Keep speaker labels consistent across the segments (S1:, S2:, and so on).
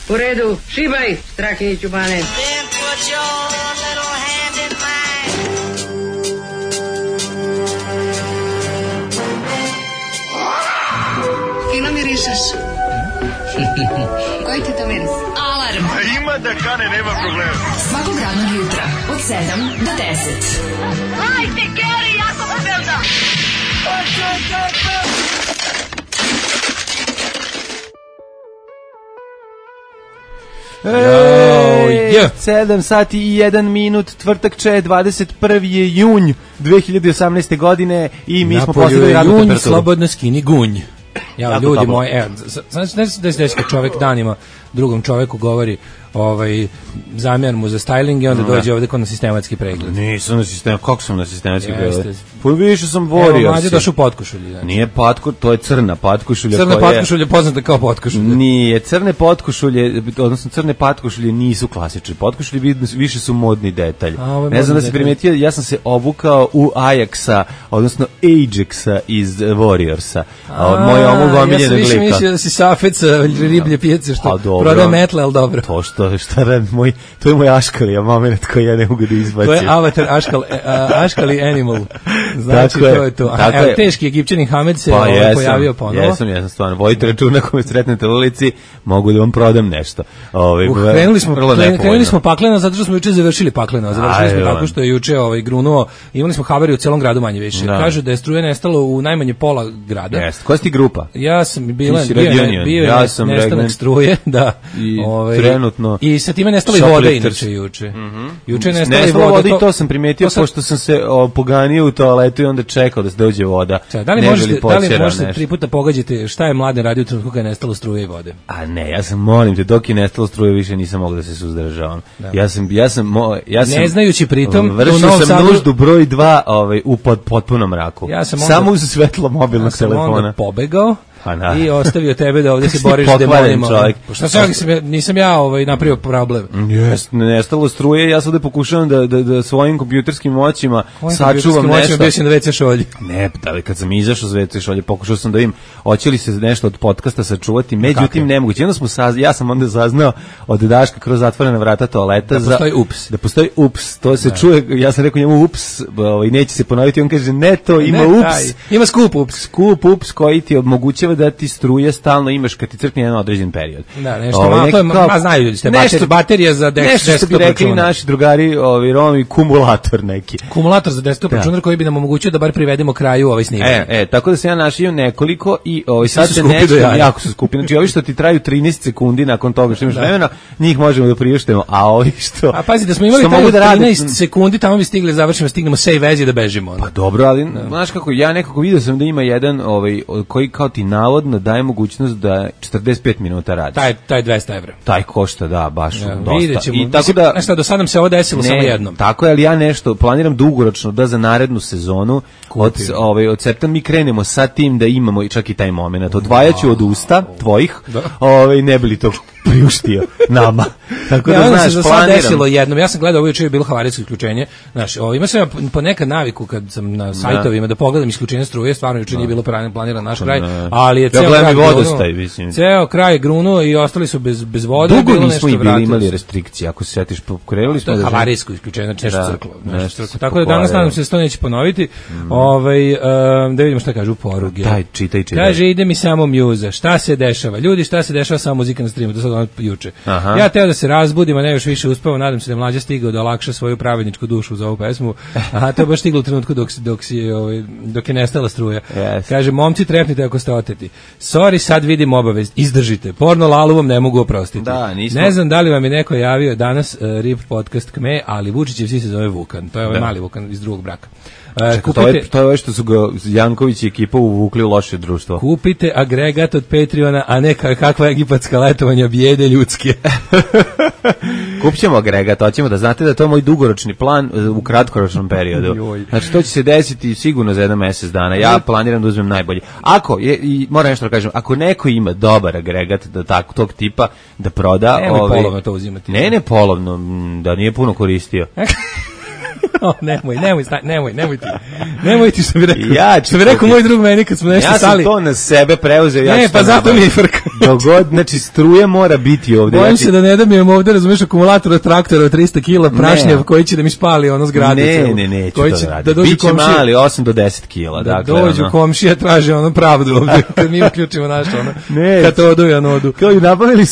S1: U redu, šibaj, Strahinjiću Bane.
S2: Fino mirišeš. Koji ti to miris? Alarm.
S3: Ima da kane, nema problema.
S2: Svakog radnog jutra, od 7 do 10.
S4: Hajde, Geri, jako se velda.
S5: 7 sati i 1 minut, tvrtak 21. je junj 2018. godine i mi smo postigli radnu
S6: junj,
S5: temperaturu.
S6: slobodno skini gunj. Ja,
S5: Jako
S6: ljudi
S5: toplo.
S6: moji, znači da se kad čovjek danima drugom čovjeku govori zamjer mu za styling i onda dođe ovdje kod na sistematski pregled.
S5: Nisam na sistem, kako sam na sistematski
S6: Jeste.
S5: pregled? Pa više sam
S6: Evo,
S5: borio
S6: mlađe
S5: se.
S6: došao u potkošulji. Znači.
S5: Nije patko, to je crna patkošulja.
S6: Crna
S5: koja je-
S6: potkošulja poznata kao potkošulja.
S5: Nije, crne potkošulje, odnosno crne patkošulje nisu klasične. Potkošulje više su modni detalj.
S6: ovo je
S5: Ne znam da
S6: modni
S5: se
S6: detalj.
S5: primetio, ja sam se obukao u Ajaxa, odnosno Ajaxa iz Warriorsa. Moj omog
S6: Ja
S5: omiljenog
S6: sam više
S5: lika.
S6: mislio da si safet sa riblje pijace
S5: Pa
S6: što
S5: dobro.
S6: prodaje metle, ali dobro.
S5: To to je moj Aškalija moment koji ja ne mogu da izbacim.
S6: To je avatar Aškali Animal. Znači,
S5: Tako je,
S6: to je to.
S5: tako
S6: Evo,
S5: je.
S6: teški Egipćanin Hamed se pojavio ponovo.
S5: Jesam, stvarno. Vojite računa ako me sretnete u ulici, mogu da vam prodam nešto.
S6: Krenuli smo pakleno zato što smo juče završili pakleno. Završili smo
S5: Ajde,
S6: tako što je juče grunuo. Imali smo havariju u celom gradu manje više.
S5: Da.
S6: Kažu da je struje nestalo u najmanje pola grada.
S5: Jeste. Koja si ti grupa?
S6: Ja sam bio
S5: Ti si Regionion.
S6: je
S5: Ja sam
S6: nestanak
S5: Regnen.
S6: struje, da.
S5: I trenutno
S6: I sa time nestalo i vode
S5: Shoplifters.
S6: inače juče. Juče je nestalo i
S5: Nestalo
S6: vode.
S5: vode i to sam primetio, pošto sam se poganio u toaletu i onda čekao da se dođe voda.
S6: Da li
S5: Ne bi
S6: možete,
S5: li
S6: da li
S5: počerao
S6: možete
S5: nešto.
S6: 3 puta pogađati šta je mladen radio u trenutku kada je nestalo struje i vode?
S5: A ne, ja sam, molim te, dok je nestalo struje više nisam mogao da se suzdržavam. Ja sam
S6: Ne znajući pritom, u
S5: vršio
S6: Novom
S5: sam
S6: Sadu-
S5: nuždu broj 2 u potpunom mraku.
S6: Ja sam onda-
S5: Samo uz svetlo mobilnog
S6: Ja sam
S5: telefona.
S6: onda pobegao
S5: Pa da.
S6: i ostavio tebe da ovdje se
S5: Kako si
S6: boriš s
S5: pokvaren
S6: demonima.
S5: čovjek.
S6: Pa šta sam, nisam ja napravio problem.
S5: Jeste, nestalo struje, ja sad ovde pokušavam da svojim kompjuterskim moćima sačuvam nešto.
S6: Bio si na WC šolji.
S5: Ne, ali kad sam izašao iz WC šolje, pokušao sam da vidim hoće li se nešto od podcasta sačuvati, međutim nemoguće. Onda ja sam onda saznao od Daška kroz zatvorena vrata toaleta da postoji ups, to se čuje, ja sam rekao njemu ups, neće se ponoviti, on kaže ne, to ima ups.
S6: Ima skup ups.
S5: Skup ups koji ti omogućava da ti struje stalno imaš kad ti crkne jedan određen period.
S6: Da, nešto malo, to je, znaju ljudi ste, baterija za
S5: nešto što bi rekli naši drugari, Romi, kumulator neki.
S6: Kumulator za desktop računar koji bi nam omogućio da bar privedemo kraju ovaj snimak.
S5: Tako da se ja našio nekoliko i sad se nešto, jako su skupi. Znači ovi što ti traju 13 sekundi nakon toga što imaš vremena, njih možemo da priuštimo, a ovi što...
S6: A pazi, da smo imali 13 sekundi, tamo bi stigli, završimo, stignemo sve veze da bežimo.
S5: Pa dobro, ali znaš kako, ja nekako vidio sam da ima jedan koji kao ti navodno daje mogućnost da 45 minuta radiš.
S6: Taj 200 evra.
S5: Taj košta, da, baš dosta.
S6: Vidjet ćemo.
S5: I tako da...
S6: Nešto, do sada nam se ovo desilo samo jednom.
S5: Tako je, ali ja nešto planiram dugoročno da za narednu sezonu od septembra mi krenemo sa tim da imamo i čak i taj moment. Odvajaću od usta tvojih, ne bi li to priuštio nama. Tako da,
S6: ono
S5: znaš,
S6: se
S5: planiram.
S6: Desilo jednom. Ja sam gledao, ovo juče je bilo havarijsko isključenje. Znaš, ima sam ja ponekad naviku kad sam na sajtovima da pogledam isključenje struje, stvarno juče nije bilo planiran naš kraj, ali je ceo kraj grunuo i ostali su bez vode.
S5: Dugo nismo i bili imali restrikcije, ako se sjetiš, krenuli smo
S6: da... Havarijsko isključenje, znači nešto crklo. Tako da danas nadam se da se to neće ponoviti. Da vidimo šta kažu poruge.
S5: Čitaj.
S6: Kaže, ide mi samo mjuza. Šta se dešava? Ljudi, šta se dešava sa muzika na streamu? To sad ono juče. Ja teo da se razbudim, a ne još više uspeo. Nadam se da je Mlađa stigao da olakša svoju pravedničku dušu za ovu pesmu. A to je baš stiglo u trenutku dok je nestala struja. Kaže, momci, trepnite ako ste oteti. Sorry, sad vidim obavez. Izdržite. Porno lalu vam ne mogu oprostiti. Ne znam da li vam je neko javio danas RIP podcast Kme, ali Vučićev sin se zove Vukan. To je ovaj mali Vukan iz drugog braka.
S5: To je ovo što su ga Janković i ekipa uvukli u loše društvo.
S6: Kupite agregat od Patreona, a ne kakva egipatska letovanja bijede ljudske.
S5: Kupćemo agregat, hoćemo da znate da to je moj dugoročni plan u kratkoročnom periodu. Znači to će se desiti sigurno za 1 mjesec dana. Ja planiram da uzmem najbolji. Ako i moram nešto da kažem, ako neko ima dobar agregat da tog tipa da proda,
S6: polovno to uzimati.
S5: Ne polovno, da nije puno koristio.
S6: Nemoj ti što bi rekao. Što bi rekao moj drug meni kad smo nešto stali.
S5: Ja sam to na sebe preuzeo.
S6: Ne, pa zato mi je frka.
S5: Dogod, znači struje mora biti ovde.
S6: Bojim se da ne dobijem ovde, razumiješ, akumulator od traktora od 300 kila prašnjav koji će da mi spali ono zgrade.
S5: Ne, neću to raditi. Biće mali, 8 do 10 kila.
S6: Da dođu komšija, traže ono pravdu ovde, kad mi uključimo naš ono. Katodu i anodu.
S5: Kao i nabavili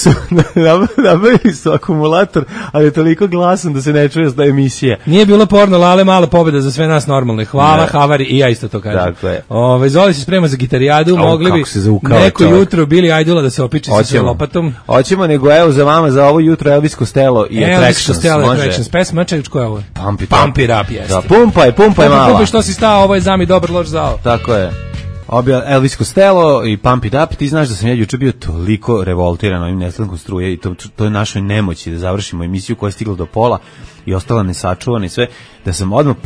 S5: su akumulator, ali je toliko glasan da se ne čuje da je emisija.
S6: Nije bilo porno, Lale, mala pobjeda za sve nas normalne. Hvala, Havari, i ja isto to kažem.
S5: Tako je.
S6: Zoli se sprema za gitarijadu, mogli bi neko jutro Billy Idola da se opiči sa lopatom.
S5: Hoćemo, nego evo za vama za ovo jutro Elvis Costello i Attractions.
S6: Attractions, pesma, čekaj, ko je ovo?
S5: Pump It
S6: Up, jeste.
S5: Da, pumpaj mala.
S6: Pumpaj što si stao, ovo je zami dobar loš zao.
S5: Tako je. Elvis Costello i Pump It Up, ti znaš da sam ja juče bio toliko revoltiran ovim nestankom struje i to je našoj nemoći da završimo emisiju koja je stigla do pola i ostala nesačuvana i sve, da sam odmah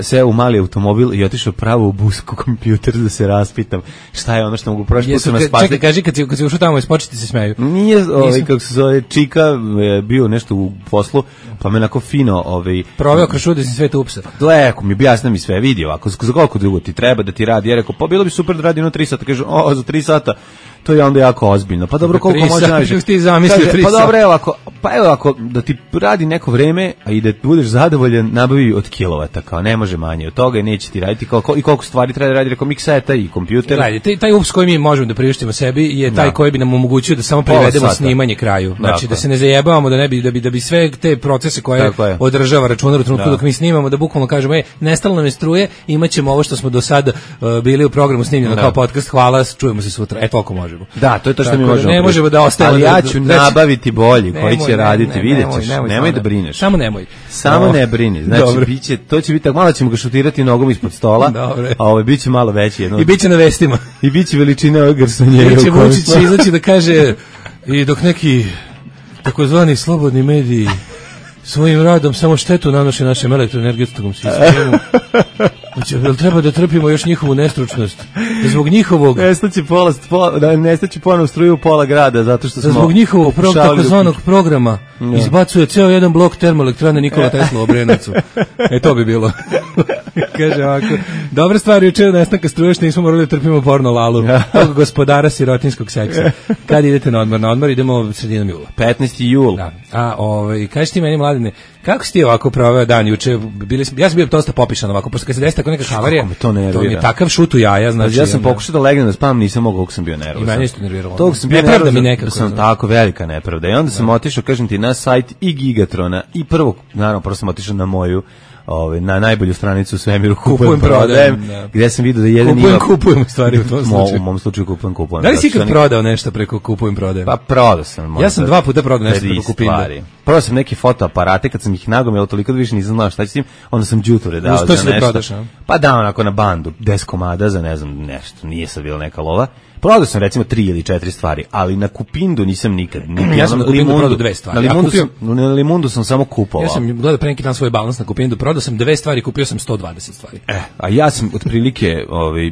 S5: seo u mali automobil i otišao pravo u busku kompjuter da se raspitam šta je ono što mogu prošli put su nas spasli.
S6: Čekaj, kaži kad si ušao tamo i spočeti se smeju.
S5: Nije, kako se zove, Čika bio nešto u poslu, pa me onako fino
S6: proveo kroz čudesni svet upsa.
S5: Leko mi objasni mi sve, vidi ovako, za koliko dugo ti treba da ti radi, ja rekao, pa bilo bi super da radi 3 sata, kaže, za 3 sata, to je onda jako ozbiljno. Pa dobro, koliko može najviše? Pa dobro, evo ako da ti radi neko vreme, a i da budeš zadovoljan, nabavi od kilovata, kao ne može manje od toga i neće ti raditi, i koliko stvari treba da radi, rekao mikseta i kompjuter.
S6: Gledaj, taj ups koji mi možemo da priuštimo sebi je taj koji bi nam omogućio da samo privedemo snimanje kraju. Znači da se ne zajebavamo, da bi sve te procese koje održava računar u trenutku dok mi snimamo, da bukvalno kažemo, nestalo nam je struje, imaćemo ovo što smo do sad bili u programu snimljeno kao podcast, hvala, čujemo se sutra. Toliko možemo.
S5: Da, to je to što mi možemo.
S6: Ne možemo da ostavimo.
S5: Ali ja ću nabaviti bolji koji će raditi, vidjet ćeš. Nemoj da brineš.
S6: Samo nemoj.
S5: Samo ne brini. Znači, to će biti tako, malo ćemo ga šutirati nogom ispod stola, a biće malo veći.
S6: I biće na vestima.
S5: I biće veličine ove garsonjere.
S6: Biće Vučić izaći da kaže, i dok neki takozvani slobodni mediji svojim radom samo štetu nanoše našem elektroenergetskom sistemu. Jel treba da trpimo još njihovu nestručnost? Zbog njihovog...
S5: Nestaće ponovo struju pola grada, zato što smo...
S6: Zbog njihovog takozvanog programa izbacuje ceo jedan blok termoelektrane Nikola Tesla u Obrenovcu. To bi bilo. Kaže ovako, dobra stvar juče nestanka struje što nismo morali da trpimo porno Lalu, tog gospodara sirotinskog seksa. Kad idete na odmor? Na odmor idemo sredinom jula.
S5: 15. jul.
S6: Da. Kaži ti meni, Mladine, kako si ti ovako proveo dan juče? Ja sam bio dosta popišan ovako, pošto kad se desi tako neka havarija, to mi je takav šut u jaja. Znači,
S5: ja sam pokušao da legnem da spavam, nisam mogao, kako sam bio nervozan.
S6: I meni isto nerviralo.
S5: Tog sam bio nervozan, sam tako velika nepravda. I onda sam otišao, kažem ti, na sajt i Gigatrona i prvo sam otišao na moju na najbolju stranicu u svemiru kupujem prodajem, gde sam vidio da jedan
S6: kupujem stvari u tom slučaju.
S5: U mom slučaju kupujem.
S6: Da li si ikad prodao nešto preko kupujem prodajem?
S5: Pa prodao sam.
S6: Ja sam 2 puta prodao nešto preko Kupinda.
S5: Prodao sam neke fotoaparate, kad sam ih nagomilao toliko da više nisam znao šta ću s tim, onda sam đuture dao za nešto.
S6: Prodaš,
S5: pa dao onako na bandu 10 komada za ne znam nešto, nije sad bila neka lova. Prodao sam recimo 3 ili 4 stvari, ali na Kupindu nisam nikad.
S6: Ja sam na Kupindu prodao 2 stvari.
S5: Na Limundu sam samo kupovao.
S6: Ja sam gledao pre neki dan svoj balans na Kupindu, prodao sam 2 stvari, kupio sam 120 stvari.
S5: A ja sam otprilike,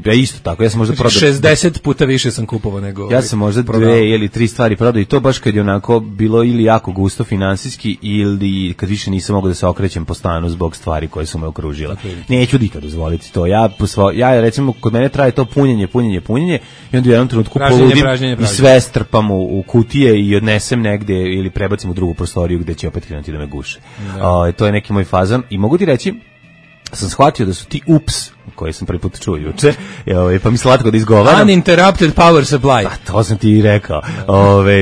S5: ja isto tako, ja sam možda prodao
S6: 60 puta više sam kupovao nego.
S5: Ja sam možda 2 ili 3 stvari prodao i to baš kad je onako bilo ili jako gusto finansijski ili kad više nisam mogao da se okrećem po stanu zbog stvari koje su me okružile. Neću nikad dozvoliti to. Ja recimo kod mene traje to punjenje i onda u jednom trenutku poludim i sve strpam u kutije i odnesem negde ili prebacim u drugu prostoriju gde će opet krenuti da me guše. To je neki moj fazan i mogu ti reći, sam shvatio da su ti ups koje sam prvi put čuo juče, pa mi slatko da izgovaram.
S6: Uninterrupted power supply.
S5: Pa to sam ti i rekao.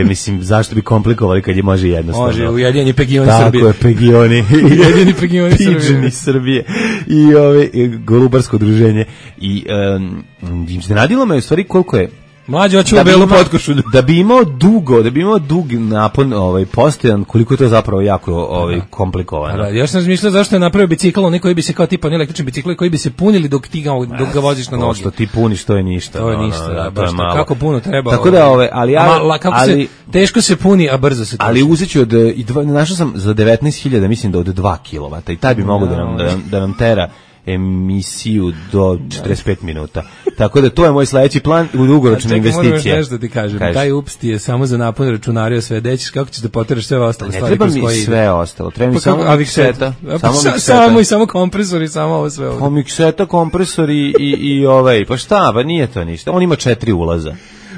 S5: Mislim, zašto bi komplikovali kad je može jednostavno.
S6: Može, ujedinjeni pegioni Srbije.
S5: Tako je, pegioni.
S6: Ujedinjeni pegioni
S5: Srbije. I Golubarsko udruženje. I iznenadilo me u stvari koliko je
S6: mlađe hoćemo belu potkošulju.
S5: Da bi imao dug napon postojan, koliko je to zapravo jako komplikovano.
S6: Da, ja sam razmišljao zašto je napravio bicikl, oni koji bi se kao tipa električni bicikli koji bi se punili dok ga voziš na noge.
S5: Što ti puniš, to je ništa.
S6: To je ništa, baš kako puno treba.
S5: Tako da
S6: ali teško se puni, a brzo se troši.
S5: Ali uzeću našao sam za 19.000, mislim da od 2 kW i taj bi mogao da nam tera emisiju do 45 minuta. Tako da to je moj sledeći plan u dugoročne investicije.
S6: Moram nešto ti kažem. Taj ups ti je samo za napon računarija sve dećiš, kako ćeš da poteraš sve ostale stvari.
S5: Ne treba mi sve ostalo, treba mi samo mikseta.
S6: Samo kompresori, samo ovo sve ovdje.
S5: Pa mikseta, kompresori i ovaj, pa šta, pa nije to ništa. On ima 4 ulaza.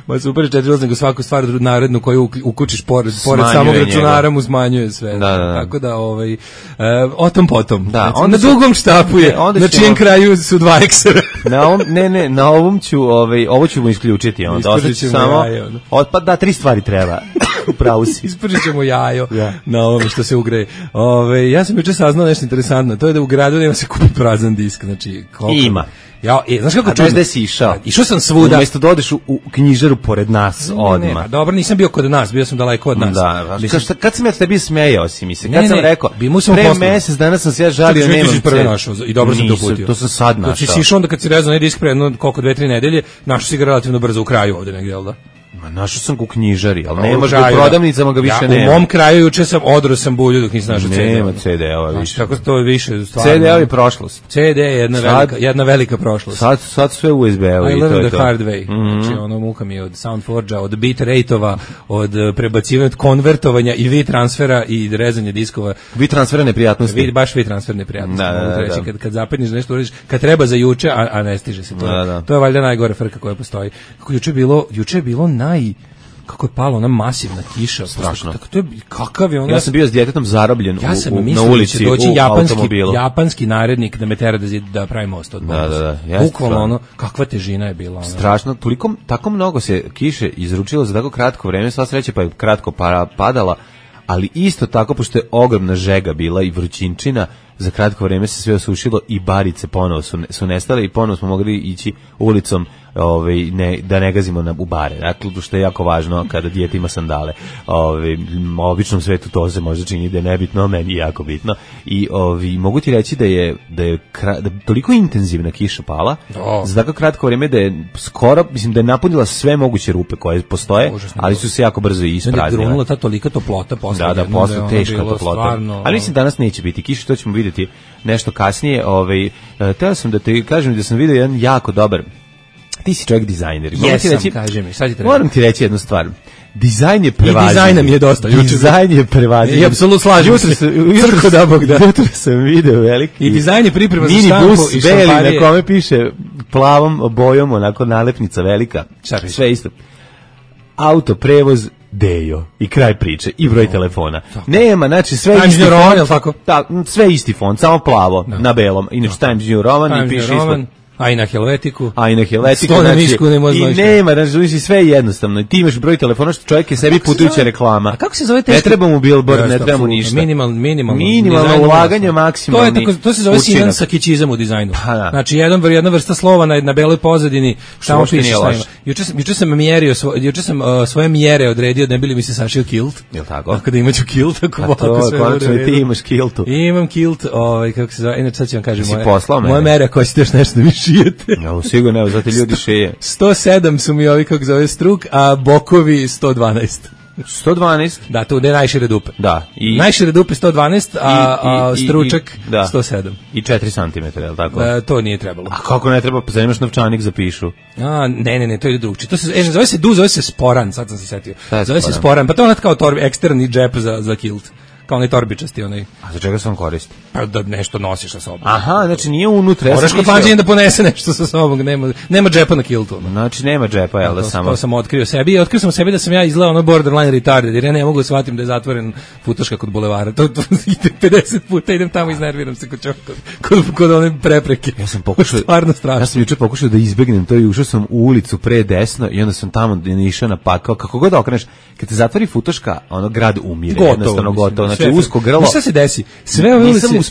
S6: Ma super, 4 ulaza, nego svaku stvar narednu koju ukučiš pored samog računara mu smanjuje sve.
S5: Da.
S6: Tako da, o tom potom.
S5: Da,
S6: znači, na dugom štapu je, na čijem kraju su 2 eksera.
S5: Na ovom ću, ovo ću mu isključiti.
S6: Ispržit ćemo jajo.
S5: Pa da, 3 stvari treba. Upravo si.
S6: Ispržit ćemo jajo na ovome što se ugreje. Ja sam juče saznao nešto interesantno, to je da u gradu nema se kupi prazan disk. Znači,
S5: ima.
S6: Znaš kako
S5: čujem? Gde si išao?
S6: Išao sam svuda.
S5: Umesto da odeš u knjižaru pored nas odmah.
S6: Dobro, nisam bio kod nas, bio sam daleko od nas.
S5: Da, kad sam ja tebi smejao si mi se, kad sam rekao, pre mesec dana sam se ja žalio, nemam
S6: prvo našao i dobro sam te uputio.
S5: To sam sad našao.
S6: Znači si išao onda kad si rezao onaj disk pre 2-3 nedelje, našao si ga relativno brzo u kraju ovde negdje, jel da?
S5: Ma našao sam ga u knjižari, ali nema ga u prodavnicama, ga više nema.
S6: U mom kraju juče sam odro sam bulju dok nisam našao CD.
S5: Nema CD-ova više.
S6: Tako to je više stvarno.
S5: CD-ovi prošlost.
S6: CD je jedna velika prošlost.
S5: Sad sve USB-ovi i to je to.
S6: I learned the hard way. Znači ono muka mi od SoundForge-a, od bitrate-ova, od prebacivanja, od konvertovanja i V-transfera i rezanja diskova.
S5: V-transfera neprijatnosti.
S6: Baš V-transfer neprijatnosti. Da. Kad zapadniš nešto uradiš, kad treba za juče, a ne stiže se to. To je valjda najgore frka koja postoji. Kako juče je bilo kako je pala ona masivna kiša,
S5: strašno.
S6: Kakav je ona.
S5: Ja sam bio s djetetom zarobljen na ulici u automobilu.
S6: Japanski narednik da me tera da pravi most od bonusa.
S5: Da.
S6: Bukvalno ono, kakva težina je bila.
S5: Strašno, tako mnogo se kiše izručilo za tako kratko vreme, sva sreća pa je kratko padala, ali isto tako, pošto je ogromna žega bila i vrućinčina, za kratko vreme se sve osušilo i barice ponovo su nestale i ponovo smo mogli ići ulicom da ne gazimo u bare. Dakle, što je jako važno kada dijete ima sandale. U običnom svetu to se možda čini da je nebitno, meni je jako bitno. I mogu ti reći da je toliko intenzivna kiša pala, za tako kratko vreme da je skoro, mislim da je napunila sve moguće rupe koje postoje, ali su se jako brzo ispraznile.
S6: Da je grunula ta tolika toplota posle.
S5: Da, posle teška toplota. Ali mislim danas neće biti kiše, to ćemo vidjeti nešto kasnije. Teo sam da ti kažem da sam vidio jedan jako dobar. Ti si čovjek dizajner.
S6: Kaži mi, šta ti treba?
S5: Moram ti reći jednu stvar. Dizajn je prevaziđen.
S6: I dizajn nam je dosta.
S5: Dizajn je prevaziđen.
S6: I apsolutno slažem se. Crko da Bog da.
S5: Jutro sam video veliki.
S6: I dizajn je priprema za štampu i štamparije.
S5: Minibus na kome piše plavom bojom, onako nalepnica velika. Sve isto. Auto, prevoz, Dejo. I kraj priče. I broj telefona. Nema, znači sve isti font. Sve isti font, samo plavo na belom. Inače Times New Roman i piše ispod.
S6: A i na Helvetiku.
S5: Znači, i nema, znači sve jednostavno. I ti imaš broj telefona što čovjek je sebi putujuća reklama.
S6: A kako se zove teško?
S5: Ne treba mu billboard, ne treba mu ništa. Minimalno ulaganje, maksimalni.
S6: To se zove sinan sakićizam u dizajnu. Znači jedna vrsta slova na beloj pozadini, tamo piše šta ima. Juče sam svoje mjere odredio da ne bili mi se sašio kilt.
S5: Jel tako?
S6: Tako da imaću kilt, ako
S5: konačno i ti imaš kiltu.
S6: Imam kilt, kako se zove, inače sad ću vam kažem
S5: moje
S6: mere ako ćete još nešto da mi šijete.
S5: No, sigurno, evo, zato ljudi šije.
S6: 107 su mi ovi, kako zove, struk, a bokovi 112.
S5: 112?
S6: Da, tu je najšire dupe.
S5: Da.
S6: Najšire dupe 112, a stručak 107.
S5: I 4 cm, je li tako?
S6: To nije trebalo.
S5: A kako ne treba? Pa zanimaš novčanik za pišu.
S6: Ne, to je drugčije. Zove se du, zove se sporan, sad sam se setio. Zove se sporan, pa to je kao eksterni džep za kilt. Kao onaj torbičasti, onaj.
S5: A za čega se on koristi?
S6: Pa da nešto nosiš sa sobom.
S5: Aha, znači nije unutra.
S6: Moraš kod mlađenja da ponese nešto sa sobom, nema džepa na kiltu.
S5: Znači nema džepa, jel da samo...
S6: To sam otkrio sebi i otkrio sam sebi da sam ja izgledao ono borderline retarded, jer ja ne mogu da shvatim da je zatvoren futoška kod bulevara. To 50 puta idem tamo i iznerviram se kod one prepreke.
S5: Ja sam pokušao,
S6: stvarno strašno.
S5: Ja sam juče pokušao da izbegnem to i ušao sam u ulicu pre desno i onda sam tamo išao na pakao. Kako god okreneš, kad te zatvori futoška, ono grad umire, jednostavno gotovo. Znači usko grlo.
S6: Šta se desi?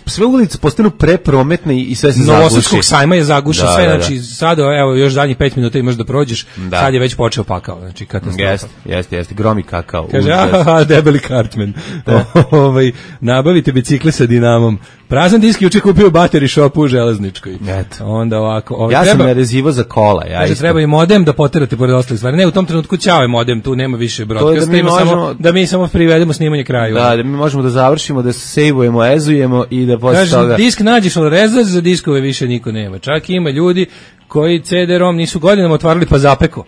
S5: Sve ulice postanu preprometne i sve se zaguši.
S6: Novosadskog sajma je zagušio sve, znači sad evo još zadnjih 5 minuta imaš da prođeš, sad je već počeo pakao, znači katastrofa.
S5: Jeste, gromi kakao.
S6: Kaže, debeli kartmen. Nabavite bicikle sa dinamom. Prazan disk juče kupio bateri shopu u Železničkoj.
S5: Eto.
S6: Onda ovako,
S5: ja sam narezivo za kola.
S6: Treba i modem da poterate pored ostalih stvari. Ne, u tom trenutku ćao je modem, tu nema više broadcasta, da mi samo privedemo snimanje kraju.
S5: Da mi možemo da završimo, da se sejvujemo, ezujemo i da posle toga...
S6: Disk nađeš, ali rezać za diskove više niko nema. Čak ima ljudi koji CD-ROM nisu godinama otvarali pa zapeko.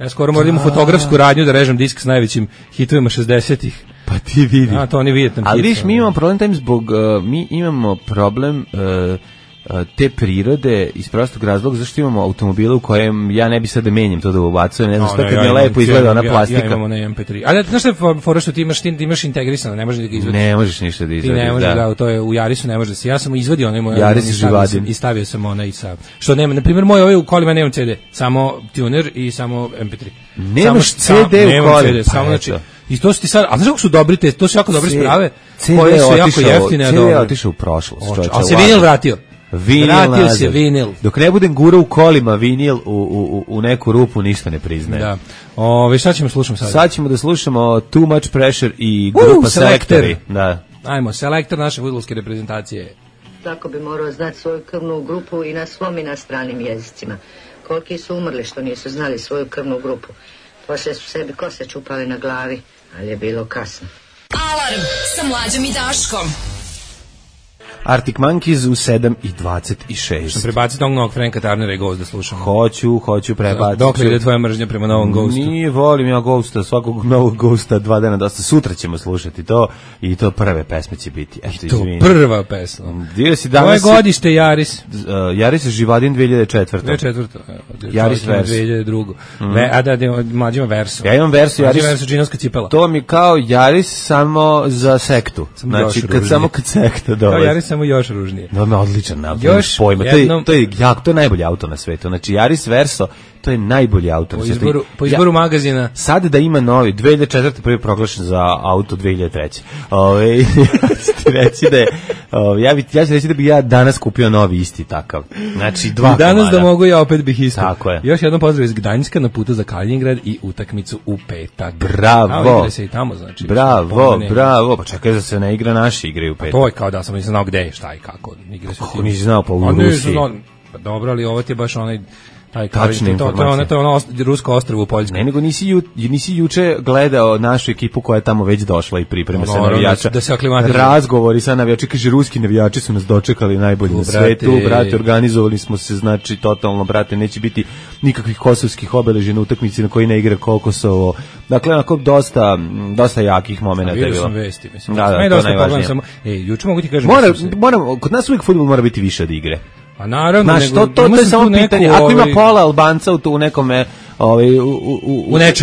S6: Ja skoro moram fotografsku radnju da režem disk s najvećim hitovima 60-ih.
S5: Pa ti vidi.
S6: To oni Vijetnam.
S5: Ali viš, mi imamo problem time zbog, mi imamo problem te prirode iz prostog razloga zašto imamo automobile u kojem ja ne bi sad da menjam to da ubacujem, ne znam što kad mi lepo izgleda ona plastika.
S6: Ja imam na MP3. Ali znaš što je fora što ti imaš integrisano, ne možeš da ga izvadiš.
S5: Ne možeš ništa da izvadiš.
S6: Ti ne možeš da, to je u Jarisu ne može da se. Ja sam izvadio onaj moj i stavio sam onaj sa što nema, na primjer moj ovaj u kolima nemam CD, samo tuner i samo MP3.
S5: Nemaš CD u kolima,
S6: samo znači i to su ti sad, a znaš kako su dobri te, to su jako dobre sprave, koje su jako jeftine.
S5: CD je otišao u prošlost.
S6: A se vinil vratio.
S5: Vratio se vinil. Dok ne budem gurao u kolima vinil u neku rupu, ništa ne priznaje.
S6: Da. Šta ćemo slušati sad?
S5: Sad ćemo da slušamo Too Much Pressure i grupa Selektori. Da.
S6: Ajmo, Selektor naše fudbalske reprezentacije.
S7: Tako bi morao znati svoju krvnu grupu i na svom i na stranim jezicima. Koliki su umrli što nisu znali svoju krvnu grupu. Poslije su sebi kose čupali na glavi, ali je bilo kasno.
S2: Alarm sa Mlađom i Daškom.
S5: Arctic Monkeys u 7:26.
S6: Što prebaciti onog novog Franka Tarnera i Ghost da slušamo?
S5: Hoću prebaciti.
S6: Dok li ide tvoja mržnja prema novom Ghostu?
S5: Nije, volim ja Ghosta, svakog novog Ghosta 2 dana dosta. Sutra ćemo slušati to i to prve pesme će biti.
S6: Eto, to prva pesma. Koje godište Jaris?
S5: Jaris je Živadin 2004.
S6: 2004.
S5: Jaris Vers.
S6: 2002. A da, mlađima Verso.
S5: Ja imam Verso, Jaris.
S6: Verso, džinovska cipela.
S5: To mi kao Jaris samo za sektu. Znači, kad sekta dolazi.
S6: Jaris samo još ružnije.
S5: No, odličan nabor pojma. To je najbolji auto na svetu. Znači, Jaris Verso, to je najbolji auto na svetu.
S6: Po izboru magazina.
S5: Sad da ima novi, 2004. prvi proglašen za auto 2003. Ti reći da je, ja ću reći da bih ja danas kupio novi isti takav. Znači, 2 komada.
S6: Danas da mogu ja opet bih isto.
S5: Tako je.
S6: Još jednom pozdrav iz Gdańska na putu za Kaliningrad i utakmicu u petak.
S5: Bravo.
S6: Igra se i tamo, znači.
S5: Bravo. Pa čekaj da se ne igra, naši igraju u petak.
S6: To je kao da sam nisam znao gde je, šta i kako.
S5: Kako nisi znao, pa u Rusiji.
S6: Pa dobro, ali ovo ti je baš onaj
S5: tačne informacije.
S6: To je ono rusko ostrvo u Poljskoj.
S5: Ne, nego nisi juče gledao našu ekipu koja je tamo već došla i priprema se navijača.
S6: Da se aklimatizuje.
S5: Razgovori sa navijači, kaže, ruski navijači su nas dočekali najbolji na svetu, brate, organizovali smo se, znači, totalno, brate, neće biti nikakvih kosovskih obeležja na utakmici na koji ne igra Kosovo. Dakle, onako, dosta jakih momenata je bilo.
S6: Vidio sam vesti, mislim.
S5: Da, to je najvažnije.
S6: Juče mogu ti kažem...
S5: Kod nas uvijek fudbal mora biti više od igre.
S6: A naravno,
S5: znaš, to je samo pitanje. Ako ima pola Albanca u nekome,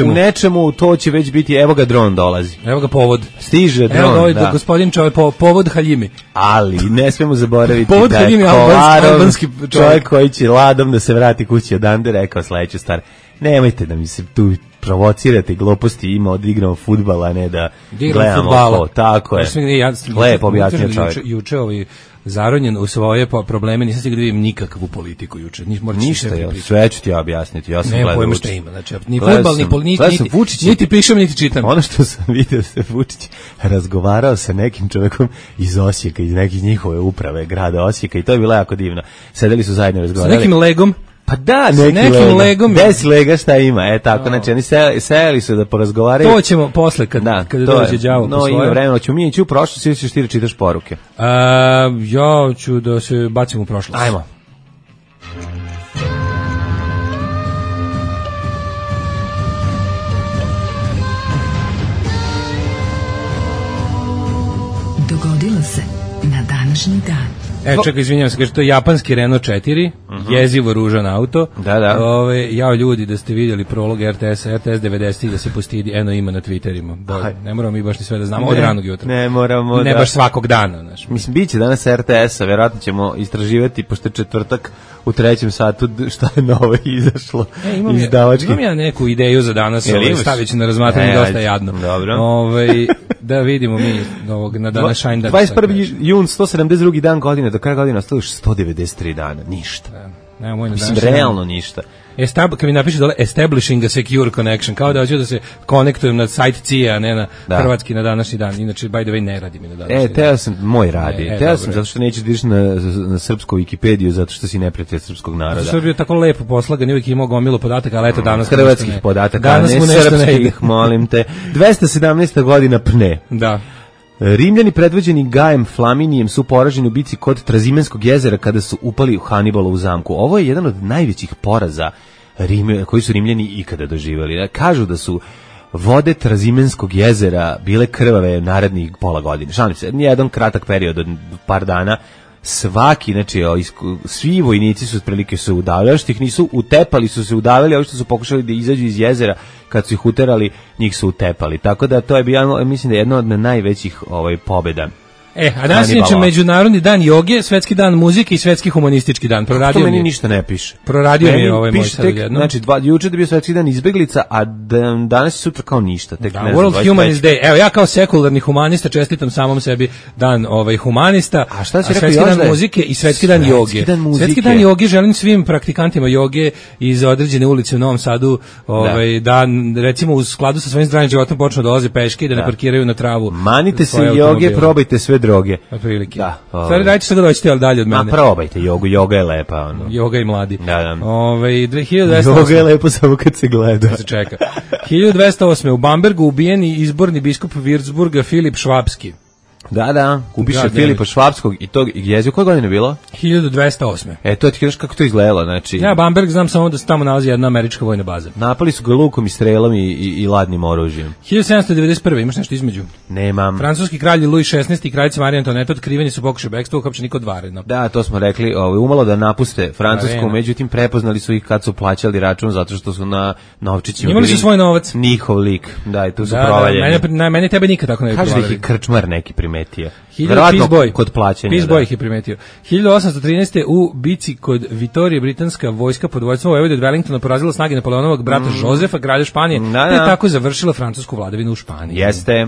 S5: u nečemu, to će već biti, evo ga dron dolazi.
S6: Evo ga povod.
S5: Stiže dron,
S6: evo ga da. Gospodin čovjek, povod Haljimi.
S5: Ali ne smemo zaboraviti
S6: povod
S5: da
S6: je
S5: albanski čovjek koji će ladom da se vrati kući odande rekao sledeću stvar. Nemojte da mi se tu provocirate gluposti, ima odigramo fudbal, a ne da gledamo to. Tako je. Lepo objasnio čovjek.
S6: Juče zaronjen u svoje probleme, nisam stigao da vidim nikakvu politiku juče.
S5: Ništa, sve ću ti ja objasniti. Ja sam
S6: gledao pojma šta ima. Znači, ni fudbal, ni politika, niti pišem, niti čitam.
S5: Ono što sam vidio se Vučić razgovarao sa nekim čovjekom iz Osijeka, iz nekih njihove uprave grada Osijeka i to je bilo jako divno. Sedeli su zajedno razgovarali.
S6: Sa nekim legom?
S5: Pa da, nekim legom. Bez lega šta ima, tako, znači oni sejali su da porazgovaraju.
S6: To ćemo posle, kada dođe đavo po svoje.
S5: No, ima vremena, ćemo mi ići u prošlost, ili ćeš ti da čitaš poruke?
S6: Ja ću da se bacim u prošlost.
S5: Ajmo.
S2: Dogodilo se na današnji dan.
S6: Čekaj, izvinjam se, kaže, to je japanski Renault 4, jezivo ružan auto.
S5: Da.
S6: Jao ljudi, da ste vidjeli prolog RTS 90 da se postidi, eno ima na Twitterima. Ne moramo mi baš ni sve da znamo, od ranog jutra.
S5: Ne moramo,
S6: ne baš svakog dana. Znaš.
S5: Mislim, bit će danas RTS-a, vjerojatno ćemo istraživati, pošto je četvrtak u 3. satu, šta je novo izašlo izdavački.
S6: Imam ja neku ideju za danas, stavit ću na razmatranje, dosta jadno.
S5: Dobro.
S6: Da vidimo mi na današnji dan.
S5: 21. jun, 172. dan godine, do kraja godine ostalo još 193 dana, ništa. Mislim, realno ništa.
S6: Kad mi napiše dole establishing a secure connection, kao da hoću da se konektujem na sajt CIA, a ne na hrvatski na današnji dan. Inače, by the way, ne radi mi na današnji dan.
S5: Teo sam, moj radi. Teo sam zato što nećeš da ideš na srpsku Wikipediju, zato što si neprijatelj srpskog naroda.
S6: Zato je bio tako lepo poslagan, uvijek imao gomilu podataka, ali eto danas
S5: hrvatskih podataka, ne srpskih, molim te. 217. godina pne.
S6: Da.
S5: Rimljani predvođeni Gajem Flaminijem su poraženi u bici kod Trazimenskog jezera kada su upali u Hanibalovu zamku. Ovo je jedan od najvećih poraza koji su Rimljani ikada doživjeli. Kažu da su vode Trazimenskog jezera bile krvave narednih pola godine. Šalim se, jedan kratak period od par dana. Svaki, znači, svi vojnici su otprilike se udavljali, što ih nisu utepali, su se udavljali, ovi što su pokušali da izađu iz jezera, kad su ih uterali, njih su utepali. Tako da to je bio, mislim da je jedna od najvećih pobjeda.
S6: A danas je Međunarodni dan joge, Svetski dan muzike i Svetski humanistički dan.
S5: To meni ništa ne piše.
S6: Proradio mi je ovaj moj sad jedno.
S5: Znači, juče je bio Svetski dan izbeglica, a danas i sutra kao ništa. Tek,
S6: da, World Humanist Day. Evo, ja kao sekularni humanista čestitam samom sebi dan humanista,
S5: a šta si
S6: Svetski dan muzike i Svetski dan joge. Svetski dan joge želim svim praktikantima joge iz određene ulice u Novom Sadu da recimo u skladu sa svojim zdravim životom počnu da dolaze peške i da ne parkiraju na travu.
S5: Manite se joge, probajte sve droge.
S6: Otprilike. Da. Stvari, dajte što da doćete, ali dalje od mene.
S5: Ma probajte jogu, joga je lepa. Ono.
S6: Joga i mladi.
S5: Da.
S6: 2208.
S5: Joga je lepo samo kad se gleda.
S6: Da se čeka. 1208. U Bambergu ubijeni izborni biskup Würzburga Filip Švapski.
S5: Da, kupiše Filipa Švapskog i tog jezio. Koje godine je bilo?
S6: 1208.
S5: To ti kažeš kako to izgledalo, znači.
S6: Ja Bamberg znam samo da se tamo nalazi jedna američka vojna baza.
S5: Napali su ga lukom i strelom i ladnim oružjem.
S6: 1791. Imaš nešto između?
S5: Nemam.
S6: Francuski kralj Louis XVI i kraljica Marija Antoinette otkriveni su pokušaj bekstva, uhapšeni kod Varena.
S5: Da, to smo rekli, umalo da napuste Francusku, međutim prepoznali su ih kad su plaćali račun zato što su na novčićima.
S6: Imali su svoj novac.
S5: Njihov lik. Da, i tu su provaljeni.
S6: Mene tebe nikad tako ne bi
S5: provaljali. Kaže da ih krčmar neki primetio.
S6: Peace
S5: kod plaćanja.
S6: Peace Boy ih je primetio. 1813. u bici kod Vitorije britanska vojska pod vojstvom Vojvode od Wellingtona porazila snage Napoleonovog brata Jozefa, kralja Španije, te tako završila francusku vladavinu u Španiji.
S5: Jeste.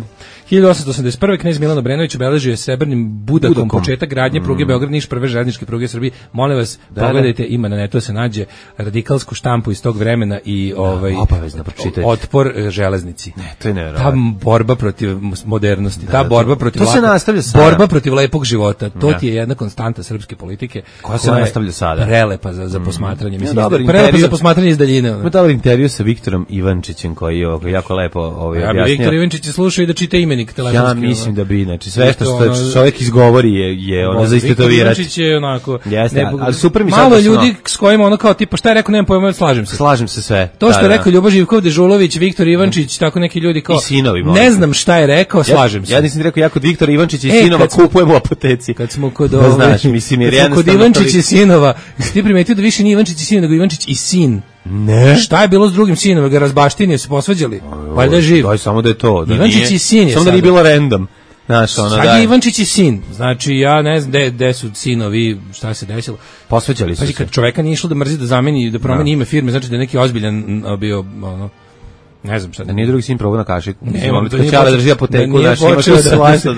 S6: 1881. knez Milan Obrenović obeležio je srebrnim budakom početak gradnje pruge Beograd-Niš, prve željezničke pruge Srbije. Molim vas, pogledajte, ima na netu se nađe radikalsku štampu iz tog vremena i
S5: obavezno pročitajte.
S6: Otpor železnici.
S5: Ne, to je nevjerovatno.
S6: Ta borba protiv modernosti, ta borba protiv
S5: to se nastavlja sada.
S6: Borba protiv lepog života. To ti je jedna konstanta srpske politike
S5: koja se nastavlja sada.
S6: Prelepa za posmatranje, mislim. Prelepa za posmatranje iz daljine.
S5: Ima dobar intervju sa Viktorom Ivančićem koji je jako lepo objasnio.
S6: Ja bi Viktor Ivančić slušao i da čita imenik telefonski.
S5: Ja mislim da bi, znači sve što čovjek izgovori je ono za istetovirati.
S6: Ivančić je onako.
S5: Jeste, ali super mi sad.
S6: Malo ljudi s kojima ono kao tipa šta je rekao, nemam pojma, slažem se.
S5: Slažem se sve.
S6: To što je rekao Ljubo Živkov, Dežulović, Viktor Ivančić, tako neki ljudi kao.
S5: I sinovi.
S6: Ne znam šta je rekao, slažem se.
S5: Ja nisam rekao, ja kod Viktora Ivančića i sinova kupujem u apoteci.
S6: Kad smo kod
S5: znaš, mislim, jer
S6: kod Ivančića i sinova, ti primetio da više nije Ivančić i sin, nego Ivančić i sin.
S5: Ne.
S6: Šta je bilo s drugim sinom? Ga razbaštinio, se posvađali. Valjda je živ.
S5: Daj samo da je to.
S6: Ivančić i sin je.
S5: Samo da nije bilo random. Znaš, ono,
S6: sad je Ivančić i sin. Znači, ja ne znam gde su sinovi, šta se desilo.
S5: Posvećali su se.
S6: Kad čoveka nije išlo da mrzi, da zameni, da promeni ime firme, znači da je neki ozbiljan bio, ono, ne znam šta.
S5: Da nije drugi sin probao na kašiku.
S6: Nemam,
S5: to nije drži apoteku,
S6: da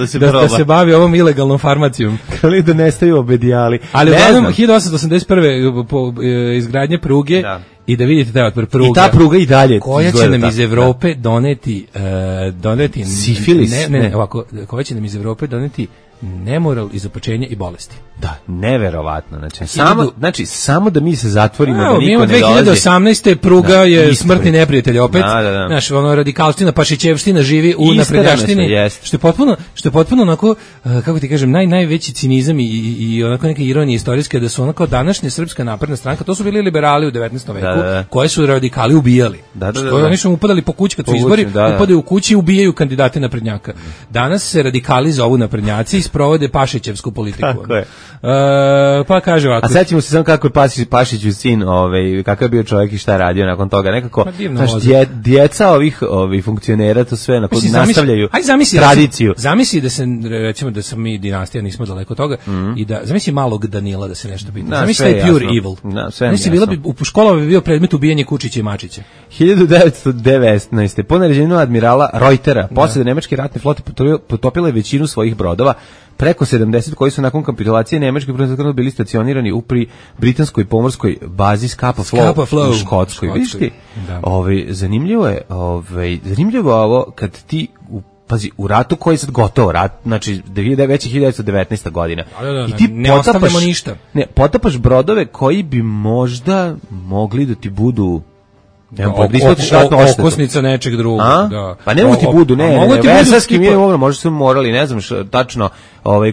S6: se da se bavi ovom ilegalnom farmacijom.
S5: Kali da nestaju obedijali.
S6: Ali uglavnom, 1881. Izgradnje pruge i da vidite taj otpor pruga.
S5: I ta pruga i dalje.
S6: Koja će nam iz Evrope doneti
S5: sifilis.
S6: Ne, ovako, koja će nam iz Evrope doneti nemoral, izopačenje i bolesti.
S5: Da, neverovatno. Samo da mi se zatvorimo, da niko ne
S6: dolazi. 2018. pruga je smrtni neprijatelj opet. Znaš, ono radikalština, pašićevština živi u naprednjaštini. Što je potpuno onako, kako ti kažem, najveći cinizam i onako neka ironija istorijska da su onako današnja Srpska napredna stranka, to su bili liberali u 19. veku, koje su radikali ubijali. Oni su upadali po kući kad su izbori, upadaju u kući i ubijaju kandidate naprednjaka. Danas se radikali zovu naprednjaci i sprovode pašićevsku politiku.
S5: Tako je.
S6: Pa kaže ovako.
S5: A sećamo se samo kako je Pašiću sin, kakav je bio čovjek i šta je radio nakon toga. Nekako, djeca ovih funkcionera to sve nastavljaju tradiciju.
S6: Zamisli da se, recimo da sam mi dinastija, nismo daleko od toga, i da, zamisli malog Danila da se nešto pita. Zamisli taj pure evil. U školama bi bio predmet ubijanje Kučića i Mačića.
S5: 1919. Po naređenju admirala Reutera, posle nemačke ratne flote potopila je većinu svojih brodova, preko 70 koji su nakon kapitulacije Nemačke bili stacionirani u britanskoj pomorskoj bazi Scapa Flow u Škotskoj. Vidiš ti? Zanimljivo je ovo kad ti pazi, u ratu koji je sad gotovo rat, znači već je 1919. godina. I ti
S6: ne ostavljamo ništa.
S5: Ne, potapaš brodove koji bi možda mogli da ti budu
S6: okosnica nečeg drugog. Da.
S5: Pa ne mogu ti budu, vesarski mi je ovo, možda su morali, ne znam tačno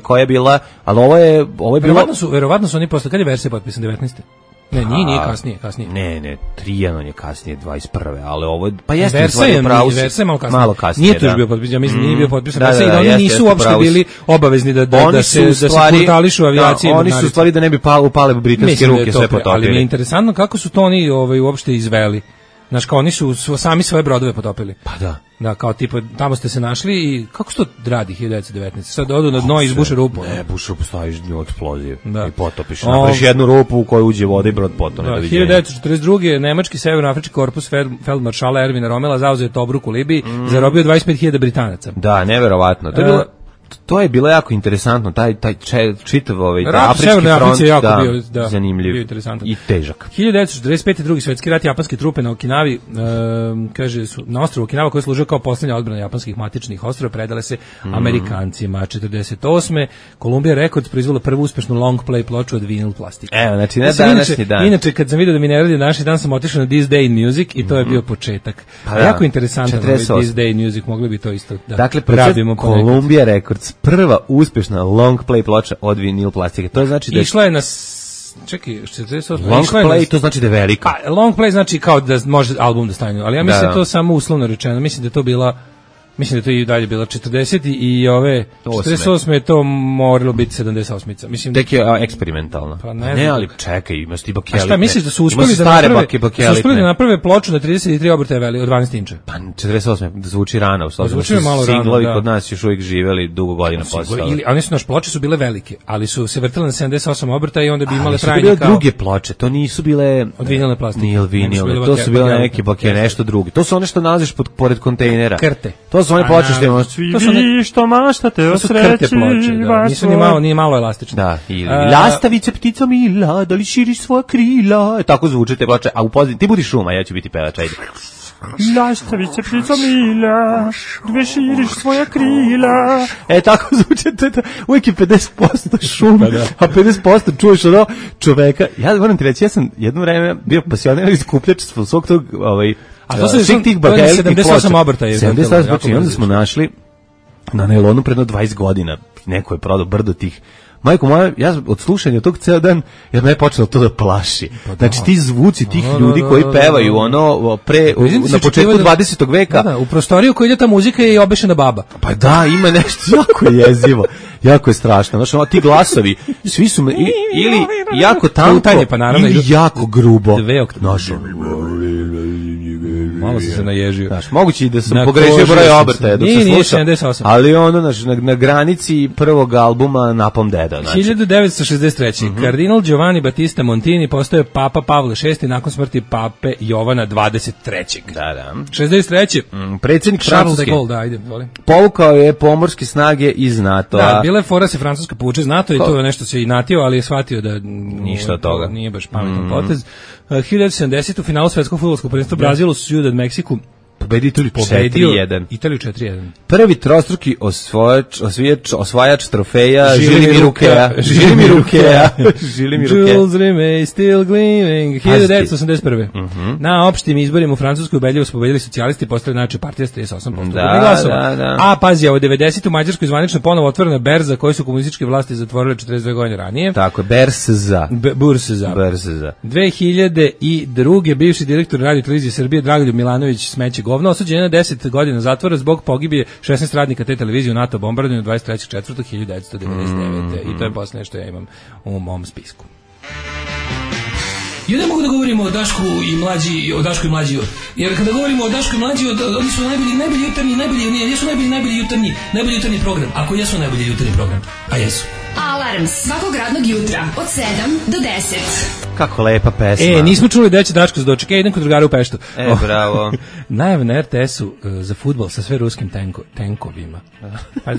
S5: koja je bila, ali ovo je bilo...
S6: Verovatno su oni posle, kad je verzija potpisan, 19. Ne, nije kasnije.
S5: Ne, Trijanon je kasnije, 21. Ali ovo, pa jeste, Versa je malo kasnije.
S6: Nije to još bio potpisan, ja mislim, nije bio potpisan. Da, oni nisu uopšte bili obavezni da se portališu avijacije.
S5: Oni su u stvari da ne bi upale britanske ruke sve potopili.
S6: Ali mi je interesantno kako su to oni uopšte izveli. Znaš, kao oni su sami svoje brodove potopili.
S5: Pa da.
S6: Da, kao tipa, tamo ste se našli i kako se to radi 1919? Sad odu na dno i izbuše rupu.
S5: Ne, buše rupu, staviš nju eksploziju i potopiš. Napraviš jednu rupu u kojoj uđe voda i brod potone.
S6: 1942. Nemački severnoafrički korpus feldmaršala Ervina Romela zauzeo Tobruk u Libiji, zarobio 25.000 Britanaca.
S5: Da, neverovatno. To je bilo jako interesantno, taj čitav afrički front, zanimljiv i težak.
S6: 1945. drugi svjetski rat, japanske trupe na Okinavi, kaže, na ostrvu Okinawa koji je služio kao posljednja odbrana japanskih matičnih ostrva, predale se Amerikancima. 48. Columbia Records proizvela prvu uspešnu long play ploču od vinil plastike.
S5: Evo, znači ne današnji dan.
S6: Inače, kad sam vidio da mi ne radi današnji dan, sam otišao na This Day in Music i to je bio početak. Jako interesantno, This Day in Music, mogli bi to isto da radimo.
S5: Dakle, Columbia Records, prva uspešna long play ploča od vinil plastike. To znači da
S6: išla je na čekaj, 48.
S5: Long play, to znači da je velika.
S6: Long play znači kao da može album da stane, ali ja mislim da to samo uslovno rečeno. Mislim da je to bila, mislim da je to i dalje bila 40 i ove 48 je to moralo biti 78. Mislim
S5: tek je eksperimentalno. Pa ne, ali čekaj, ima sti bakelite.
S6: A šta misliš da su uspeli da naprave ploču na 33 obrtaja od 12 inča?
S5: Pa 48 da zvuči rano,
S6: zvuči malo rano.
S5: Singlovi kod nas još uvijek živeli dugo godina posle.
S6: Ili oni su naš ploče su bile velike, ali su se vrtele na 78 obrtaja i onda bi imale trajanje kao.
S5: Bile druge ploče, to nisu bile
S6: od vinilne plastike.
S5: Nije vinilne, to su bile neke bakele, nešto drugo. To su one što nalaziš pored kontejnera.
S6: Krte.
S5: To su one ploče što imamo.
S3: Svi što maštate o sreći.
S6: Nisu ni malo elastične.
S5: Da, ili lastavice ptica mila, da li širiš svoja krila. Tako zvuče te ploče, a u pozadini ti budi šuma, ja ću biti pevač, ajde.
S3: Lastavice ptica mila, dve širiš svoja krila.
S5: Tako zvuče to. Uvijek je 50% šuma, a 50% čuješ ono čoveka. Ja moram ti reći, ja sam jedno vreme bio pasionirani skupljač svog tog
S6: a to su svih tih bakelitih ploča. 78 obrtaja.
S5: 78 ploča i onda smo našli na nailonu predno 20 godina. Neko je prodao brdo tih. Majko moja, ja od slušanja tog ceo dan, ja me je počelo to da plaši. Znači ti zvuci tih ljudi koji pevaju na početku 20. veka.
S6: Da, u prostoriju koju ide ta muzika je i obešena baba.
S5: Pa da, ima nešto jako jezivo. Jako je strašno. Znači, ti glasovi, svi su ili jako tanko, ili jako grubo.
S6: Malo se naježio.
S5: Znaš, moguće i da sam pogrešio broj obrtaja dok se sluša.
S6: 78.
S5: Ali ono, na granici prvog albuma Napom Deda.
S6: 1963. Kardinal Giovanni Battista Montini postaje Papa Pavle VI nakon smrti Pape Jovana 23.
S5: Da.
S6: 63.
S5: Predsjednik Francuske. Povukao je pomorske snage iz NATO-a.
S6: Da, bila je fora se Francuska povuče iz NATO i to je nešto se i natio, ali je shvatio da
S5: ništa od toga.
S6: Nije baš pametan potez. 1970. u finalu svetskog fudbalskog prvenstva Brazilu su Ciudad Meksiku
S5: pobedio
S6: Italiju 4-1.
S5: Prvi trostruki osvajač trofeja Žili mi Rukea.
S6: Jules Rimet still gleaming. 1981. Na opštim izborima u Francuskoj ubedljivo su pobedili socijalisti i postali najjača partija s 38% glasova. A pazi, u 90. u Mađarskoj zvanično ponovo otvorena berza koju su komunističke vlasti zatvorile 42 godine ranije.
S5: Tako je, Bursa.
S6: 2002. bivši direktor Radio televizije Srbije Dragoljub Milanović smeće govno osuđen na 10 godina zatvora zbog pogibije 16 radnika te televizije u NATO bombardovanju 23.4.1999. I to je posljednje što ja imam u mom spisku.
S8: Ja ne mogu da govorimo o Dašku i Mlađi, jer kada govorimo o Dašku i Mlađi, oni su najbolji jutarnji program. Ako jesu najbolji jutarnji program, a jesu.
S2: Alarm svakog radnog jutra od 7 do 10.
S5: Kako lepa pesma.
S6: Nismo čuli da će Daško se dočeka, idem kod drugara u Peštu.
S5: Bravo.
S6: Najave na RTS-u za fudbal sa sve ruskim tenkovima. Pa,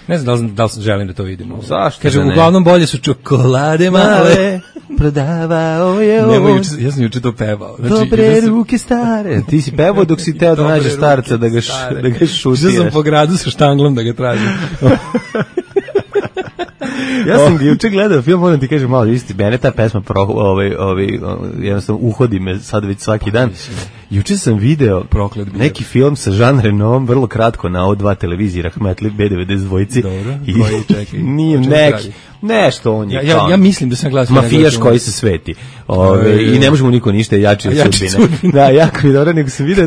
S6: Ne znam da li želim da to vidimo.
S5: Zašto?
S6: Kaže, uglavnom bolje su čokolade male. Prodavao je on. Ja sam juče to pevao. Znači,
S5: dobre ruke stare. Ti si pevao dok si teo da nađeš starca da ga šutiraš.
S6: Ja sam po gradu sa štanglom da ga tražim.
S5: Ja sam juče gledao film, moram ti kažem malo, isti, mene ta pesma jednostavno uhodi me sad već svaki dan. Juče sam video neki film sa Jean Renoom, vrlo kratko na O2 televiziji, Rahmetli B92.
S6: Dobro, koji čekaj.
S5: Nije neki, nešto on je.
S6: Ja mislim da sam gledao
S5: mafijaš koji se sveti. I ne možemo niko ništa jači od sudbine. Da, jako mi dobro, nego sam video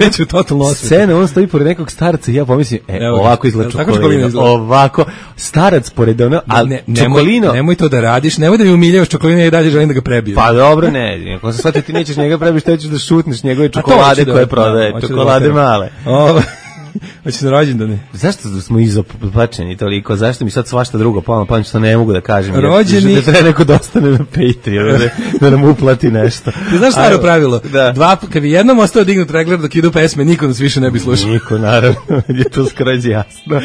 S5: scena, on stoji pored nekog starca i ja pomislim, ovako izgleda Čokolina. Ovako, starac pored ono, ali Čokolino.
S6: Nemoj to da radiš, nemoj da mi umiljavaš Čokolina i dalje želim da ga prebijem.
S5: Pa dobro, ne, ako se shvatio ti nećeš njega prebiti, što ćeš da šutneš njegove čokolade koje prodaje, čokolade male.
S6: Hoćeš na rođendane?
S5: Zašto smo izopačeni toliko? Zašto mi sad svašta drugo pa što ne mogu da kažem?
S6: Rođeni...
S5: Da treba neko da ostane na Patreon, da nam uplati nešto.
S6: Ti znaš staro pravilo? Da. Kad bi jednom ostao dignut regler dok idu pesme, niko nas više ne bi slušao.
S5: Niko, naravno. Je to skroz jasno.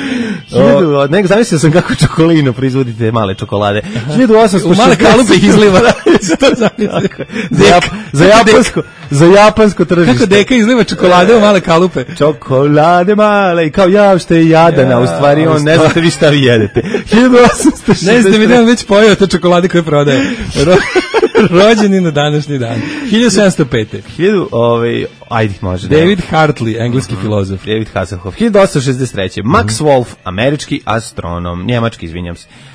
S5: Nego zamislio sam kako Čokolino proizvodi te male čokolade. 1860...
S6: U male kalupe ih izliva.
S5: Za japansko tržište.
S6: Kako deka izliva čokolade u male kalupe?
S5: Čokolade male i kao ja što je jadana, u stvari on ne znate vi šta vi jedete. 1860.
S6: Ne znate mi da on već pojeo te čokolade koje prodaje. Rođeni na današnji dan. 1705.
S5: Ajde, može.
S6: David Hartley, engleski filozof.
S5: David Hasselhoff. 1863. Max Wolf, američki astronom.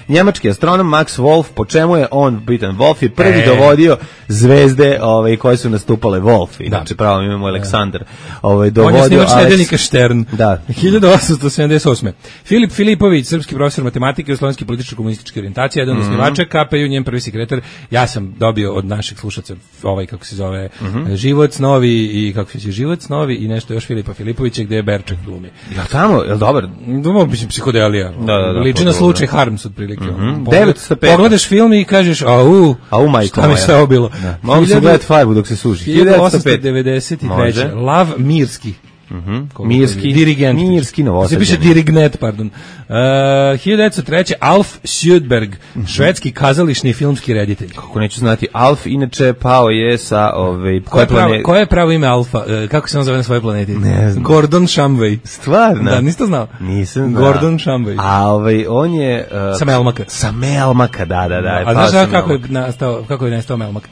S5: Njemački astronom Max Wolf, po čemu je on bitan? Wolf je prvi dovodio zvezde koje su nastupale Wolf. Inače, pravo imamo Aleksandar. Dovodio
S6: on je snimač nedeljnika Štern.
S5: Da.
S6: 1878. Filip Filipović, srpski profesor matematike i slovenski političko-komunističke orijentacije, jedan od osnivača KPJ, njen prvi sekretar. Ja sam dobio od naših slušaca kako se zove, Život, snovi i kako se zove Život, snovi i nešto još Filipa Filipovića gde je Berček glumi.
S5: Ja tamo, je li dobar?
S6: Mislim, psihodelija.
S5: Da,
S6: liči na slučaj Harms otprilike.
S5: 905.
S6: Pogledaš film i kažeš,
S5: majko
S6: šta mi sve ovo bilo.
S5: Mogu se gledati Farbu dok se suži.
S6: 1893. Lav Mirski.
S5: Mirski
S6: dirigent.
S5: Mirski Novosađanin.
S6: Se piše dirigent, pardon. 1903. Alf Sjödberg, švedski kazališni i filmski reditelj.
S5: Kako neću znati, Alf inače pao je sa
S6: koje je pravo ime Alfa? Kako se on zove na svojoj planeti?
S5: Ne znam.
S6: Gordon Shumway.
S5: Stvarno?
S6: Da, niste znao?
S5: Nisam znao.
S6: Gordon Shumway.
S5: A on je
S6: sa Melmaka.
S5: Sa Melmaka, da.
S6: A znaš kako je nestao Melmak?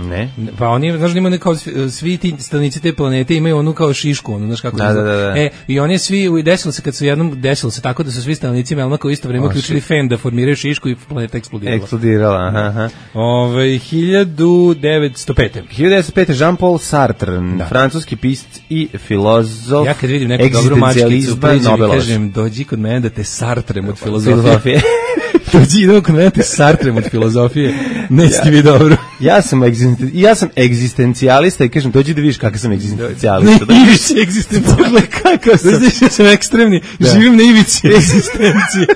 S5: Ne.
S6: Pa oni, znaš, ima kao svi ti stanovnici te planete imaju onu kao šišku, ono, znaš kako.
S5: Da.
S6: I oni svi, desilo se tako da su svi stanovnici Melmaka u isto vrijeme uključili fen da formiraju šišku i planeta
S5: eksplodirala. Aha.
S6: 1905.
S5: Jean-Paul Sartre, francuski pisac i filozof.
S6: Ja kad vidim neku dobru mačkicu, kažem, dođi kod mene da te Sartrem od filozofije. Dođi, idemo kod mene te Sartrem od filozofije. Neće ti biti dobro.
S5: Ja sam egzistencijalista i kažem, dođi da vidiš kakav sam egzistencijalista.
S6: Ne, ivici egzistencijalista.
S5: Kakav sam?
S6: Znaš, ja sam ekstremni. Živim na ivici egzistencije.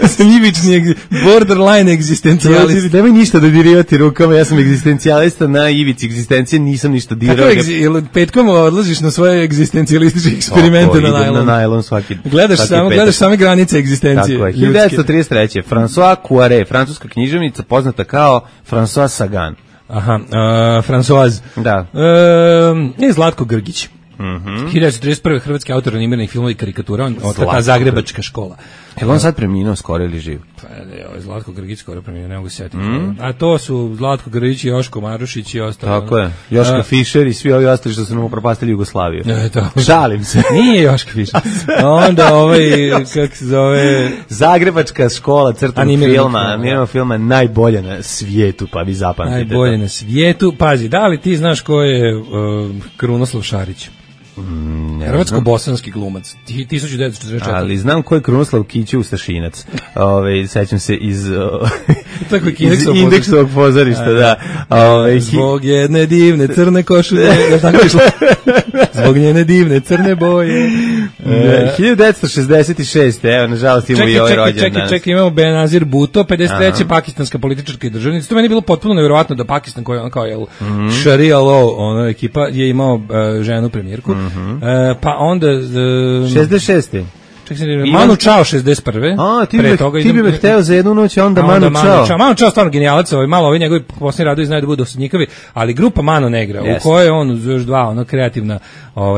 S6: Ja sam ivični, borderline egzistencijalista.
S5: Nemoj ništa da dirivati rukama, ja sam egzistencijalista na ivici egzistencije, nisam ništa dirao.
S6: Petkom odlaziš na svoje egzistencijalističke eksperimente na najlon?
S5: Na najlon svaki.
S6: Gledaš same granice egzistencije.
S5: Tako je. 1933. François Poiret, francuska književnica poznata kao François Sagan.
S6: Aha, Françoise.
S5: Da.
S6: Zlatko Grgić. 1931. hrvatski autor animiranih filmova i karikatura, ta zagrebačka škola.
S5: Je on sad preminuo skoro ili živ?
S6: Pa Zlatko Grgić skoro preminuo, ne mogu se sjetiti. A to su Zlatko Grgić i Joško Marušić i ostalo.
S5: Tako je. Joška Fischer i svi ovi ostali što su nam upropastili Jugoslaviju. Šalim se.
S6: Nije Joška Fischer. Onda kako se zove...
S5: Zagrebačka škola crtanog filma najbolja na svijetu, pa vi zapamtite.
S6: Najbolje na svijetu. Pazi, da li ti znaš ko je Krunoslav Šarić? Hrvatsko-bosanski glumac 1944.
S5: Ali znam ko je Krunoslav Kiću Ustašinac. Sećam se iz Indeksovog pozorišta, da.
S6: Zbog jedne divne crne košulje, zbog njene divne crne boje.
S5: 1966. Evo, nažalost imamo i ovaj rođendan danas.
S6: Čekaj, imamo Benazir Bhutto, 53. pakistanska politička i državnica. To meni je bilo potpuno nevjerovatno da Pakistan, koji je kao Sharia law, ekipa, je imao ženu premijerku. Pa onda...
S5: 66.
S6: Manu Chao 61.
S5: A, ti bi me hteo za jednu noć, a onda Manu Chao.
S6: Manu Chao stvarno genijalac, malo ovi njegovi posljednji radovi znaju da budu osudnjikavi, ali grupa Mano Negra, u kojoj on još dva kreativna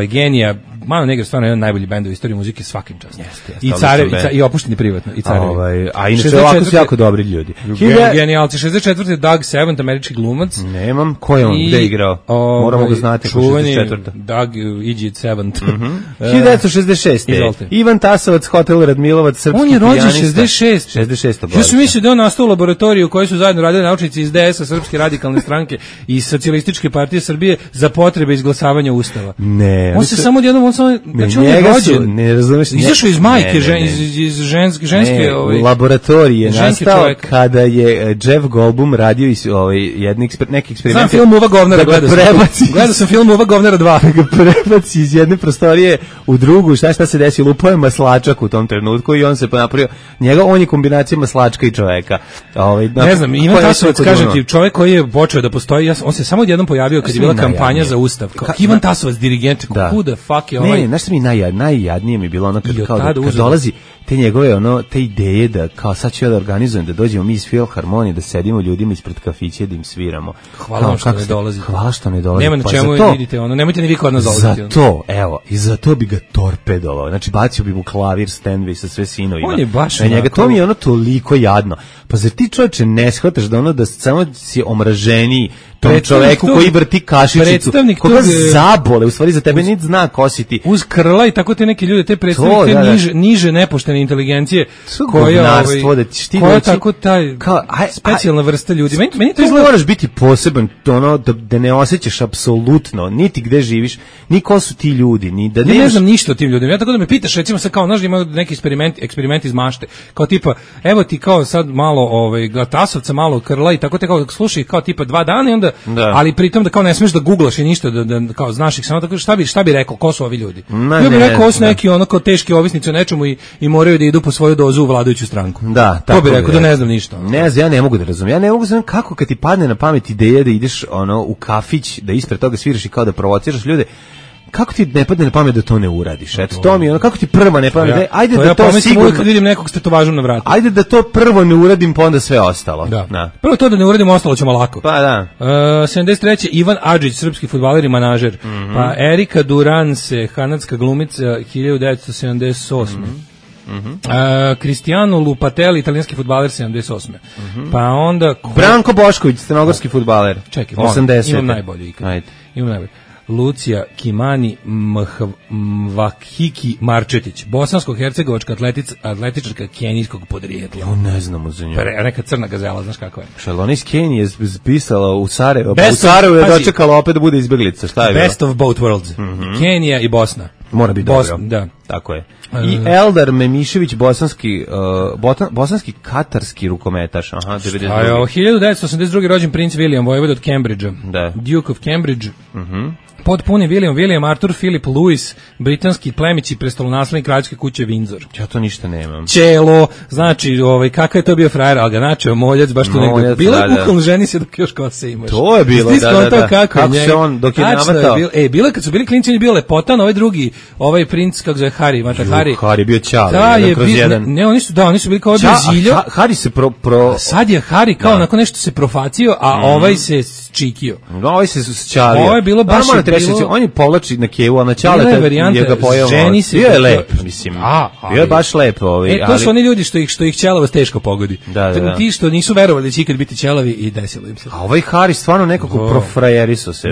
S6: genija. Mano Negra stvarno je jedan najbolji bend u istoriji muzike svakim častom. I carevi, i opušteni privatno, i carevi.
S5: A inače ovako su jako dobri ljudi.
S6: Genijalci, 64. Doug Savant, američki glumac.
S5: Nemam, ko je on, gde je igrao? Moramo ga znati.
S6: Čuveni Doug Iđit Savant.
S5: 1966. Ivan Tasovac, Hotel Radmilovac, srpski pijanista.
S6: On je rođen 66.
S5: 66.
S6: Ja sam mislio da on nastao u laboratoriji u kojoj su zajedno radili naučnici iz DS-a, Srpske radikalne stranke i Socijalističke partije Srbije za potrebe izglasavanja ustava.
S5: Ne.
S6: On se samo odjednom, znači on je rođen.
S5: Ne razumeš.
S6: Izašao iz majke, iz ženske
S5: laboratorij je nastao kada je Jeff Goldblum radio neki eksperiment.
S6: Znam film Uva govnara, gledao sam film Uva govnara 2.
S5: Ga prebaci iz jedne prostorije u drugu, šta se desi, lupao je maslačak u tom trenutku i on se napravio, on je kombinacija maslačka i čoveka.
S6: Ne znam, Ivan Tasovac, kažem ti, čovek koji je počeo da postoji, on se samo odjednom pojavio kad je bila kampanja za ustav. Ivan Tasovac, dirigent, who the fuck je ovaj?
S5: Ne, znaš što mi najjadnije mi bilo ono kad dolazi te njegove te ideje da kao sad ću ja da organizujem, da dođemo mi iz Filharmonije, da sedimo ljudima ispred kafića da im sviramo.
S6: Hvala vam što ne dolazi.
S5: Hvala što ne dolazi.
S6: Nema na čemu vidite, nemojte ni vi kod nas dolaziti.
S5: Zato, evo, i zato bi ga torpedovao. Znači, bacio bi mu klavir, Stanway sa sve sinovima.
S6: On je baš
S5: njega, to mi je toliko jadno. Pa zar ti čovječe ne shvataš da da samo si omraženiji tom čoveku koji vrti kašičicu, koga zabole, u stvari za tebe niti zna ko si ti.
S6: Uz krla i tako te neke ljude, te predstavnike niže nepoštene inteligencije, koja tako taj specijalna vrsta ljudi. Meni to
S5: izgleda, moraš biti poseban, da ne osjećaš apsolutno, niti gde živiš, ni ko su ti ljudi, ni da
S6: ne znam ništa o tim ljudima. Ja tako da me pitaš, recimo sad kao, znaš, ima neki eksperiment iz mašte, kao tipa, evo ti kao sad malo Tasovca, malo krla i tako te kao slušaj kao tipa 2 dana i onda, ali pritom da kao ne smeš da googlaš i ništa, da kao znaš ih samo tako, šta bi rekao, ko su ovi ljudi? Ja bih rekao, ovo su neki kao teški ovisnici o nečemu i moraju da idu po svoju dozu u vladajuću stranku.
S5: Da,
S6: tako bih rekao, da ne znam ništa.
S5: Ne znam, ja ne mogu da razumijem. Ja ne mogu da razumijem kako kad ti padne na pamet ideja da ideš u kafić, da ispred toga sviraš i kao da provociraš ljude. Kako ti ne padne na pamet da to ne uradiš? Eto, to mi je kako ti prvo ne pamet, ajde da to sigurno
S6: kad vidim nekog s tetovažom na vratu.
S5: Ajde da to prvo ne uradim, pa onda sve ostalo.
S6: Da. Prvo to da ne uradim, ostalo ćemo lako.
S5: Pa da.
S6: 73. Ivan Adžić, srpski fudbaler i manažer. Pa Erika Durance, kanadska glumica, 1978. Cristiano Lupatelli, italijanski fudbaler, 78. Pa onda
S5: Branko Bošković, crnogorski fudbaler.
S6: Čekaj, 80. Imam najbolji ikad. Imam najbolji. Lucija Kimani Mvahiki Marčetić, bosansko-hercegovačka atletičarka kenijskog podrijetla.
S5: Ja ne znamo za nju.
S6: Neka crna gazela, znaš kako je.
S5: Šalona iz Kenije je pisala u Sarajevo, u Sarajevo je dočekala opet da bude izbjeglica. Šta je bilo?
S6: Best of both worlds. Kenija i Bosna.
S5: Mora biti dobro.
S6: Da.
S5: Tako je. I Eldar Memišević, bosanski katarski rukometaš. Aha, 92.
S6: 1982. rođen princ William, vojvod od Cambridgea.
S5: Da.
S6: Duke of Cambridge. Potpuni William Arthur Philip Louis, britanski plemić i prestolonaslednik kraljevske kuće Windsor.
S5: Ja to ništa nemam.
S6: Čelo, znači, kakav je to bio frajer, ali ga načeo moljac, baš tu negdje. Bilo je bukvalno, ženi se dok još kose imaš.
S5: To je bilo, da.
S6: Kako
S5: se on, dok je navatao.
S6: Bilo je kad su bili klinci, on je bio lepotan, ovaj drugi, ovaj princ, kako zove, Harry, Mata Harry.
S5: Harry bio čale, kroz jedan.
S6: Ne, oni su bili kao bio ziljo.
S5: Harry se
S6: Sad je Harry kao onako nešto se profacio, a ovaj se čikio.
S5: Ovaj se sčalio.
S6: Ovo je bilo baš
S5: on je povlači na kevu, a na čale je ga pojao. Bio je lep, mislim. Bio je baš lep.
S6: To su oni ljudi što ih ćelavost teško pogodi.
S5: Da.
S6: Ti što nisu verovali da će ikad biti ćelavi i desilo im se.
S5: A ovaj Harry stvarno nekako profrajeriso se.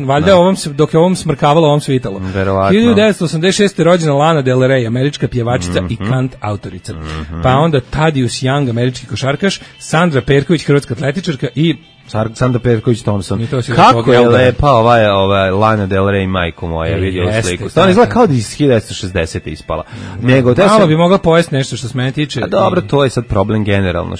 S6: Valjda dok je ovom smrkavalo, ovom svitalo. 1986. rođena Lana Del Rey, američka pjevačica i kant autorica. Pa onda Tadius Young, američki košarkaš, Sandra Perković, hrvatska atletičarka i
S5: Sandra Perković Thompson. Kako je lepa ova Lana Del Rey, majko moja, vidio sliku. Stvarno izgleda kao da iz 1960. ispala.
S6: Malo bi mogla pojesti nešto što se mene tiče.
S5: A dobro, to je sad problem generalno,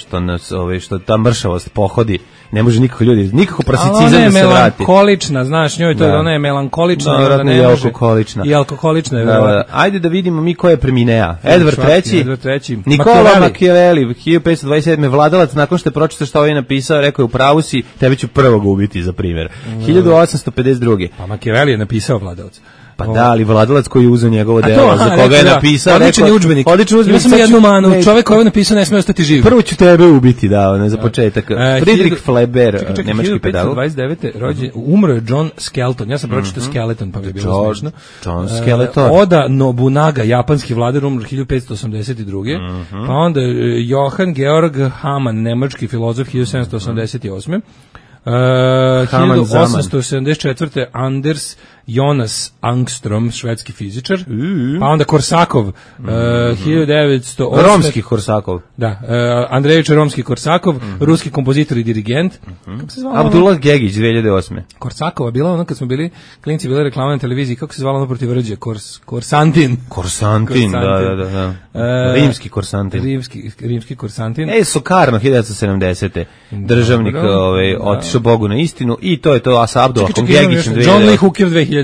S5: što ta mršavost pohodi. Ne može nikako prosicizam da se vrati.
S6: Ona je melankolična, znaš, njoj to ona je melankolična.
S5: I alkoholična.
S6: I alkoholična je.
S5: Ajde da vidimo mi ko je preminea. Edward III. Nikola Machiavelli, 1527. vladalac, nakon što je pročitao što ovaj napisao, rekao je u pravu si, tebe ću prvog ubiti za primjer. 1852.
S6: Pa Machiavelli je napisao vladalac.
S5: Pa da, ali Vladalac koji je uzeo njegovo delo, za koga je napisao...
S6: Odličan udžbenik. Ima sam jednu manu, čovek koji je napisao ne sme ostati živ.
S5: Prvo ću tebe ubiti, da, za početak. Friedrich Fleber, nemački pedagog.
S6: 1529. Umro je John Skelton, ja sam pročitao Skeleton, pa bi bilo smešno.
S5: John Skeleton.
S6: Oda Nobunaga, japanski vladar, umro 1582. Pa onda Johann Georg Hamann, nemački filozof, 1788. 1874. Anders Jonas Angstrom, švedski fizičar. Pa onda Korsakov, 1908.
S5: Romski Korsakov.
S6: Da, Andrejević Romski Korsakov, ruski kompozitor i dirigent. Kako se zvala?
S5: Abdullah Gegić, 2008.
S6: Korsakova bila ono kad smo bili klinci, bila reklama na televiziji, kako se zvala ono protiv Rđe? Korsantin.
S5: Korsantin, da. Rimski Korsantin.
S6: Rimski Korsantin.
S5: Sukarno, 1970. Državnik otišao Bogu na istinu i to je to, a sa Abdullahom Gegićem 2008.
S6: John Lee Hooker 2001.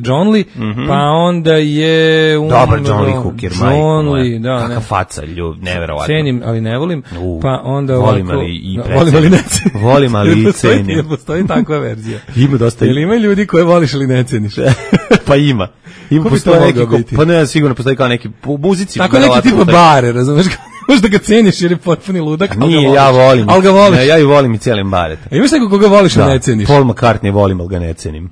S6: John Lee, pa onda je...
S5: Dobar John Lee Hooker,
S6: John Lee, da.
S5: Kakav faca, neverovatno.
S6: Cenim, ali ne volim. Pa onda
S5: volim, ali i
S6: volim, ali ne cenim.
S5: Volim, ali i cenim.
S6: Postoji takva verzija.
S5: Ima dosta.
S6: Ili ima ljudi koje voliš ili ne ceniš?
S5: Pa ima. Ima postoji neki, pa ne, sigurno postoji kao neki muzici.
S6: Tako neki tipa bare, razumeš? Možda ga ceniš jer je potpuni ludak.
S5: Nije, ja volim.
S6: Ali ga voliš.
S5: Ja ju volim i cijelim baret.
S6: A imaš nekog koga voliš, a ne ceniš?
S5: Paul McCartney volim, ali ga ne cenim.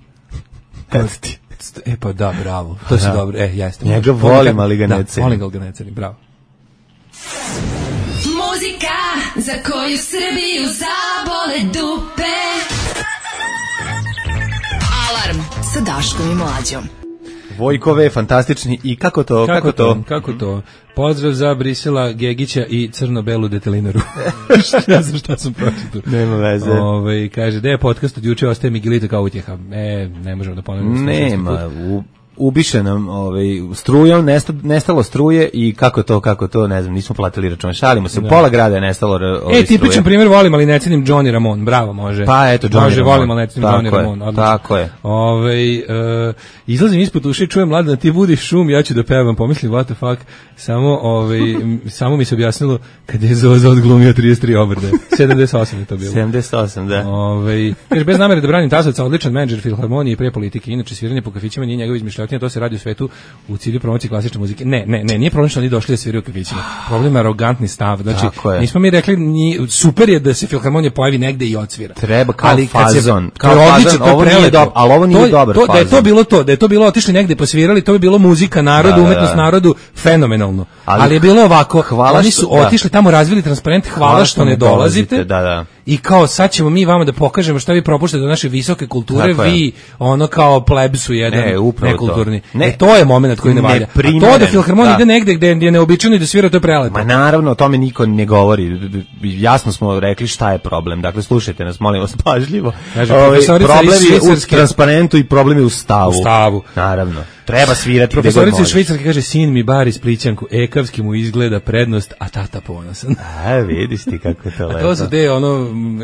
S6: Pa da, bravo. To si dobro. Jeste.
S5: Njega volim, ali ga ne cenim.
S6: Volim ga, ali ga ne cenim, bravo.
S2: Muzika za koju Srbiju zabole dupe. Alarm sa Daškom i Mlađom.
S5: Vojkove, fantastični i kako to?
S6: Pozdrav za Brisela, Gegića i crno-belu detelinaru. Ne znam šta sam pročitao.
S5: Nema veze.
S6: Kaže, da je podcast od juče, ostaje Miguelito kao utjeha. Ne možemo da ponovimo.
S5: Nema, ubiše nam strujom, nestalo struje i kako to, ne znam, nismo platili račun. Šalimo se, pola grada je nestalo struje.
S6: Tipičan primjer, volim, ali ne cenim Johnny Ramone, bravo, može.
S5: Pa eto, Johnny Ramone.
S6: Volim, ali ne cenim Johnny Ramone.
S5: Tako je.
S6: Izlazim ispod uši, čujem Mladena, ti budiš šum, ja ću da pevam, pomislim, what the fuck, samo mi se objasnilo kad je Zoza odglumio 33 obrde. 78 je to bilo.
S5: 78, da.
S6: Kaže, bez namere da branim Tasovca, odličan menadžer filharmonije i pre politike, inače sviranje po kafićima nije njegov izmišljotina, to se radi u svetu u cilju promocije klasične muzike. Ne, nije problem što oni došli da sviraju u kafićima. Problem je arogantni stav. Znači, nismo mi rekli, super je da se filharmonija pojavi negde i odsvira.
S5: Treba kao fazon.
S6: Kao odlično, to je prelepo.
S5: Ali ovo nije dobar fazon.
S6: Da je to bilo otišli negde posvirali, to bi bilo muzika narodu, umetnost narodu, fenomenalno. Ali je bilo ovako, oni su otišli tamo, razvili transparent, hvala što ne dolazite. I kao sad ćemo mi vama da pokažemo šta vi propuštate do naše visoke kulture, vi ono kao plebsu jedan nekulturni. To je moment koji ne valja. A to da filharmonija ide negde gde je neobičajno i da svira, to je prelepo.
S5: Ma naravno, o tome niko ne govori. Jasno smo rekli šta je problem. Dakle, slušajte nas, molim vas, pažljivo. Problem je u transparentu i problem je u stavu.
S6: U stavu.
S5: Naravno. Treba svirati.
S6: Profesorica iz Švicarske kaže, sin mi bari splićanku, ekavski mu izgleda prednost, a tata ponosan.
S5: Vidiš ti kako je to lepo.
S6: A to su te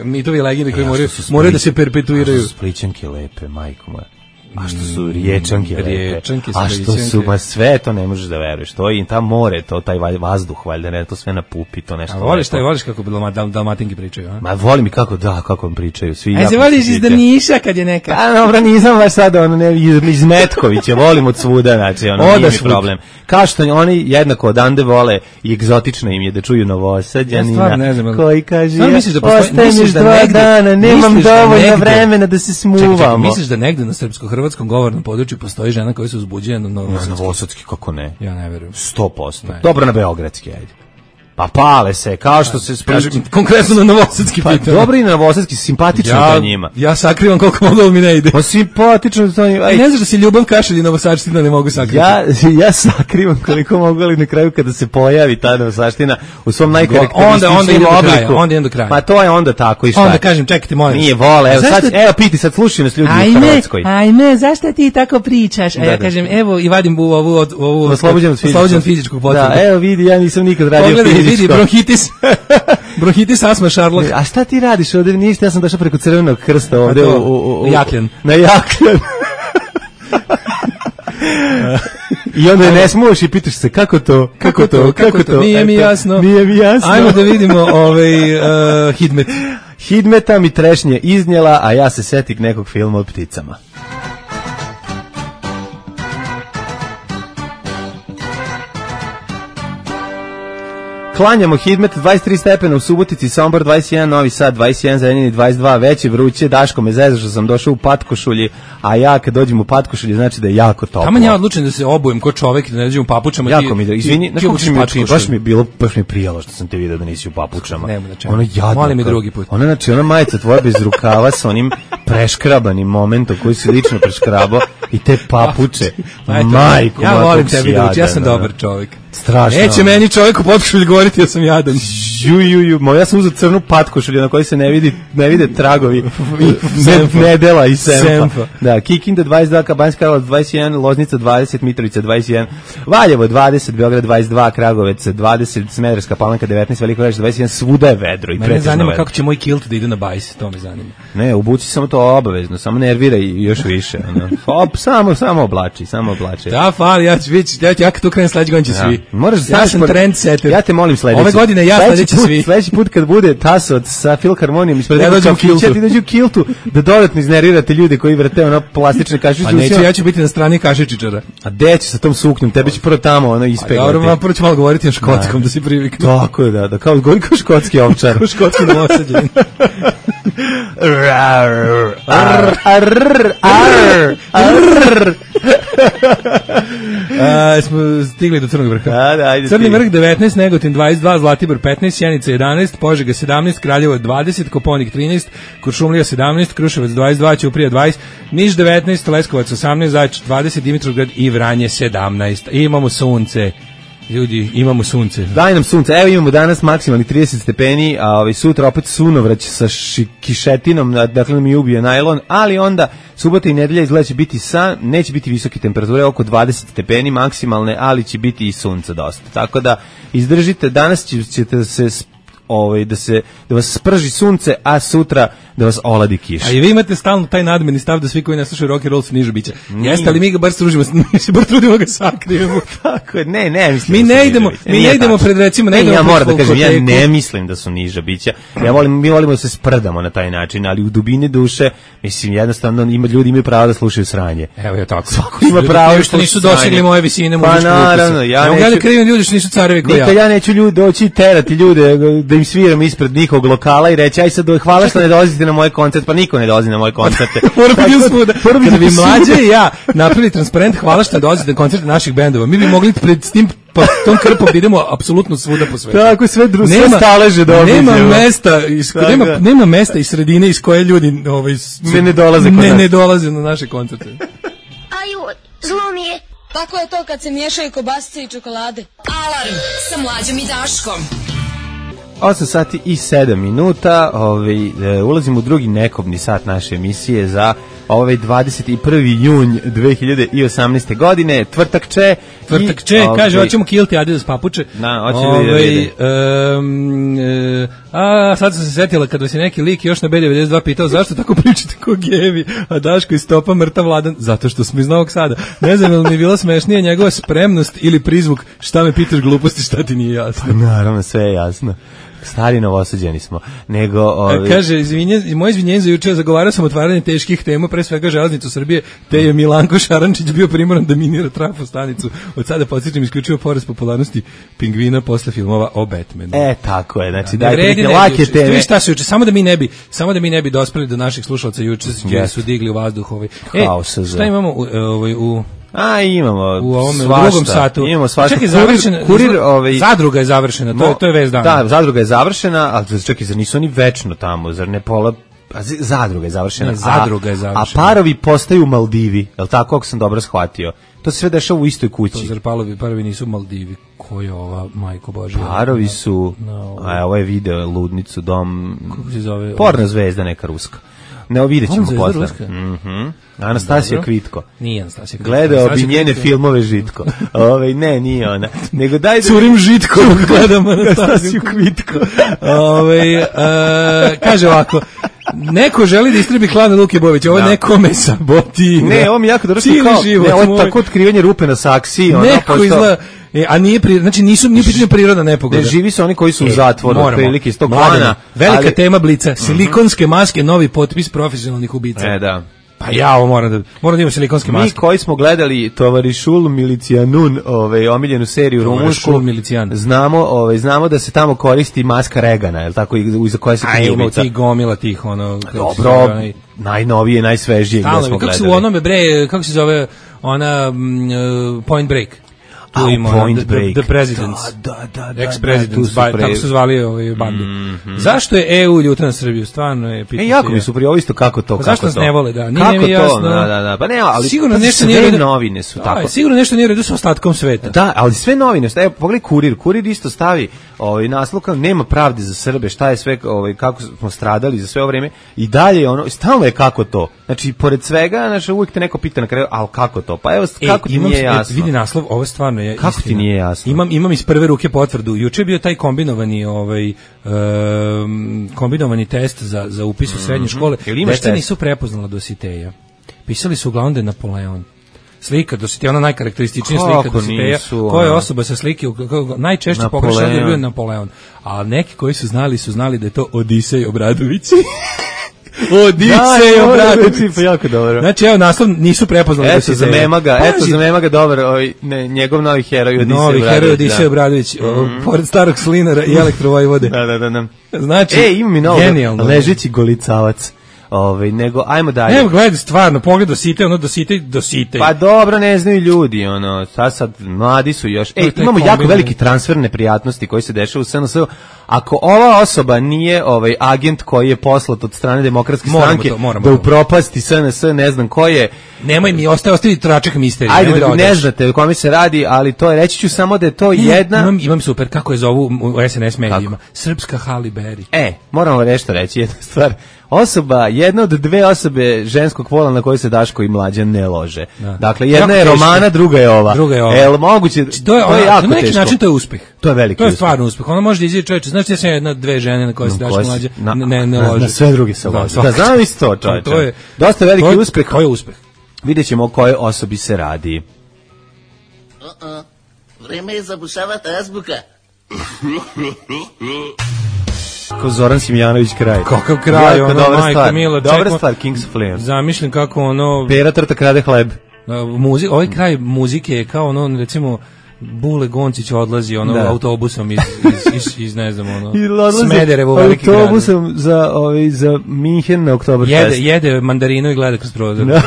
S6: mitovi legende koji moraju da se perpetuiraju.
S5: A što su splićanke lepe, majko moja. A što su riječanke lepe. A što su, sve to ne možeš da veruješ. To je i ta more, to taj vazduh, valjda, ne, to sve na pupi, to nešto.
S6: A voliš kako Dalmatinki pričaju, a?
S5: Ma volim i kako vam pričaju.
S6: A se voliš iz Drniša kad je neka?
S5: A dobro, nisam baš sad iz Metkovića, volim od svuda, znači, nije mi problem. Kao što oni jednako odande vole i egzotično im je da čuju Novosađanina, koji kaže, ostajem još 2 dana, nemam dovoljno vremena da se smuvamo.
S6: Misliš da negde na srpsko-hrvatskom govornom području postoji žena koja se uzbuđuje na
S5: Novosadski, kako ne?
S6: Ja ne verujem.
S5: 100%. Dobro, na Beogradski, ajde. Pa pale se, kao što se...
S6: Konkretno na Novosadski pitan.
S5: Pa dobro i na Novosadski, simpatično to njima.
S6: Ja sakrivam koliko mogu, ali mi ne ide.
S5: Pa simpatično to njima.
S6: Ne znaš da se Ljubav Kašelj i Novosadština ne mogu sakriti.
S5: Ja sakrivam koliko mogu, ali na kraju kada se pojavi ta Novosadština u svom najkarakterističnijem obliku.
S6: Onda idem do kraja.
S5: Ma to je onda tako i šta?
S6: Onda kažem, čekajte, molim.
S5: Nije vole, evo piti sad, slušaj nas ljudi u Hrvatskoj.
S6: Ajme, zašto ti tako pričaš? A ja kažem, evo i vadim ovu oslobođen fizičkog potvrdu.
S5: Da, evo vidi, ja nisam nikad radio fizičko.
S6: Bronhitis, astma, šarlok.
S5: A šta ti radiš ovde? Ništa, ja sam došao preko Crvenog krsta ovde
S6: Jakljan.
S5: Na Jakljan. I onda je ne smuješ i pitaš se kako to?
S6: Nije mi jasno. Ajmo da vidimo Hidmet.
S5: Hidmeta mi trešnje iznjela, a ja se setik nekog filma o pticama. Klanjamo Hidmet 23 stepena u Subotici, Sombor 21, Novi Sad 21, Zrenjanin 22, veće vruće, Daško me zezao što sam došao u patkošulji, a ja kad dođem u patkošulji znači da je jako toplo.
S6: Tamo ja odlučen da se obujem kao čovjek i da ne dođem u papučama.
S5: Jako mi da, izvini, baš mi je bilo, baš mi je prijalo što sam te vidio da nisi u papučama.
S6: Nema na čemu.
S5: Ono jadno.
S6: Molim mi drugi put.
S5: Ona, znači, ona majica tvoja bez rukava sa onim preškrabanim momentom koji si lično preškrabao i te papuče. Majko,
S6: ja volim tebe, ja sam dobar čovjek.
S5: Strašno.
S6: Neće meni čovjek u patkošulji govoriti, ja sam jadan.
S5: Ja sam uzeo crnu patkošulju na kojoj se ne vide tragovi nedela i semfa. Da, Kikinda 22, Banjska Karlovac 21, Loznica 20, Mitrovica 21, Valjevo 20, Beograd 22, Kragovec 20, Smederevska Palanka 19, Veliko Gradište 21, svuda je vedro i pretežno vedro. Mene zanima
S6: kako će moj kilt da ide na bajs, to me zanima.
S5: Ne, obuci samo to obavezno, samo nerviraj još više. Samo oblači.
S6: Da, fali, ja kad to krenem sledeći godin će svi.
S5: Ja sam trendsetter. Ja te molim sledeći.
S6: Ove godine ja sledeći svi.
S5: Sledeći put kad bude Taso sa Filharmonijom ispred nekog kafića, ti dođu u kiltu da dodatno iznervirate ljude koji vrte ono plastične kašičice.
S6: Pa neću, ja ću biti na strani kašičičara.
S5: A gde će sa tom suknjom? Tebe će prvo tamo ono ispeglati.
S6: Dobro, prvo ću malo govoriti na škotskom da si priviknu.
S5: Tako je, da kao govori kao škotski ovčar.
S6: Kao škotski novosađen. Smo stigli do Crnog vrha. Crni vrh 19, Negotin 22, Zlatibor 15, Sjenica 11, Požega 17, Kraljevo 20, Koponik 13, Kuršumlija 17, Kruševac 22, Ćuprija 20, Niš 19, Leskovac 18, Zaječar 20, Dimitrovgrad i Vranje 17. Imamo sunce. Ljudi, imamo sunce.
S5: Daj nam sunce. Evo imamo danas maksimalni 30 stepeni, a sutra opet sunovrać sa kišetinom, dakle nam je ubio najlon, ali onda subota i nedelja izgleda će biti neće biti visoke temperature, oko 20 stepeni maksimalne, ali će biti i sunca dosta. Tako da izdržite, danas ćete se da vas sprži sunce, a sutra da vas oladi kiša.
S6: A i vi imate stalno taj nadmeni stav da svi koji ne slušaju rock and roll su niže bića. Jeste li mi ga bar stružimo, mi se bar trudimo ga sakrijemo.
S5: Tako je, ne mislim.
S6: Mi ne idemo pred recimo,
S5: ja moram da kažem, ja ne mislim da su niža bića. Mi volimo da se sprdamo na taj način, ali u dubini duše, mislim, jednostavno ljudi imaju pravo da slušaju sranje.
S6: Evo je tako.
S5: Svako ima pravo
S6: što nisu dosegli moje visine
S5: muzičkog ukusa. Pa naravno, ja
S6: neću krivim ljudi što nisu carevi kao ja.
S5: Nikad ja neću doći terati ljude da im sviram ispred njihovog lokala i reći aj sad hvala što ne dolazite na moj koncert, pa niko ne dolazi na moje koncerte.
S6: Kada bi Mlađe i ja napravili transparent hvala što ne dolazite na koncerte naših bendova, mi bi mogli pred s tim tom krpom da idemo apsolutno svuda po svetu.
S5: Tako sve staleže da obiđemo.
S6: Nema mesta i sredine iz koje ljudi ne dolaze na naše koncerte.
S4: Aju, zlo mi je.
S9: Tako je to kad se miješaju kobasice i čokolade.
S2: Alarm sa Mlađom i Daškom.
S5: 8 sati i 7 minuta, ulazimo u drugi nekobni sat naše emisije za 21. junj 2018. godine, tvrtak če,
S6: kaže, hoćemo kilti Adidas papuče. Sad sam se setila kad vas je neki lik još na B92 pitao zašto tako pričate ko gevi, a Daško iz Topa mrtav Vladan, zato što smo iz Novog Sada. Ne znam, li mi je bila smešnija njegova spremnost ili prizvuk, šta me pitaš gluposti, šta ti nije jasno.
S5: Pa naravno, sve je jasno. Stari novosađeni smo.
S6: Kaže, moje izvinjenje za juče, zagovarao sam otvaranje teških tema, pre svega železnicu Srbije, te je Milanko Šarančić bio primoran da minira trafostanicu. Od sada podsjećam isključivo porast popularnosti Pingvina posle filmova o Batmanu.
S5: Tako je, znači dajte neke lake teme.
S6: Šta se juče, samo da mi ne bi dospeli do naših slušalaca juče su digli u vazduh šta imamo u
S5: imamo
S6: u ovom drugom satu.
S5: Imamo svašta.
S6: Zadruga je završena, to je vez dana.
S5: Da, zadruga je završena, ali čekaj, zar nisu oni večno tamo, zar ne pola... Zadruga je završena. A parovi postaju Maldivi, je li tako, ako sam dobro shvatio? To se sve dešava u istoj kući.
S6: Zar parovi nisu Maldivi? Ko je ova, majko Božja?
S5: Parovi su, ovo je video, ludnicu, dom...
S6: Kako se zove?
S5: Porna zvezda neka ruska. Ne, vidjet ćemo posle. Anastasija Kvitko.
S6: Nije Anastasija Kvitko.
S5: Gledao bi njene filmove Žitko. Ne, nije ona. Nego daj da...
S6: Curim Žitko, gledam Anastasiju Kvitko. Kaže ovako, neko želi da istrebi klan Luke Bovića, ovo nekome sabotira.
S5: Ne, ovo mi jako dobro kao, ovo je tako otkrivanje rupe na saksiji.
S6: Neko izgleda... a nije pitanje prirodna nepogoda.
S5: Ne živi su oni koji su u zatvoru, prilike iz tog klana.
S6: Velika tema Blica, silikonske maske, novi potpis profesionalnih ubica.
S5: Da.
S6: Pa ja ovo moram da imam silikonske maske.
S5: Mi koji smo gledali Tovarišul Milicijanun, omiljenu seriju rumunsku, znamo da se tamo koristi maska Regana, je li tako, iza koje se krije ubica.
S6: Ti gomila tih,
S5: dobro, najnovije, najsvežije gdje smo gledali.
S6: Kako se u onome, kako se zove ona Point Break?
S5: Point Break.
S6: The Presidents.
S5: Da.
S6: Ex-Presidents, tako su zvali ovi bandi. Zašto je EU ljuta na Srbiju? Stvarno je pitanje.
S5: Jako mi su prije ovo isto kako to.
S6: Zašto nas ne vole, da?
S5: Nije mi jasno. Da. Pa ne, ali
S6: sigurno nešto nije redu.
S5: Novine su tako.
S6: Sigurno nešto nije redu sa ostatkom sveta.
S5: Da, ali sve novine, evo pogledaj Kurir isto stavi naslov kao nema pravde za Srbe, šta je sve, kako smo stradali za sve ovo vreme i dalje stalno je kako to. Znači, pored svega, uvijek te neko pita na kraju, ali kako to? Pa evo, kako ti nije jasno?
S6: Vidi naslov, ovo stvarno je
S5: kako
S6: istina.
S5: Ti nije jasno?
S6: Imam iz prve ruke potvrdu. Juče je bio taj kombinovani test za upis u srednje škole. Deca nisu prepoznala Dositeja. Pisali su uglavnom da je Napoleon. Slika Dositeja, ona najkarakterističnija slika Dositeja. Koja je osoba sa slike, najčešće pogrešno da je bio Napoleon. A neki koji su znali da je to Odisej Obradović. Odisej Obradović,
S5: pa jako dobro.
S6: Znači, evo, naslov nisu prepoznali da se
S5: za Memaga dobar, njegov novi heroj Odisej Obradović.
S6: Novi heroj Odisej Obradović, pored starog Slinara i Elektrovojvode.
S5: Da.
S6: Znači,
S5: ima mi novo, ležeći golicavac. Ajmo dalje.
S6: Evo, gledaj, stvarno, pogled Dositej.
S5: Pa dobro, ne znaju ljudi, sad mladi su još. Imamo jako veliki transfer neprijatnosti koji se dešava u SNS. Ako ova osoba nije agent koji je poslat od strane Demokratske stranke da upropasti SNS, ne znam ko je.
S6: Nemoj mi, ostavi tračak misterije.
S5: Ajde, ne znate o kome se radi, ali to je, reći ću samo da je to jedna.
S6: Imam super, kako je zovu u SNS medijima. Srpska Halle Berry.
S5: Moramo nešto reći, jedna stvar. Jedna od dve osobe ženskog pola na kojoj se Daško i Mlađan ne lože. Dakle, jedna je Romana, druga je ova. Moguće, to je jako teško. Na neki način
S6: to je uspeh.
S5: To je veliki uspeh.
S6: To je stvarno uspeh. Ona može da izađe čovječe. Znači, ja sam jedna, dve žene na koje se Daško Mlađan ne lože.
S5: Na sve drugi se lože. Da, znam isto to, čovječe. To je dosta veliki uspeh.
S6: To je uspeh.
S5: Vidjet ćemo o kojoj osobi se radi.
S10: Vreme je zabušavati azbuka.
S5: Ko Zoran Simjanović kraj.
S6: Kakav kraj,
S5: majko mila. Dobra stvar, Kings of Leon.
S6: Zamišljam kako
S5: Pera Trta krade hleb.
S6: Ovaj kraj muzike je kao recimo, Bule Goncić odlazi autobusom iz ne znam, Smederevo veliki grad.
S5: Autobusom za Minhen na Oktoberfest.
S6: Jede mandarinu i gleda kroz prozor.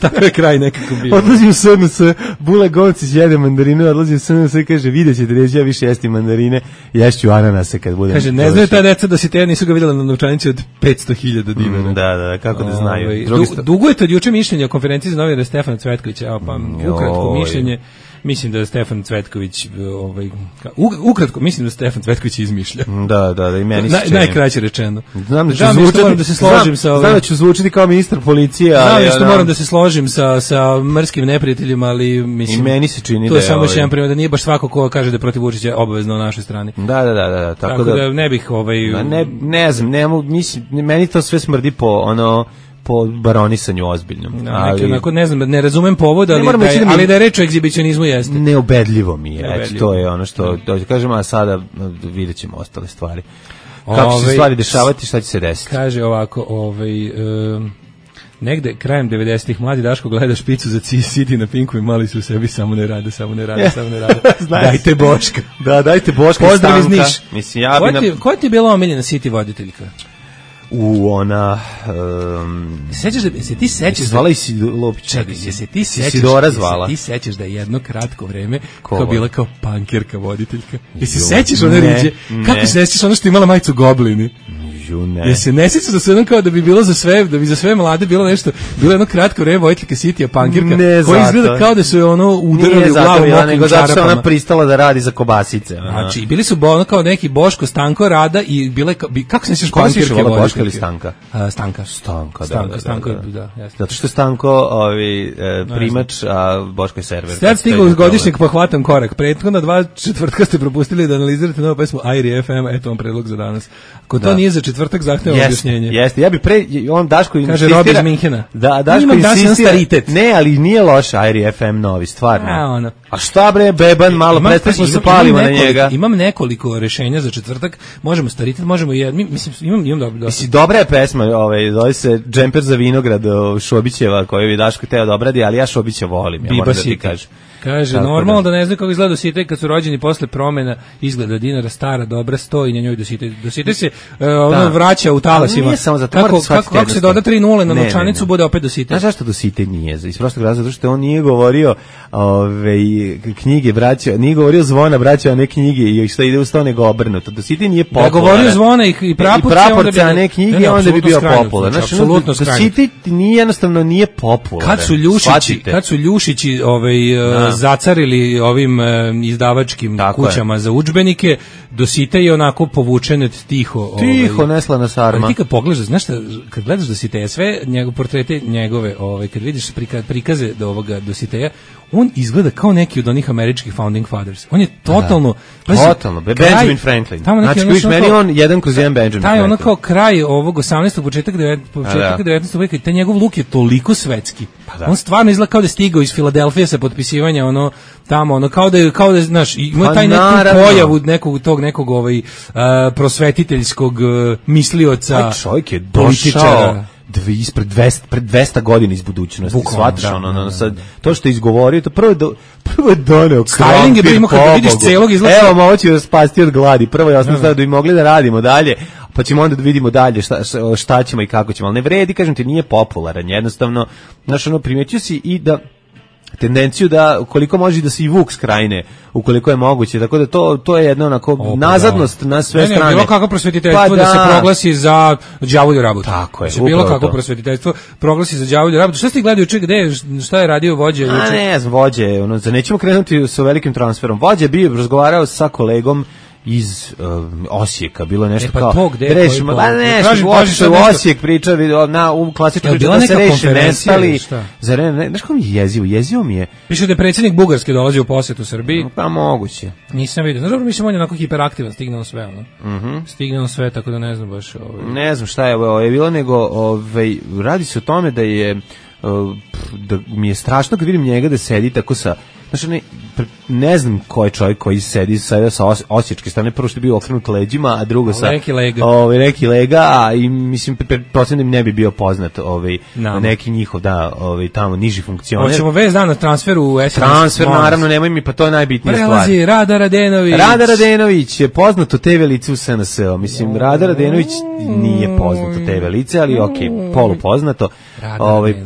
S6: Tako je kraj nekako bio.
S5: Odlazi u SNS, Bule Goncić jede mandarinu, odlazi u SNS i kaže, vidjet ćete, reći, ja više jesti mandarine, ješću ananase kad budem.
S6: Kaže, ne znaju ta deca da si te nisu ga vidjela na novčanici od 500.000 dinara.
S5: Da, kako da znaju.
S6: Dugujete od juče mišljenje o konferenciji za novinara Stefana Cvetkovića, evo pa ukratko mišljenje. Mislim da je Stefan Cvetković ukratko mislim da Stefan Cvetković izmišlja.
S5: Da, i meni se čini.
S6: Najkraće rečeno.
S5: Znam
S6: da se složim sa ovim.
S5: Znam da ću zvučiti kao ministar policije, ali
S6: znam što moram da se složim sa mrskim neprijateljima, ali mislim.
S5: I meni se čini
S6: to je samo još jedan primjer da nije baš svako ko kaže da je protiv Vučića obavezno na našoj strani.
S5: Da,
S6: tako da ne bih
S5: ne znam, mislim meni to sve smrdi po baronisanju ozbiljnom.
S6: Ne znam, ne razumem povod, ali da je reč o egzibicionizmu jeste.
S5: Neubedljivo mi je, to je ono što kažem, a sada vidjet ćemo ostale stvari. Kako će se stvari dešavati, šta će se desiti?
S6: Kaže ovako, negde krajem 90-ih mladi Daško gleda špicu za City na Pinku i mali su u sebi samo ne rade. Dajte Boška.
S5: Da, dajte Boška.
S6: Pozdrav iz Niš. Koja ti je bila omiljena City voditeljka?
S5: Ona
S6: se ti sećaš
S5: zvala i Lopić.
S6: Isidora zvala. Ti sećaš da je jedno kratko vreme kao bila kao pankerka voditeljka. Jesi sećaš one riđe? Kako se sećaš ono što imala majicu Goblini? Jesi ne sećaš da se jedno kao da bi bilo za sve mlade bilo nešto, bilo jedno kratko vreme voditeljka City-a pankerka koja izgleda kao da su je udarali u glavu mokrim čarapama.
S5: Zato što ona pristala da radi za kobasice.
S6: Znači, bili su kao neki Boško, Stanko, Rada i bile kako se sećaš pankerke
S5: Boška ili Stanka?
S6: Stanka, da.
S5: Zato što je Stanko primač, a Boško je server.
S6: Sad stigao uz godišnjeg pa hvatam korak. Prethodna 2 četvrtka ste propustili da analizirate novu pesmu Airi FM, eto vam predlog za danas. Ako to nije za četvrtak četvrtak zahteva objašnjenje.
S5: Jeste, ja bi on Daško insistira.
S6: Kaže Rob iz Minhena.
S5: Da, Daško insistira. Ne, ali nije loš Airi FM novi, stvarno. A šta bre, beban, malo prestamo se palimo na njega.
S6: Imam nekoliko rešenja za četvrtak, možemo staritet, možemo imam dobro.
S5: Mislim, dobra je pesma, zove se Džemper za vinograd Šobićeva, koju bi Daško teo da obradi, ali ja Šobića volim, ja moram da ti kažem.
S6: Kaže, normalno da ne znaju kako izgleda Dositej kad su rođeni posle promena, izgleda dinara, stara, dobra, stoji na njoj Dositej. Dositej se vraća u talasima.
S5: Nije samo zato,
S6: kako se doda 3 nule na novčanicu, bude opet Dositej.
S5: Znaš zašto Dositej nije? Iz prostog razloga, zato što on nije govorio knjige braća, nije govorio zvona braća, a ne knjige, i što ide uz to nego obrnuto. Dositej nije popularan.
S6: Da govorio zvona i
S5: praporce, a ne knjige, onda bi bio popularan. Dositej jednostavno nije popularan.
S6: Kad su Ljušići zacarili ovim izdavačkim kućama za udžbenike, Dositej je onako povučen tiho.
S5: Tiho, neslana sarma.
S6: Ali ti kad pogledaš, znaš šta, kad gledaš Dositeja, sve portrete njegove, kad vidiš prikaze do ovoga Dositeja, on izgleda kao neki od onih američkih founding fathers. On je totalno...
S5: Totalno, Benjamin Franklin. Znači, viš meni on 1/1 Benjamin Franklin.
S6: Taj ono kao kraj ovog 18. početak 19. veka, taj njegov luk je toliko svetski. On stvarno izgleda kao da je stigao iz Filadelfije sa potpisivanja tamo, kao da znaš, ima taj neku pojavu nekog prosvetiteljskog mislioca.
S5: Taj čovjek je došao ispred 200 godina iz budućnosti. Shvataš sad to što je izgovorio, to prvo je doneo
S6: styling je bilo kad vidiš celog izgleda.
S5: Evo, ovo će vas spasti od gladi. Prvo je osnovno da bi mogli da radimo dalje, pa ćemo onda da vidimo dalje šta ćemo i kako ćemo. Ali ne vredi, kažem ti, nije popularan. Jednostavno, znaš, primetio si i da tendenciju da koliko može da se i Vuk skrajne ukoliko je moguće, tako da to je jedna onako nazadnost na sve strane.
S6: Bilo kako prosvetiteljstvo da se proglasi za đavolju rabotu.
S5: Tako je.
S6: Bilo kako prosvetiteljstvo proglasi za đavolju rabotu. Šta ste gledali šta je radio vođa juče?
S5: Ne znam, vođa, nećemo krenuti sa velikim transferom. Vođa bio razgovarao sa kolegom iz Osijeka, bilo nešto
S6: pa
S5: kao
S6: rešimo,
S5: nešto u Osijek priča u klasičnoj priči da se reši nestali. Znaš kako mi je jezivo mi je.
S6: Piše da je predsjednik Bugarske dolazi u posjetu Srbiji.
S5: Pa moguće.
S6: Nisam vidio. Znaš, dobro, mislim, on je onako hiperaktivan, stigne on sve. Stigne on sve, tako da ne znam baš.
S5: Ne znam šta je bilo, nego radi se o tome da je da mi je strašno kad vidim njega da sedi tako sa, znači ne znam ko je čovjek koji sedi sa osječke strane, prvo što je bio okrenut leđima, a drugo sa neki lega, i mislim pretpostavljam da mi ne bi bio poznat neki njihov tamo niži funkcioner.
S6: Hoćemo vez dan na transferu u SNS.
S5: Transfer naravno, nemoj mi, pa to je najbitnija stvar.
S6: Prelazi Rada Radenović.
S5: Rada Radenović je poznato TV lice u SNS-u. Mislim, Rada Radenović nije poznato TV lice, ali polupoznato.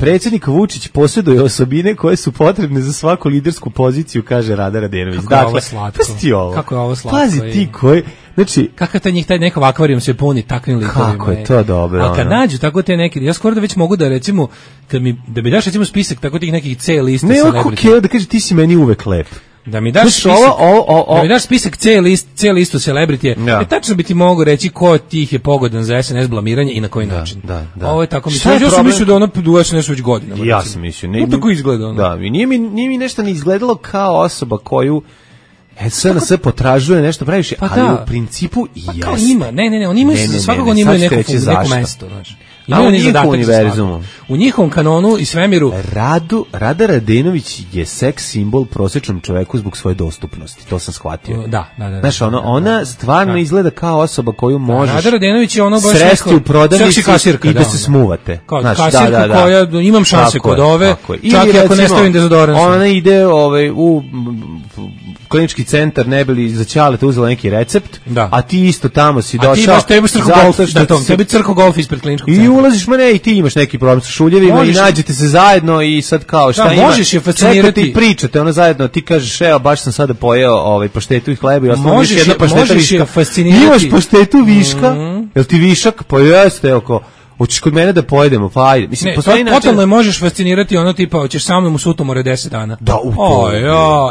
S5: Predsjednik Vučić posjeduje osobine koje su potrebne za svaku lidersku poziciju, kaže Rada Radenović.
S6: Kako je ovo slatko.
S5: Kako je ovo slatko. Pazi ti koji, znači,
S6: kakav taj nekog akvarijum se puni takvim likovima.
S5: Kako je to dobro.
S6: A kad nađu tako te neki, ja skoro da već mogu da recimo, da mi daš recimo spisak tako tih nekih C liste celebrity.
S5: Ne, da kaže ti si meni uvek lep.
S6: Da mi daš spisak C listu celebrity. Tačno bi ti mogu reći ko od tih je pogodan za SNS blamiranje i na koji način.
S5: Da.
S6: Ovo je tako mislio. Ja sam mislio da ono duva se nešto već godinama.
S5: Ja sam mislio.
S6: Ne tako izgleda.
S5: Da, nije mi nešto ni izgledalo kao osoba koju SNS potražuje nešto previše, ali u principu i
S6: jasno. Kao ima, ne, oni imaju, svakako oni imaju neko mesto, znaš.
S5: U njihovom univerzumu.
S6: U njihovom kanonu i svemiru.
S5: Rada Radenović je seks simbol prosječnom čoveku zbog svoje dostupnosti, to sam shvatio.
S6: Da.
S5: Znaš, ona stvarno izgleda kao osoba koju možeš
S6: Rada Radenović je ono baš
S5: sresti u prodavnici i da se smuvate.
S6: Kao kasirka koja imam šanse kod ove, čak i ako ne stavim dezodorans.
S5: Ona ide u klinički centar, ne bi li za Ćaleta uzela neki recept, a ti isto tamo si došao. A ti imaš
S6: tebi crko golf ispred kliničkog centra.
S5: I ulaziš, i ti imaš neki problem sa šuljevima i nađete se zajedno i sad kao šta ima.
S6: Možeš je fascinirati.
S5: Ti pričate, ono zajedno, ti kažeš, evo, baš sam sada pojeo paštetu i hleba i ostalo još jedna pašteta viška. Imaš paštetu viška, jel ti višak? Pa jeste, evo, hoćeš kod mene da pojedemo, pa ajde. Mislim, postoji način.
S6: Totalno je možeš fascinirati ono tipa, hoćeš sa mnom u Sutomore 10 dana.
S5: Da,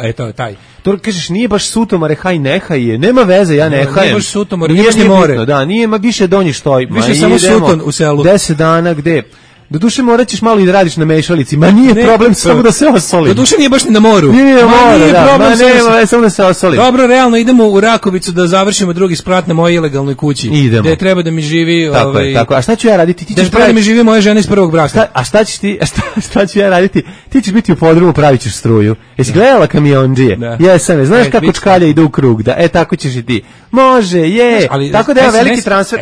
S6: eto, taj.
S5: To kažeš, nije baš Sutomore, haj nehaj je, nema veze, ja nehajem.
S6: Nije baš Sutomore, nije more.
S5: Da, nije više donji štoj.
S6: Više samo Suton u selu.
S5: 10 dana, gde? Doduše morat ćeš malo i da radiš na mešalici, ma nije problem samo da se osoli.
S6: Doduše nije baš ni na moru.
S5: Nije problem, samo da se osoli.
S6: Dobro, realno idemo u Rakovicu da završimo drugi sprat na mojoj ilegalnoj kući.
S5: Idemo.
S6: Gde treba da mi živi...
S5: Tako. A šta ću ja raditi?
S6: Gde treba da mi živi moja žena iz prvog braka.
S5: A šta ćeš ti, šta ću ja raditi? Ti ćeš biti u podrumu, pravit ćeš struju. Jesi gledala Kamiondžije? Jesam, znaš kako čkalja ide u krug, da, tako ćeš i ti. Može, je. Tako da je veliki transfer.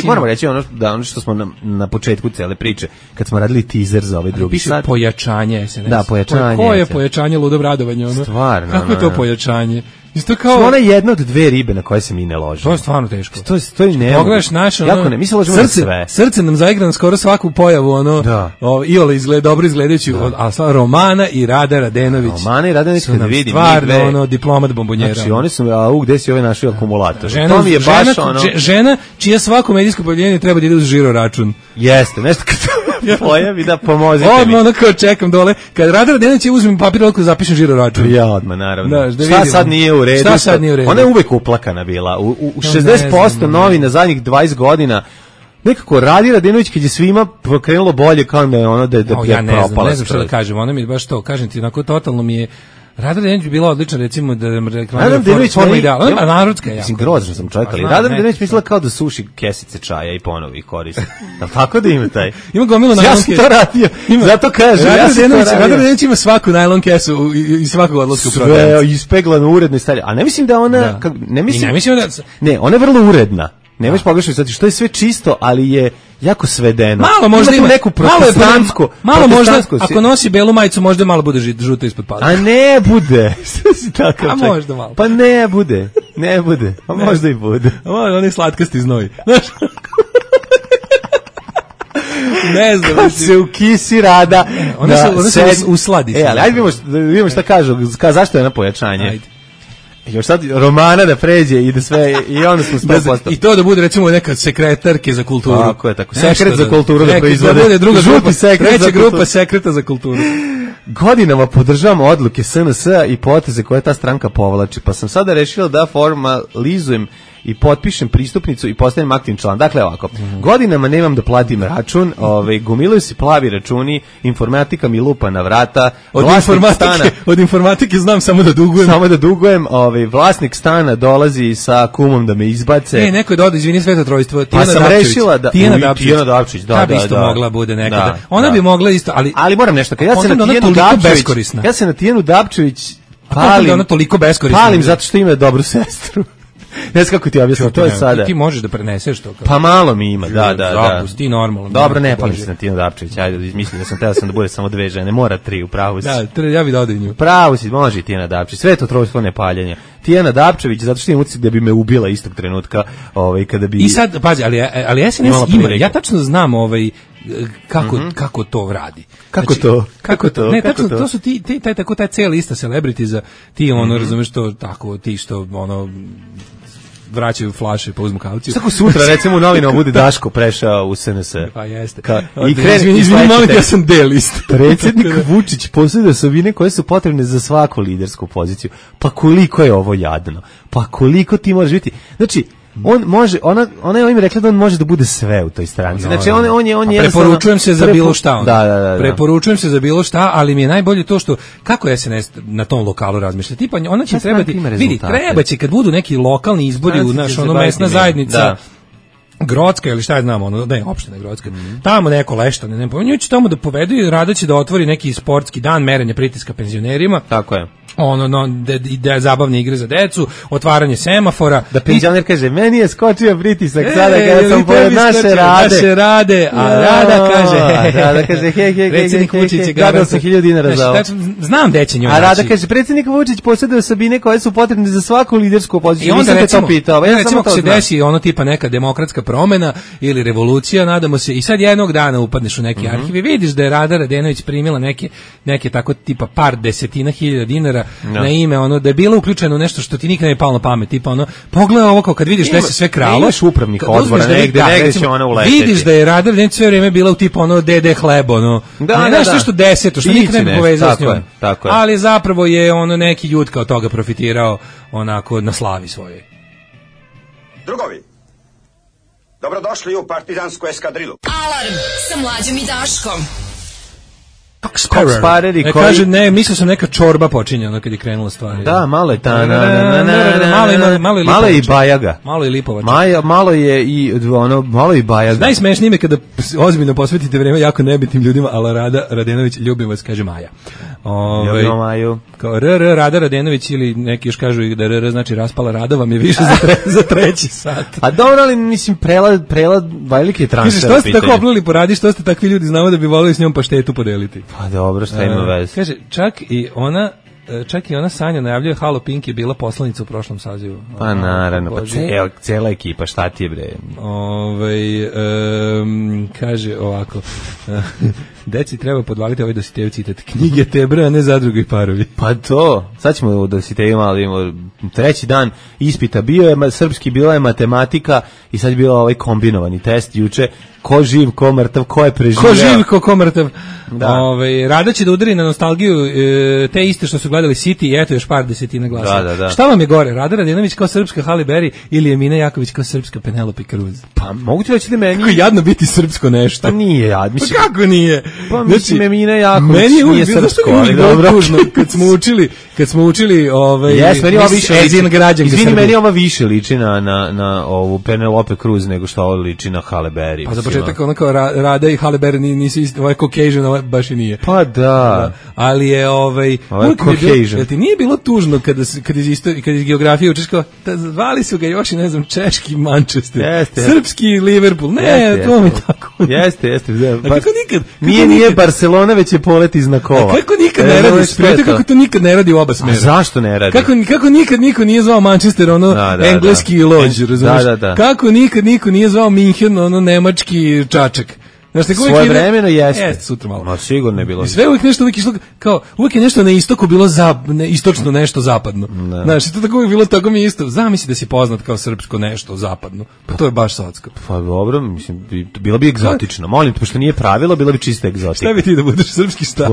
S5: Moramo reći ono što smo na početku cele priče, kad smo radili teaser za ovaj drugi sat.
S6: Pojačanje SNS.
S5: Da, pojačanje.
S6: Koje je pojačanje ludog radovanja?
S5: Stvarno.
S6: Kako je to pojačanje? Isto kao...
S5: Ona je jedna od dve ribe na koje se mi ne ložimo.
S6: To je stvarno teško.
S5: To je nemoguće.
S6: Pogledaš naše,
S5: jako ne, mi se ložimo na sve.
S6: Srce nam zaigra na skoro svaku pojavu, iole dobro izgledajući, ali stvarno Romana i Rada Radenović.
S5: Romana i Radenović, kad vidim.
S6: Stvarno, diplomat bombonjera.
S5: Znači, oni su, gde si ovaj našli akumulator?
S6: To mi je baš žena čija svako medijsko pojavljenje treba da ide uz žiro račun.
S5: Jeste, nešto kad pojavi da pomozite mi.
S6: Odmah kao čekam dole, kad Rada Radenović uzmem papir ovako zapišem žiro račun.
S5: Ja odmah, naravno. Šta sad nije u redu? Ona je uvek uplakana bila. U 60% novina zadnjih 20 godina nekako Radi Radenović kad je svima krenulo bolje kao da je ono da je propala.
S6: Ne znam što da kažem, ona mi je baš to, kažem ti, onako totalno mi je Rada Radenović bi bila odlična, recimo, da reklamira forma ideala. Ona je narodska jako.
S5: Mislim, grozno sam čovjek, ali Rada Radenović mislila kao da suši kesice čaja i ponovi ih koristi. Tako da ima taj?
S6: Ima gomilu najlon kesu.
S5: Ja sam to radio, zato kažem.
S6: Rada Radenović ima svaku najlon kesu i svakog odlaska u prodavnicu.
S5: Sve ispeglano, uredno i stavlja. A ne mislim da ona... Ne, ona je vrlo uredna. Nemaš pogrešno sad, što je sve čisto, ali je jako svedeno.
S6: Malo možda ima
S5: neku protestantsku.
S6: Malo možda, ako nosi belu majicu, možda malo bude žuto ispod pada.
S5: A ne bude. Što si takav?
S6: A možda malo.
S5: Pa ne bude. A možda i bude.
S6: A možda on je slatkasti znoj. Znaš? Ne znam.
S5: Kad se ukisi Rada.
S6: Ona se usladi.
S5: Ali ajde vidimo šta kažu. Zašto je na pojačanje? Ajde. Još sad Romana da pređe i da sve, i onda smo 100%.
S6: I to da bude recimo neka sekretarke za kulturu.
S5: Tako je, tako. Sekret za kulturu da proizvode.
S6: Da bude druga grupa, treća grupa sekreta za kulturu.
S5: Godinama podržavam odluke SNS i poteze koje ta stranka povlači, pa sam sada rešila da formalizujem i potpišem pristupnicu i postanem aktivni član. Dakle, ovako, godinama nemam da platim račun, gomilaju se plavi računi, informatika mi lupa na vrata,
S6: od informatike znam samo da dugujem.
S5: Vlasnik stana dolazi sa kumom da me izbace.
S6: Neko je dodao, izvini, Sveto trojstvo,
S5: Tijana Dapčević. Pa sam rešila da...
S6: Tijana Dapčević, da. Ta bi isto mogla bude nekada. Ona bi mogla isto, ali
S5: moram nešto, kad ja se na Tijanu Dapčević palim zato što ima dobru sestru. Ne znam kako ti objasnim, to je sada.
S6: Ti možeš da preneseš to.
S5: Pa malo mi ima, da.
S6: Ti normalno.
S5: Dobro, ne palim se na Tijanu Dapčević, ajde, mislim da sam da bude samo 2 žene, mora 3, u pravu si.
S6: Da, ja bih dodao nju.
S5: Pravo si, može i Tijana Dapčević, sve to trojstvo nepaljenja. Tijana Dapčević, zato što imam utisak da bi me ubila istog trenutka, kada bi...
S6: I sad, pazi, ali SNS ima, ja tačno znam kako to radi.
S5: Kako to?
S6: Ne, tačno, to su taj cijela lista celebrity ti razumeš to, tako, ti što, vraćaju flaše pa uzmu kauciju.
S5: Svako sutra, recimo u novinama bude Daško prešao u SNS.
S6: Pa jeste.
S5: Izvini,
S6: molim, ja sam D-list.
S5: Predsjednik Vučić posjeduje osobine koje su potrebne za svaku lidersku poziciju. Pa koliko je ovo jadno? Pa koliko ti možeš biti? Znači, on može, ona je ovim rekla da on može da bude sve u toj stranci. Znači, on je
S6: preporučujem se za bilo šta.
S5: Da.
S6: Preporučujem se za bilo šta, ali mi je najbolje to što, kako SNS na tom lokalu razmišlja. Tipa, ona će trebati, vidi, treba će kad budu neki lokalni izbori u naš mesna zajednica, Grocka ili šta je znam, opština Grocka. Tamo neko Leštane, ne pominju, će tamo da povedu i Rada će da otvori neki sportski dan merenja pritiska penzionerima.
S5: Tako je.
S6: Da zabavne igre za decu, otvaranje semafora.
S5: Da penzioner kaže, meni je skočio pritisak sada kada sam pored naše Rade.
S6: A Rada
S5: kaže, hej,
S6: predsjednik Vučić je
S5: gadao sam 1000 dinara za ovo.
S6: Znam gde će njoj.
S5: A Rada kaže, predsjednik Vučić posjeduje osobine koje su potrebne za svaku lidersku poziciju.
S6: I onda recimo ako se desi ono tipa neka demokratska promena ili revolucija, nadamo se, i sad jednog dana upadneš u neki arhiv i vidiš da je Rada Radenović primila neke tako tipa par desetina hiljada dinara na ime, da je bilo uključeno nešto što ti nikad ne palo na pamet, tipa pogledaj ovo kao kad vidiš da se sve kralo.
S5: Imaš upravnih odbora, negde će ona uleteti.
S6: Vidiš da je Rada Radenović sve vrijeme bila u tipa DD hleb, nešto deseto, što nikad ne bi povezao s njom. Ali zapravo je neki jutka od toga profitirao onako na slavi svojoj.
S11: Drugovi, Dobrodošli u partizansku eskadrilu.
S2: Alarm sa Mlađom i Daškom.
S6: Spareri koji... Kaže, ne, mislio sam neka čorba počinje ono kad je krenula stvar.
S5: Da, malo je ta...
S6: Malo
S5: je i bajaga.
S6: Malo je lipovača.
S5: Malo je i ono, malo i bajaga.
S6: Najsmešnije me kada ozbiljno posvetite vreme jako nebitnim ljudima, ala Rada Radenović, ljubim vas, kaže Maja.
S5: Ljubimo Maju.
S6: Kao Rada Radenović ili neki još kažu da RR znači raspala Rada vam je više za treći sat.
S5: A dobro, ali mislim prelad velike transfer.
S6: Kaže, što ste tako oplili po Radi, što ste takvi ljudi, znamo da bi volili s njom paštetu podeliti.
S5: Pa dobro, šta ima veze.
S6: Kaže, čak i ona Sanja najavljuje Halo Pink je bila poslanica u prošlom sazivu.
S5: Pa naravno, pa cijela ekipa, šta ti je bre?
S6: Kaže ovako, deci treba podvaliti ovaj Dositejev citat, knjige Tebra, a ne zadruge i parovi.
S5: Pa to, sad ćemo u Dositeju malo imamo, treći dan ispita, bio je srpski, bila je matematika i sad je bio ovaj kombinovani test juče, ko živ, ko mrtav, ko je preživio.
S6: Ko živ, ko mrtav. Da. Rada će da udari na nostalgiju te iste što su gledali City i eto još par desetina glasa.
S5: Da.
S6: Šta vam je gore, Rada Radenović kao srpska Halle Berry ili Emina Jaković kao srpska Penelope Cruz?
S5: Pa mogu ti reći da meni...
S6: Kako jadno biti srpsko nešto.
S5: Pa nije jad. Mislim...
S6: Pa kako nije?
S5: Pa mislim Emina Jaković
S6: meni
S5: nije srpsko, ali dobro.
S6: Kad smo učili
S5: Ezin građanke Srbije. Izvini, meni ova više liči na ovu Penelope Cruz nego što ovo liči na Halle Berry.
S6: Pa za početak ono kao Rada i Halle Berry nisi isti, ovaj Caucasian, ovaj baš i nije.
S5: Pa da.
S6: Ali je
S5: Caucasian.
S6: Jel ti nije bilo tužno kad iz geografije učiš kao, zvali su ga još i ne znam, češki Manchester, srpski Liverpool, to mi tako.
S5: Jeste.
S6: Kako nikad?
S5: Nije Barcelona, već je polet iz znakova.
S6: Kako nikad ne radi? Spremite kako to nikad ne radi u oba smera.
S5: A zašto ne radi?
S6: Kako nikad niko nije zvao Manchester, engleski lođ, razumiješ? Kako nikad niko nije zvao Minhen, nemački čačak.
S5: Svoje vremeno
S6: jeste sutra malo.
S5: Ma sigurno je bilo.
S6: I sve uvijek nešto uvijek išlo, kao uvijek je nešto na istoku bilo istočno nešto zapadno. Znaš, to tako uvijek bilo, tako mi je isto. Zamisli da si poznat kao srpsko nešto zapadno. To je baš socko.
S5: Pa dobro, mislim, bilo bi egzotično. Molim te, pošto nije pravilo, bilo bi čista egzotika.
S6: Šta bi ti da budeš srpski šta?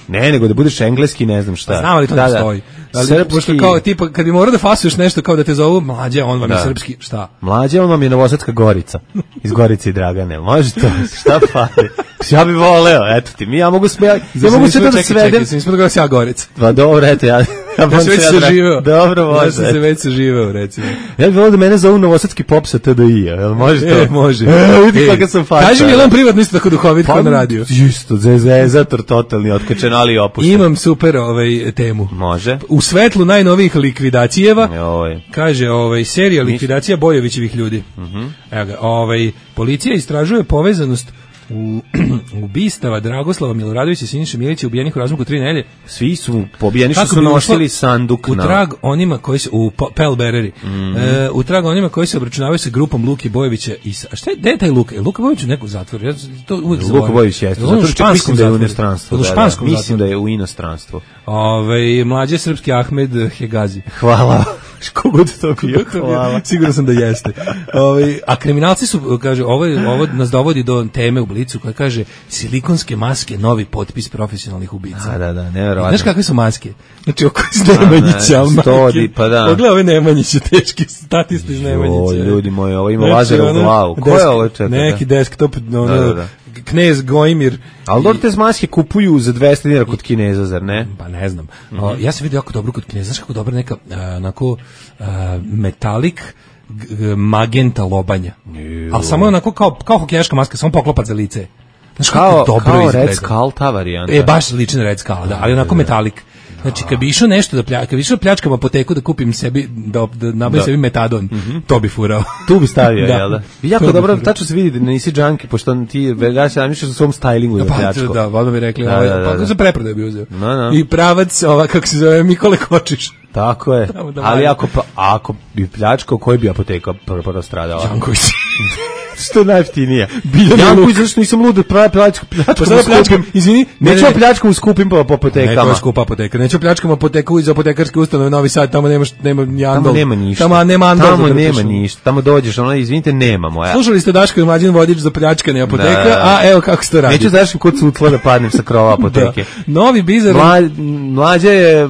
S5: Ne, nego da budeš engleski, ne znam šta.
S6: Znam li to ne stoji. Srpski... Kao, tipa, kad bi morao da fasuješ nešto kao da te zovu Mlađa, on vam je srpski, šta?
S5: Mlađa, on vam je Novosadska Gorica. Iz Gorice i Dragane. Može to? Šta fali? Ja bih voleo, eto ti. Ja mogu sve da svedem.
S6: Čekaj, nismo da ja Gorica.
S5: Pa dobro, eto, ja
S6: sam već saživeo.
S5: Dobro, može.
S6: Ja sam se već saživeo, recimo.
S5: Ja bih voleo da mene zovu Novosadski pop sa TDI, jel može to?
S6: Može.
S5: Vidi kako sam fača.
S6: Kaži mi, je li on privatno isto tako duhovit kao na radiju?
S5: Isto, zezator totalni, otkačen, ali opušten.
S6: Imam super temu.
S5: Može.
S6: U svetlu najnovijih likvidacijeva, kaže serija likvidacija Bojovićevih ljudi. Evo ga, policija istražuje povezanost ubistava Dragoslava Miloradovića i Siniše Milića ubijenih u razmaku 3 nedelje.
S5: Svi su pobijeni što su nosili sanduk
S6: u trag onima koji su u Pell Bereri. U trag onima koji se obračunavaju sa grupom Luke Bojovića i a šta je, gde je taj Luka? Luka Bojović u neku zatvoru. Ja to uvijek zaboravim.
S5: Luka Bojović jeste. Mislim da je u inostranstvu. Mislim da je u inostranstvu.
S6: Mlađe srpski Ahmed Hegazi.
S5: Hvala. Kogod to bio,
S6: sigurno sam da jeste. A kriminalci su, kaže, ovo nas dovodi do teme u Blicu koja kaže silikonske maske, novi potpis profesionalnih ubica.
S5: Da, nevjerovatno.
S6: Znaš kakve su maske? Znači, oko iz Nemanjića.
S5: Pa da.
S6: Pogledaj ove Nemanjiće, teški statisti iz Nemanjića.
S5: Ljudi moji, ovo ima lazera u glavu. Ko je ovo čeka?
S6: Neki desktop, Knez Gojmir.
S5: Ali dobro te maske kupuju za 200 dinara kod Kineza, zar ne?
S6: Pa ne znam. Ja sam vidio jako dobro kod Kineza, znaš kako dobro neka onako metalik magenta lobanja. Ali samo onako kao hokejaška maska, samo poklopac za lice. Znaš kako dobro
S5: izgleda. Kao Red Skull ta varijanta.
S6: Baš liči na Red Skull, da, ali onako metalik. Znači, kad bi išao nešto kad bi išao pljačkam apoteku da kupim sebi, da nabavim sebi metadon, to bi furao.
S5: Tu bi stavio, jel da? Jako dobro, tačno se vidi da nisi džanki, pošto ti veljaš namišljaš u svom stylingu za pljačko.
S6: Da, odmah bi rekli, pa za preprodaju bi uzeo. I pravac, kako se zove, Mikole Kočiš.
S5: Tako je, ali ako bi pljačkao, koji bi apoteka prvo stradala?
S6: Janković.
S5: Što je najjeftinije? Janković, zašto nisam lud da pljačkam skupim?
S6: Izvini,
S5: neću pljačkam skupim po apotekama.
S6: Ne, to je skupa apoteka. Neću pljačkam apoteku iz apotekarske ustanove Novi Sad, tamo nema jandol.
S5: Tamo nema ništa. Tamo nema ništa. Tamo dođeš, izvinite, nemamo.
S6: Slušali ste Daško i Mlađan vodič za pljačkanje apoteka, a evo kako se to radi.
S5: Neću znaš kod sutla da padnem sa krova apoteke.
S6: Novi bizar.
S5: Mlađa je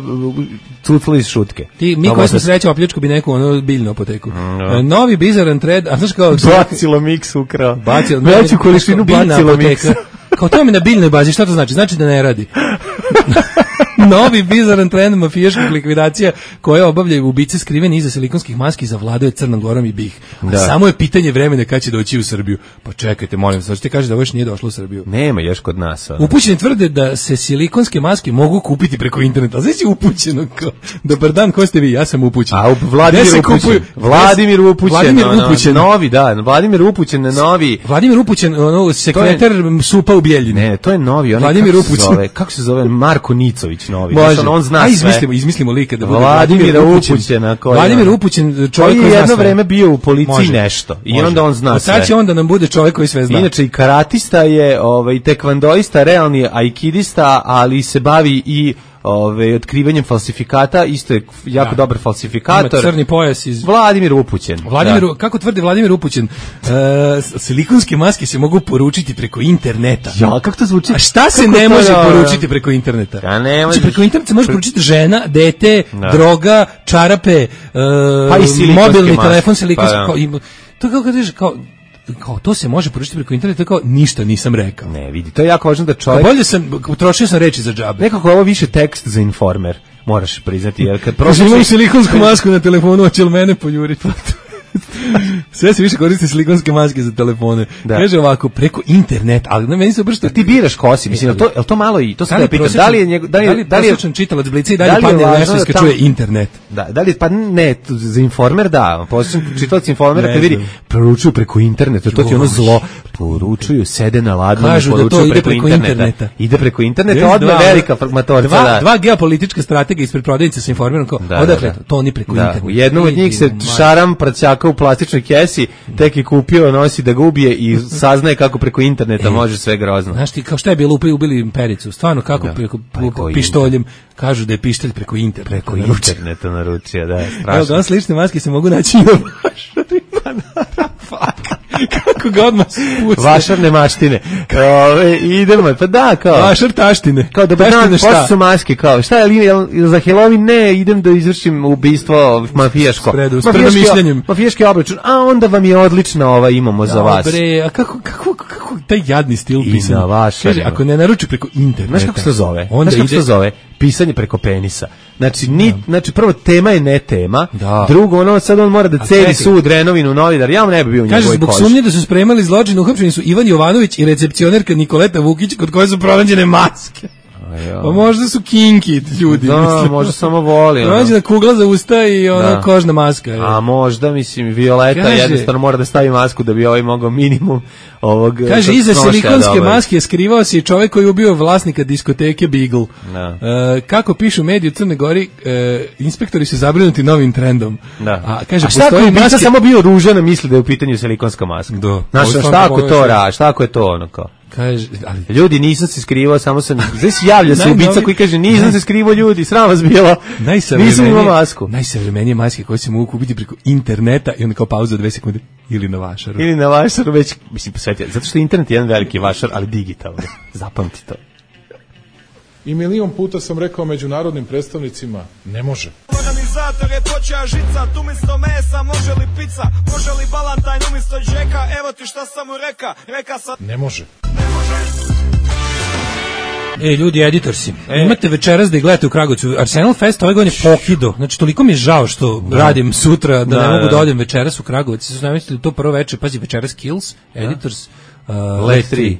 S5: cucla iz šutke.
S6: Mi koji smo sreća opljačku bi neku ono biljnu apoteku. Novi bizaran trend, a znaš kao...
S5: Bacilo mix ukrao. Veću količinu bacilo miksa.
S6: Kao to mi na biljnoj bazi, šta to znači? Znači da ne radi. Novi bizaran trend mafijaških likvidacija koje obavljaju ubice skriveni iza silikonskih maski zavladuje Crnom Gorom i BiH. Samo je pitanje vremena kad će doći u Srbiju. Pa čekajte, molim vas, ti kažeš da ovo još nije došlo u Srbiju.
S5: Nema još kod nas.
S6: Upućeni tvrde da se silikonske maske mogu kupiti preko interneta. Znači upućeno kao, dobar dan, ko ste vi? Ja sam upućen.
S5: A Vladimir upućen. Novi, da, Vladimir upućen na novi.
S6: Vladimir upućen, sekretar supa u Bjeljini.
S5: Ne, to je novi.
S6: Vladimir upućen.
S5: Kako se zove? Marko Nicović novi.
S6: On zna sve. Izmislimo lika da bude
S5: Vladimir upućen.
S6: Vladimir upućen, čovjek koji
S5: je jedno vreme bio u policiji nešto. I onda on zna sve.
S6: Sad će onda nam bude čovjek koji sve zna.
S5: Inače i karatista je, i tekvandoista, realni aikidista, ali se bavi i otkrivanjem falsifikata, isto je jako dobar falsifikator.
S6: Ima crni pojas iz...
S5: Vladimir upućen.
S6: Kako tvrdi Vladimir upućen? Silikonske maske se mogu poručiti preko interneta.
S5: Ja, kako to zvuči?
S6: A šta se ne može poručiti preko interneta?
S5: Znači,
S6: preko interneta se može poručiti žena, dete, droga, čarape, mobilni telefon, silikonske... To kako kažeš, kao to se može poručiti preko interneta, kao ništa nisam rekao.
S5: Ne, vidi, to je jako važno da čovjek...
S6: Utrošio sam reči za džabe.
S5: Nekako ovo više tekst za Informer, moraš priznati. Jer kad
S6: imam silikonsku masku na telefonu, hoće li mene poljuriti? Sve se više koriste silikonske maske za telefone. Kaže ovako, preko interneta, ali na meni se obršta.
S5: Ti biraš kosi, mislim, je to malo i to se da pitam. Da li
S6: prosječan čitalac Blica i dalje padne nešto iska čuje internet?
S5: Da li pa ne, za Informer da, prosječan čitalac Informera kad vidi poručuju preko interneta, to ti ono zlo, poručuju, sede na ladnu, poručuju preko interneta. Ide preko interneta, odmah velika matorca.
S6: Dva geopolitička stratega ispred prodavnice sa Informerom, kao, odakle, to oni preko interneta.
S5: Jednom od njih se šaram praćaka u plastičnoj kesi, tek je kupio, nosi da ga ubije i saznaje kako preko interneta može sve grozno.
S6: Znaš ti, kao šta je bilo, ubili Pericu, stvarno kako preko pištoljem, kažu da je pištolj preko interneta.
S5: Preko interneta naručio, da, strašno.
S6: Evo, danas slične maske se mogu naći i na kako ga odmah spusti.
S5: Vašar nemaštine. Idemo, pa da, kao.
S6: Vašar taštine.
S5: Kao da pošto su maske, kao, šta je za Halloween? Ne, idem da izvršim ubistvo mafijaško. Mafijaški obračun, a onda vam je odlična imamo za vas.
S6: Dobre, a kako taj jadni stil pisanja?
S5: I na vašar.
S6: Kaže, ako ne naruči preko interneta.
S5: Znaš kako se to zove? Pisanje preko penisa. Znači prvo tema je ne tema, drugo sad on mora da celi sud Renovinu novinar, ja mu ne bi bio u njegovoj koži.
S6: Kaže, zbog sumnje da su spremali zločin, uhapšeni su Ivan Jovanović i recepcionerka Nikoleta Vukić, kod koje su pronađene maske. Pa možda su kinki ljudi.
S5: Da, možda samo voli.
S6: Pronađena kugla za usta i kožna maska.
S5: A možda, mislim, Violeta jednostavno mora da stavi masku da bi mogao minimum ovog...
S6: Kaže, iza silikonske maske skrivao se i čovjek koji je ubio vlasnika diskoteke Beagle. Kako pišu mediji u Crnoj Gori, inspektori su zabrinuti novim trendom.
S5: A šta ako je samo bio ružan, misli da je u pitanju silikonska maska? Znaš, šta ako je to ono kao?
S6: Kaže,
S5: ljudi, nisam se skrivao, samo sam... Znači, javlja se ubica koji kaže, nisam se skrivao, ljudi, sram vas bilo, nisam imao masku.
S6: Najsavremenije maske koje se mogu kupiti preko interneta i onda kao pauza 2 sekunde, ili na vašaru.
S5: Ili na vašaru, već, mislim, posvetio, zato što internet je jedan veliki vašar, ali digitalno, zapamti to.
S12: I milion puta sam rekao međunarodnim predstavnicima, ne može.
S13: Organizator je počeo žicat, umjesto mesa može li pizza, može li balantajn umjesto džeka, evo ti šta sam mu reka sad...
S12: Ne može.
S6: Ljudi, editorsi, imate večeras da ih gledate u Kragujevcu. Arsenal Fest ove godine pokido. Znači, toliko mi je žao što radim sutra da ne mogu da odem večeras u Kragujevac. Su namislili to prvo večer, pazi, večeras Kills, Editors,
S5: Let 3.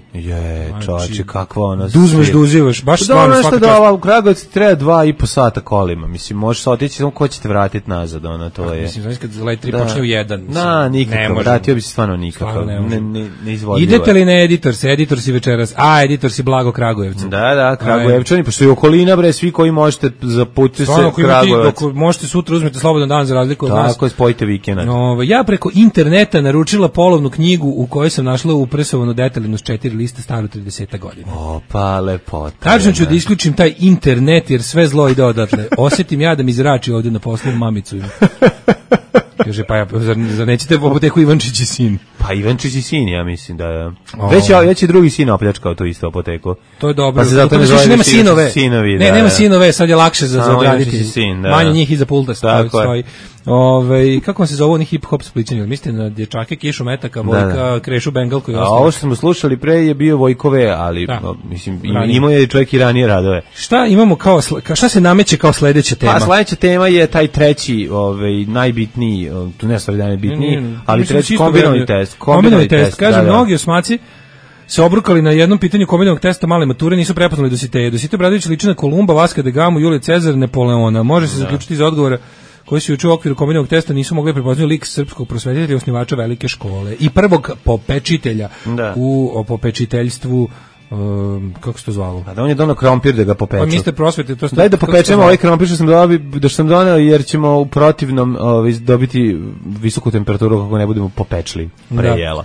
S5: Čovječe, kakva ona...
S6: Uzmeš da uzivaš, baš stvarno svaka čast.
S5: U Kragujevcu treba 2,5 sata kolima. Mislim, možeš se otići, samo ko će te vratiti nazad, to je...
S6: Mislim, znači kad Let 3 počne u 1.
S5: Nikako, vratio bi se stvarno nikako. Ne izvodljivo.
S6: Idete li na Editorsi večeras? Editorsi Blago Kragujevcu.
S5: Da, Kragujevčani, pošto je okolina, bre, svi koji možete zaputiti se Kragujevac.
S6: Ako možete sutra uzmete slobodan dan za razliku od nas.
S5: Tako, spojite vikend.
S6: Ja preko interneta naručila polovnu knjigu u kojoj sam našla upresovanu detaljnu s 4 liste staru 30 godina.
S5: Pa lepota.
S6: Tačno ću da isključim taj internet jer sve zlo ide odatle. Osjetim ja da mi zrači ovdje na poslu, mamicu ima. Kaže, pa zar nećete u apoteku Ivančić i sin?
S5: Pa Ivančić i sin, ja mislim da je. Već je drugi sin opljačkao tu isto apoteku.
S6: To je dobro.
S5: Pa se zato ne zove
S6: nema sinove.
S5: Sinovi,
S6: ne, nema sinove, sad je lakše za odraditi.
S5: Sin,
S6: manje njih iza pulta stoji. Kako vam se zove oni hip-hop splićani? Mislite na dječake, Kišu Metaka, Vojka, Krešu Bengalku i ostalo?
S5: A ovo što smo slušali pre je bio Vojkove, ali mislim, imao je čovjek i ranije radove.
S6: Šta imamo šta se nameće kao sledeća tema?
S5: Pa sledeća tema je taj treći, najbitniji, tu ne stvari da je bitniji, ali treći kombinovani test.
S6: Kombinovani test, kaže, mnogi osmaci se obrukali na jednom pitanju kombinovanog testa male mature, nisu prepoznali Dositeja. Dositej Obradović liči na Kolumba, Vaska da Gamu, Julije Cezar, Napoleona. Može se zaključiti iz odgovora koji su juče u okviru kombinovanog testa nisu mogli prepoznati lik srpskog prosvetitelja i osnivača velike škole i prvog popečitelja u popečiteljstvu, kako se to zvalo?
S5: A da on je donao krompir da ga popeče.
S6: Pa mister prosvete, to
S5: daj da popečemo ovaj krompir što sam donao, jer ćemo u protivnom dobiti visoku temperaturu kako ne budemo popečli pre jela.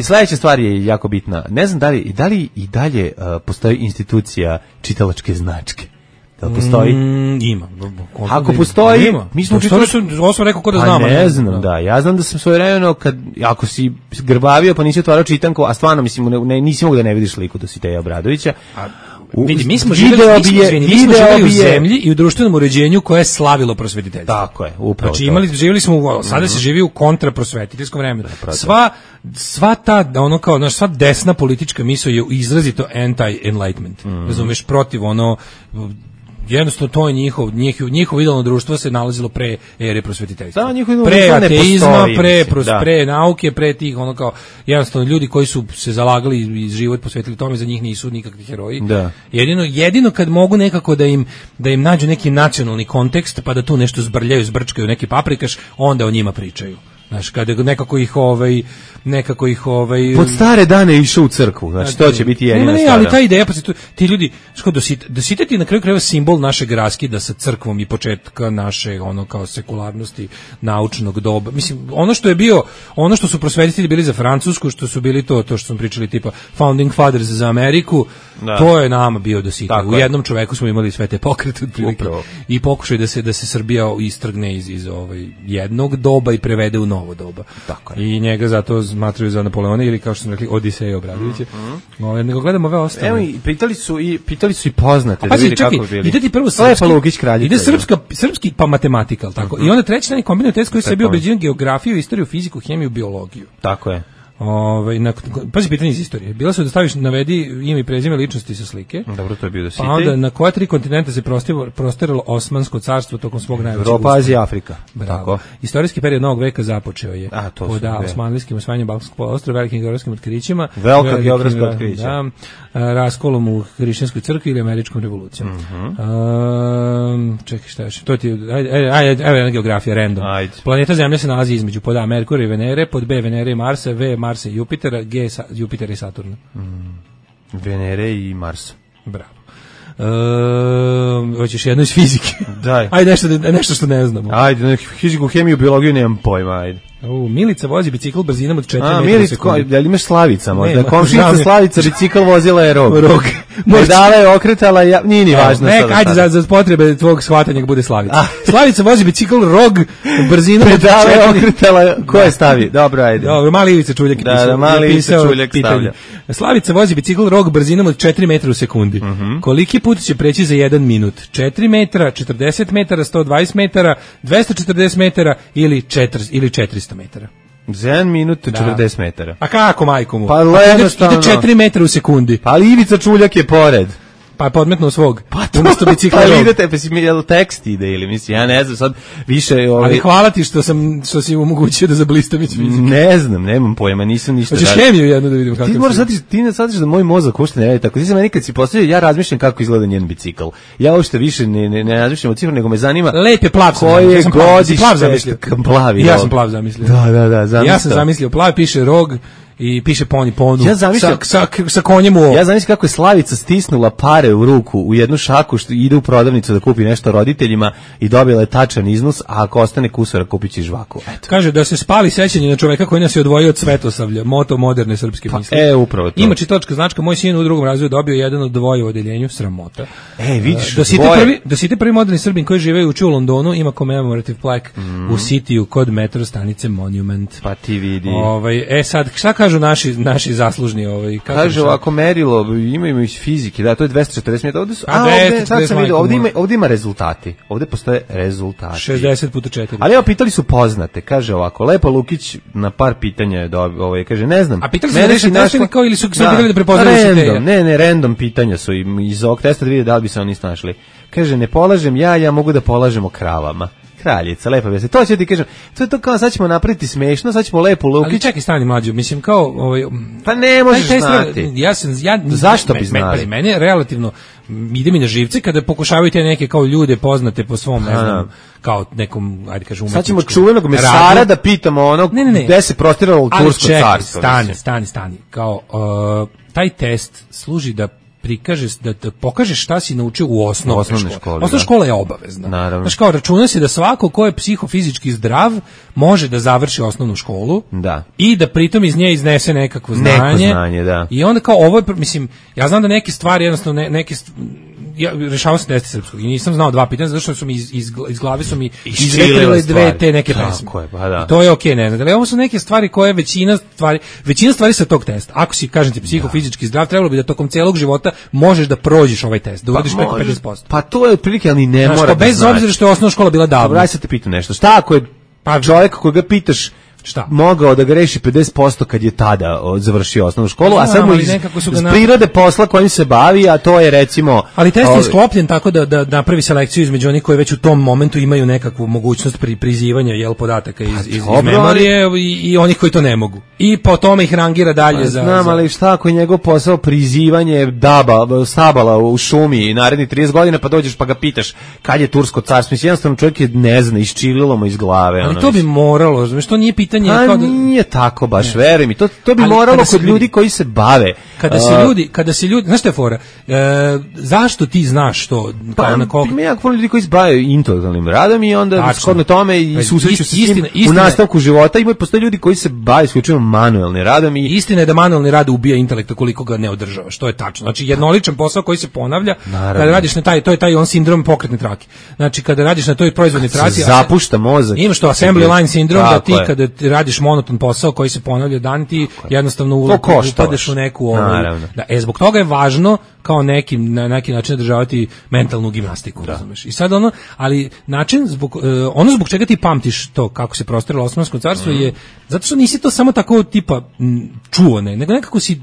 S5: Sledeća stvar je jako bitna. Ne znam da li i dalje postoji institucija čitalačke značke. Da li postoji?
S6: Ima.
S5: Ako postoji,
S6: mi smo čitali. Ovo sam rekao ko da znamo.
S5: Ne znam, da. Ja znam da sam svojevremeno, ako si grbavio pa nisi otvarao čitanku, a stvarno, mislim, nisi mogu da ne vidiš liku Dositeja Obradovića.
S6: Vidi, mi smo živjeli u zemlji i u društvenom uređenju koje je slavilo prosvetiteljstvo.
S5: Tako je, upravo.
S6: Znači, živjeli smo, sada se živi u kontraprosvetiteljskom vremenu. Sva ta, sva desna politička misao je izrazito anti-enlightenment. Razumeš, protiv jednostavno to je njihovo idealno društvo se nalazilo pre ere prosvetiteljstva. Pre ateizma, pre nauke, pre tih jednostavno ljudi koji su se zalagali i život posvetili tome, za njih nisu nikakvi heroji.
S5: Da.
S6: Jedino kad mogu nekako da im nađu neki nacionalni kontekst, pa da tu nešto zbrljaju, zbrčkaju neki paprikaš, onda o njima pričaju. Znaš, kada nekako ih
S5: pod stare dane išao u crkvu, znači to će biti jedina stvar.
S6: Ali ta ideja, pa ti ljudi, Dositej ti na kraju krajeva simbol našeg raskida sa crkvom i početka naše kao sekularnosti naučnog doba. Mislim, ono što su prosvetitelji bili za Francusku, što su bili to što smo pričali tipa Founding Fathers za Ameriku, to je nama bio Dositej. U jednom čoveku smo imali sve te pokrete otprilike i pokušaj da se Srbija istrgne iz jednog doba i prevede u novo doba. I njega zato smatraju za Napoleona ili kao što smo rekli Odiseja Obradovića. Nego gledamo ove ostale.
S5: Evo pitali su i poznate da vidi kako bili.
S6: Ide ti prvo ide srpski pa matematika, tako. I onda treći taj kombinovani test koji se bio obrađivan geografiju, istoriju, fiziku, hemiju, biologiju.
S5: Tako je.
S6: Pazi pitanje iz istorije. Bila su da staviš navedi ime i prezime ličnosti sa slike.
S5: Dobro, to je bio Dositej.
S6: Pa onda na koja 3 kontinenta se prostiralo Osmansko carstvo tokom svog najvećeg
S5: Evropa, Azija, Afrika.
S6: Tako. Istorijski period novog veka započeo je pod osmanlijskim osvajanjem Balkanskog poluostrva, velikim geografskim otkrićima.
S5: Velika geografska otkrića.
S6: Raskolom u hrišćanskoj crkvi ili američkom revolucijom. Čekaj, šta još? To ti ajde geografija random. Planeta Zemlja se nalazi između pod A Merkura i Venere, pod B Venere i Marsa, V Marsa i Jupitera, G Jupitera i Saturna.
S5: Venere i Marsa.
S6: Bravo. Hoćeš jedno iz fizike?
S5: Daj.
S6: Ajde nešto što ne znamo.
S5: Ajde, fiziku, hemiju, biologiju nemam pojma, ajde.
S6: Milica vozi bicikl brzinom od 4 metra u sekundi.
S5: Da li imaš Slavica možda? Komšinica Slavica, bicikl vozila je Rog. Medala je okretala, nije ni važno.
S6: Ajde, za potrebe tvog shvatanja bude Slavica. Slavica vozi bicikl Rog brzinom od 4
S5: medala je okretala, ko je stavi? Dobro, ajde.
S6: Dobro, mali Ivica Čuljak pitanje. Slavica vozi bicikl Rog brzinom od 4 metra u sekundi. Koliki put će preći za 1 minut? 4 metra, 40 metara, 120 metara, 240 metara ili 400 metara.
S5: Za 1 minut 40 metara.
S6: A kako, majko mu?
S5: Pa jednostavno.
S6: Ide 4 metra u sekundi.
S5: Pa ali Ivica Čuljak je pored.
S6: Pa je podmetnuo svog.
S5: Pa umjesto bicikla. Pa idete, jel tekst ide ili mislim, ja ne znam, sad više...
S6: Ali hvala ti što si omogućio da zablistam iz fizike.
S5: Ne znam, nemam pojma, nisam ništa...
S6: Hoćeš hemiju jednu da vidim kako...
S5: Ti moraš shvatiš da moj mozak uopšte ne radi tako. Ti se meni kad si postavio, ja razmišljam kako izgleda njen bicikl. Ja uopšte više ne razmišljam o cifru, nego me zanima...
S6: Lep je plav.
S5: Koje godište...
S6: Plav zamislio.
S5: Plavi.
S6: Ja sam plav zamislio.
S5: Da,
S6: ja sam zamislio plav, piše Rog i piše poni ponu
S5: ja
S6: sa konjem u ovo.
S5: Ja zamislim kako je Slavica stisnula pare u ruku u jednu šaku što ide u prodavnicu da kupi nešto roditeljima i dobila je tačan iznos, a ako ostane kusura kupit će žvaku. Eto.
S6: Kaže da se spali sećanje na čoveka koji nas je odvojio od svetosavlja, moto moderne srpske misli.
S5: Upravo to.
S6: Ima čitačka značka, moj sin u drugom razredu dobio jedan od dvoje u odeljenju, sramota.
S5: Vidiš,
S6: da si te prvi moderni Srbin koji žive u Londonu ima commemorative plaque u Cityu kod metro stanice Monument.
S5: Pa ti vidi.
S6: Sad, šta kažu naši zaslužni?
S5: Kaže ovako merilo, imaju iz fizike, da, to je 240 metara. Ovdje ima rezultati. Ovdje postoje rezultati.
S6: 60 puta 4.
S5: Ali evo, pitali su poznate. Kaže ovako, Lepo Lukić na par pitanja je kaže, ne znam.
S6: A pitali su da kao ili su se pitali da prepoznaju se te?
S5: Ne, random pitanja su iz ovog testa da vide da li bi se oni snašli. Kaže, ne polažem ja mogu da polažem o kravama. Kraljica, lepo bi se. To ću ti kažem. To je to kao sad ćemo napraviti smešno, sad ćemo Lepo Lukić.
S6: Ali čekaj, stani mlađo, mislim kao
S5: pa ne možeš znati. Zašto bi znali?
S6: Meni je relativno ide mi na živce kada pokušavaju te neke kao ljude poznate po svom, ne znam, kao nekom, ajde kažem,
S5: sad ćemo čuvenog mesara da pitamo gde se prostiralo tursko carstvo.
S6: Stani. Kao taj test služi da prikaže, da pokažeš šta si naučio u osnovnoj školi. Osnovna škola je obavezna.
S5: Naravno.
S6: Znači kao računa se da svako ko je psihofizički zdrav može da završi osnovnu školu i da pritom iz nje iznese nekakvo znanje.
S5: Da.
S6: I onda kao ovo je, mislim, ja znam da neke stvari jednostavno ja rešavao sam test srpskog i nisam znao dva pitanja zato što su mi iz glave su mi izletrile dve te neke pesme. I to je okej, ne znam. Ali ovo su neke stvari koje većina stvari sa tog testa. Ako si, kažem ti, psihofizički zdrav, trebalo bi da tokom celog života možeš da prođeš ovaj test, da uradiš preko 50%.
S5: Pa to je otprilike, ali ne mora da
S6: bez obzira što je osnovna škola bila davno.
S5: Aj sad te pitam nešto. Šta ako je čovjek koga pitaš mogao da greši 50% kad je tada završio osnovnu školu, a sad mu iz prirode posla kojim se bavi, a to je recimo...
S6: Ali test je sklopljen tako da napravi selekciju između onih koji već u tom momentu imaju nekakvu mogućnost prizivanja podataka iz memorije i onih koji to ne mogu. I po tome ih rangira dalje za...
S5: Znam, ali šta ako je njegov posao prizivanje stabala u šumi narednih 30 godina, pa dođeš pa ga pitaš kad je tursko carstvo. Mislim, jednostavno čovjek je ne zna, iščililo mu iz glave.
S6: Ali to bi moralo, znači to nije pitanje.
S5: Nije tako baš, veruj mi. To bi moralo kod ljudi koji se bave.
S6: Kada se ljudi, znaš šta je fora? Zašto ti znaš to?
S5: Ima jako ljudi koji se bave intelektualnim radom i onda shodno tome i susreću se s tim u nastavku života. Postoje ljudi koji se bave isključivo manuelnim radom.
S6: Istina je da manuelni rad ubija intelekta koliko ga ne održava, što je tačno. Znači jednoličan posao koji se ponavlja, kada radiš na to je taj on sindrom pokretne trake. Znači kada radiš na toj proizvodnoj traci,
S5: zapušta mozak.
S6: Imaš to assembly line sindrom, da ti kada radiš monoton posao koji se ponavlja dan, ti jednostavno upadeš u neku zbog toga je važno kao na neki način održavati mentalnu gimnastiku, razumeš. I sad ali način zbog čega ti pamtiš to kako se prostiralo Osmansko carstvo je zato što nisi to samo tako tipa čuo, nego nekako si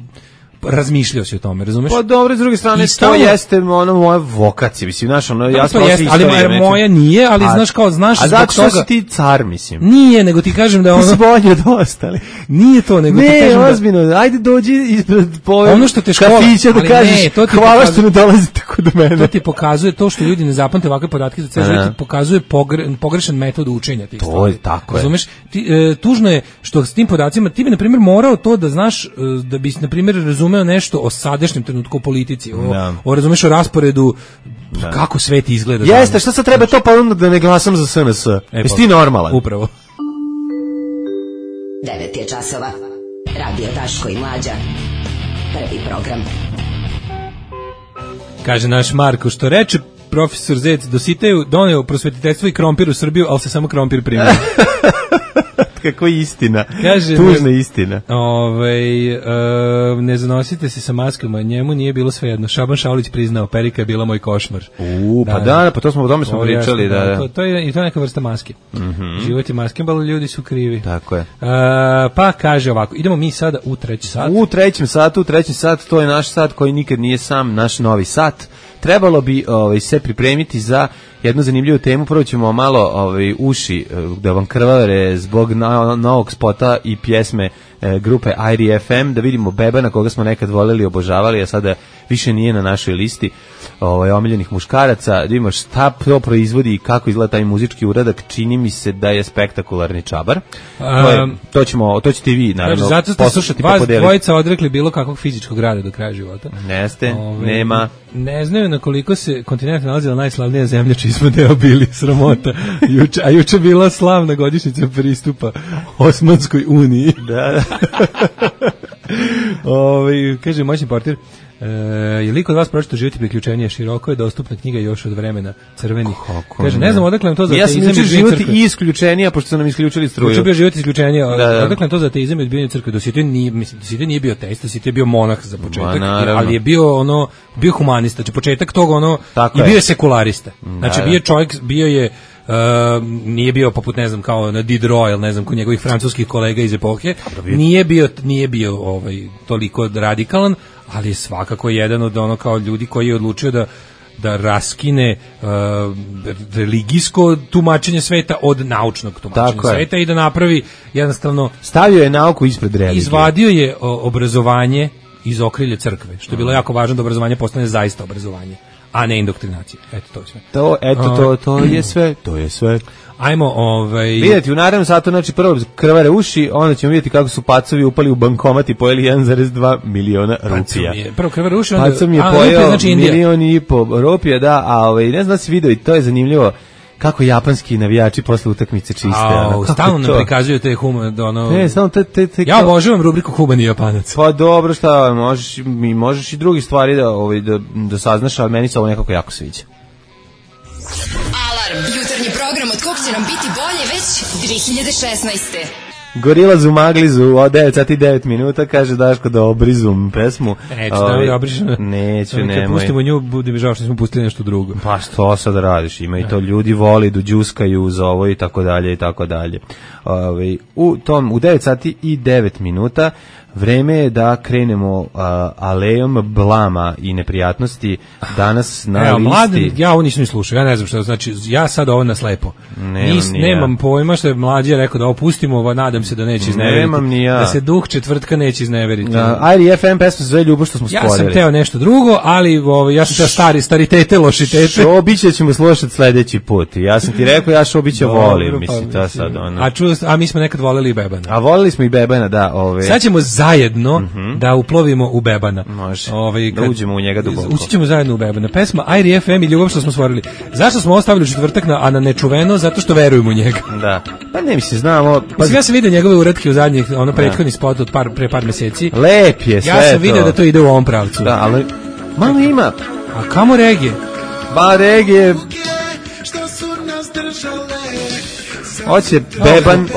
S6: razmišljao si o tome, razumeš?
S5: Pa dobro, s druge strane, to jeste moja vokacija, mislim, znaš, ja sam
S6: ali moja nije, ali znaš
S5: a zato što si ti car, mislim.
S6: Nije, nego ti kažem da
S5: ti si bolji od ostali.
S6: Nije to, nego ti kažem
S5: da... Ne, ozbiljno, ajde dođi ispred
S6: kafića
S5: da kažeš, hvala što ne dolazite kod mene.
S6: To ti pokazuje to što ljudi ne zapamte ovakve podatke, za ti pokazuje pogrešan metod učenja tih stvari.
S5: To je tako.
S6: Razumeš? Tužno je što s tim podacima, ti bi, na primjer, morao to da znaš, da bi, na primjer, razumeo nešto o sadašnjem trenutku u politici, razumeš, o rasporedu, kako svet izgleda.
S5: Jeste, šta sad treba to, pa onda da ne glasam za SNS? Jesi ti normalan?
S6: Upravo.
S2: 9 je časova. Radio Daško i Mlađa. Prvi program.
S6: Kaže naš Marko, što reče profesor Zec, Dositeju doneo prosvetiteljstvo i krompir u Srbiju, ali se samo krompir primio.
S5: Kako istina, tužna istina.
S6: Ne zanosite se sa maskama, njemu nije bilo svejedno. Šaban Šaulić priznao, perika je bila moj košmar.
S5: Pa to smo o tome pričali.
S6: To je neka vrsta maske. Život je maske, ali ljudi su krivi.
S5: Tako je.
S6: Pa kaže ovako, idemo mi sada u treći sat.
S5: U treći sat, to je naš sat koji nikad nije sam, naš novi sat. Trebalo bi se pripremiti za jednu zanimljivu temu. Prvo ćemo malo uši da vam krvare zbog novog spota i pjesme grupe IRFM, da vidimo Bebana koga smo nekad voleli, obožavali, a sada više nije na našoj listi omiljenih muškaraca. Da vidimo šta to proizvodi i kako izgleda taj muzički uradak. Čini mi se da je spektakularni čabar. To ćete i vi naravno poslušati pa podeliti.
S6: Vas dvojica odrekli bilo kakvog fizičkog rada do kraja života.
S5: Neste, nema.
S6: Ne znaju na koliko se kontinent nalazila najslavnija zemlja čiji smo deo bili, sramota. Juče bila slavna godišnjica pristupa Osmanskoj uniji.
S5: Da.
S6: Kaže moćni portir, je li kod vas pročito Život i priključenje? Široko je dostupna knjiga još od vremena crvenih. Kaže, ne znam odakle nam to za ateizam i odbijanje crkve.
S5: Ja sam Život i isključenija, pošto su nam isključili struju.
S6: Juče bio Život i isključenje, odakle nam to za ateizam i odbijanje crkve. Dosjetio nije bio ateista, Dosjetio je bio monah za početak, ali je bio humanista, znači početak toga i bio je sekularista. Znači bio je čovjek, nije bio poput ne znam kao na Diderot, ne znam kod njegovih francuskih kolega iz epohe, nije bio toliko radikalan, ali je svakako jedan od kao ljudi koji je odlučio da raskine religijsko tumačenje sveta od naučnog tumačenja sveta i da napravi jednostavno,
S5: stavio je nauku ispred religije,
S6: izvadio je obrazovanje iz okrilja crkve, što je bilo jako važno da obrazovanje postane zaista obrazovanje, a ne indoktrinacija. Eto to je sve. To je sve. Ajmo,
S5: vidjeti u narednom satu, znači prvo krvare uši, onda ćemo vidjeti kako su pacovi upali u bankomat i pojeli 1,2 miliona rupija.
S6: Prvo krvare uši, onda
S5: pacom je pojeo milion i po rupija, da, a ne znam da si vidio i to je zanimljivo. Kako japanski navijači posle utakmice čiste.
S6: Stalno nam prikazuju te ja obožavam rubriku humani Japanac.
S5: Pa dobro, šta, možeš i drugi stvari da saznaš, ali meni se ovo nekako jako sviđa.
S14: Alarm, jutarnji program od kog će nam biti bolje već 2016.
S5: Gorilazu Maglizu od 9 sati 9 minuta, kaže Daško da obrizum pesmu.
S6: Neću da je obrižem.
S5: Neću, nemoj.
S6: Kad pustimo nju, bude mi žao što smo pustili nešto drugo.
S5: Pa što sad radiš? Ima i to ljudi voli, džuskaju za ovo i tako dalje i tako dalje. U 9 sati i 9 minuta vreme je da krenemo alejom blama i neprijatnosti danas na listi.
S6: Mladen, ja ovo nisam ni slušao, ja ne znam što znači, ja sad ovo naslepo. Nemam pojma što je Mlađe rekao da ovo pustimo, nadam se da neće izneveriti. Da se duh četvrtka neće izneveriti.
S5: IRFM pesma se zove Ljubav što smo stvorili.
S6: Ja sam teo nešto drugo, ali ja sam teo staritete, lošitete.
S5: Šobića ćemo slušati sledeći put. Ja sam ti rekao, ja Šobića volim, mislim, to sad ono.
S6: A mi smo nekad voleli i Bebana.
S5: A voleli smo i Bebana, da.
S6: Sad ćemo zajedno da uplovimo u Bebana.
S5: Može, da uđemo u njega duboko.
S6: Ući ćemo zajedno u Bebana. Pesma IRFM i Ljubav što smo stvorili. Zašto smo ostavili četvrtak, a na nečuveno? Zato što verujemo u njega.
S5: Da. Pa ne mislim, znamo.
S6: Ja sam vidio njegove uratke u zadnjih, prethodni spot od pre par meseci.
S5: Lep je sve to.
S6: Ja sam vidio da to ide u ovom pravcu.
S5: Da, ali malo ima.
S6: A kamo regije?
S5: Ba regije. Hoće Beban,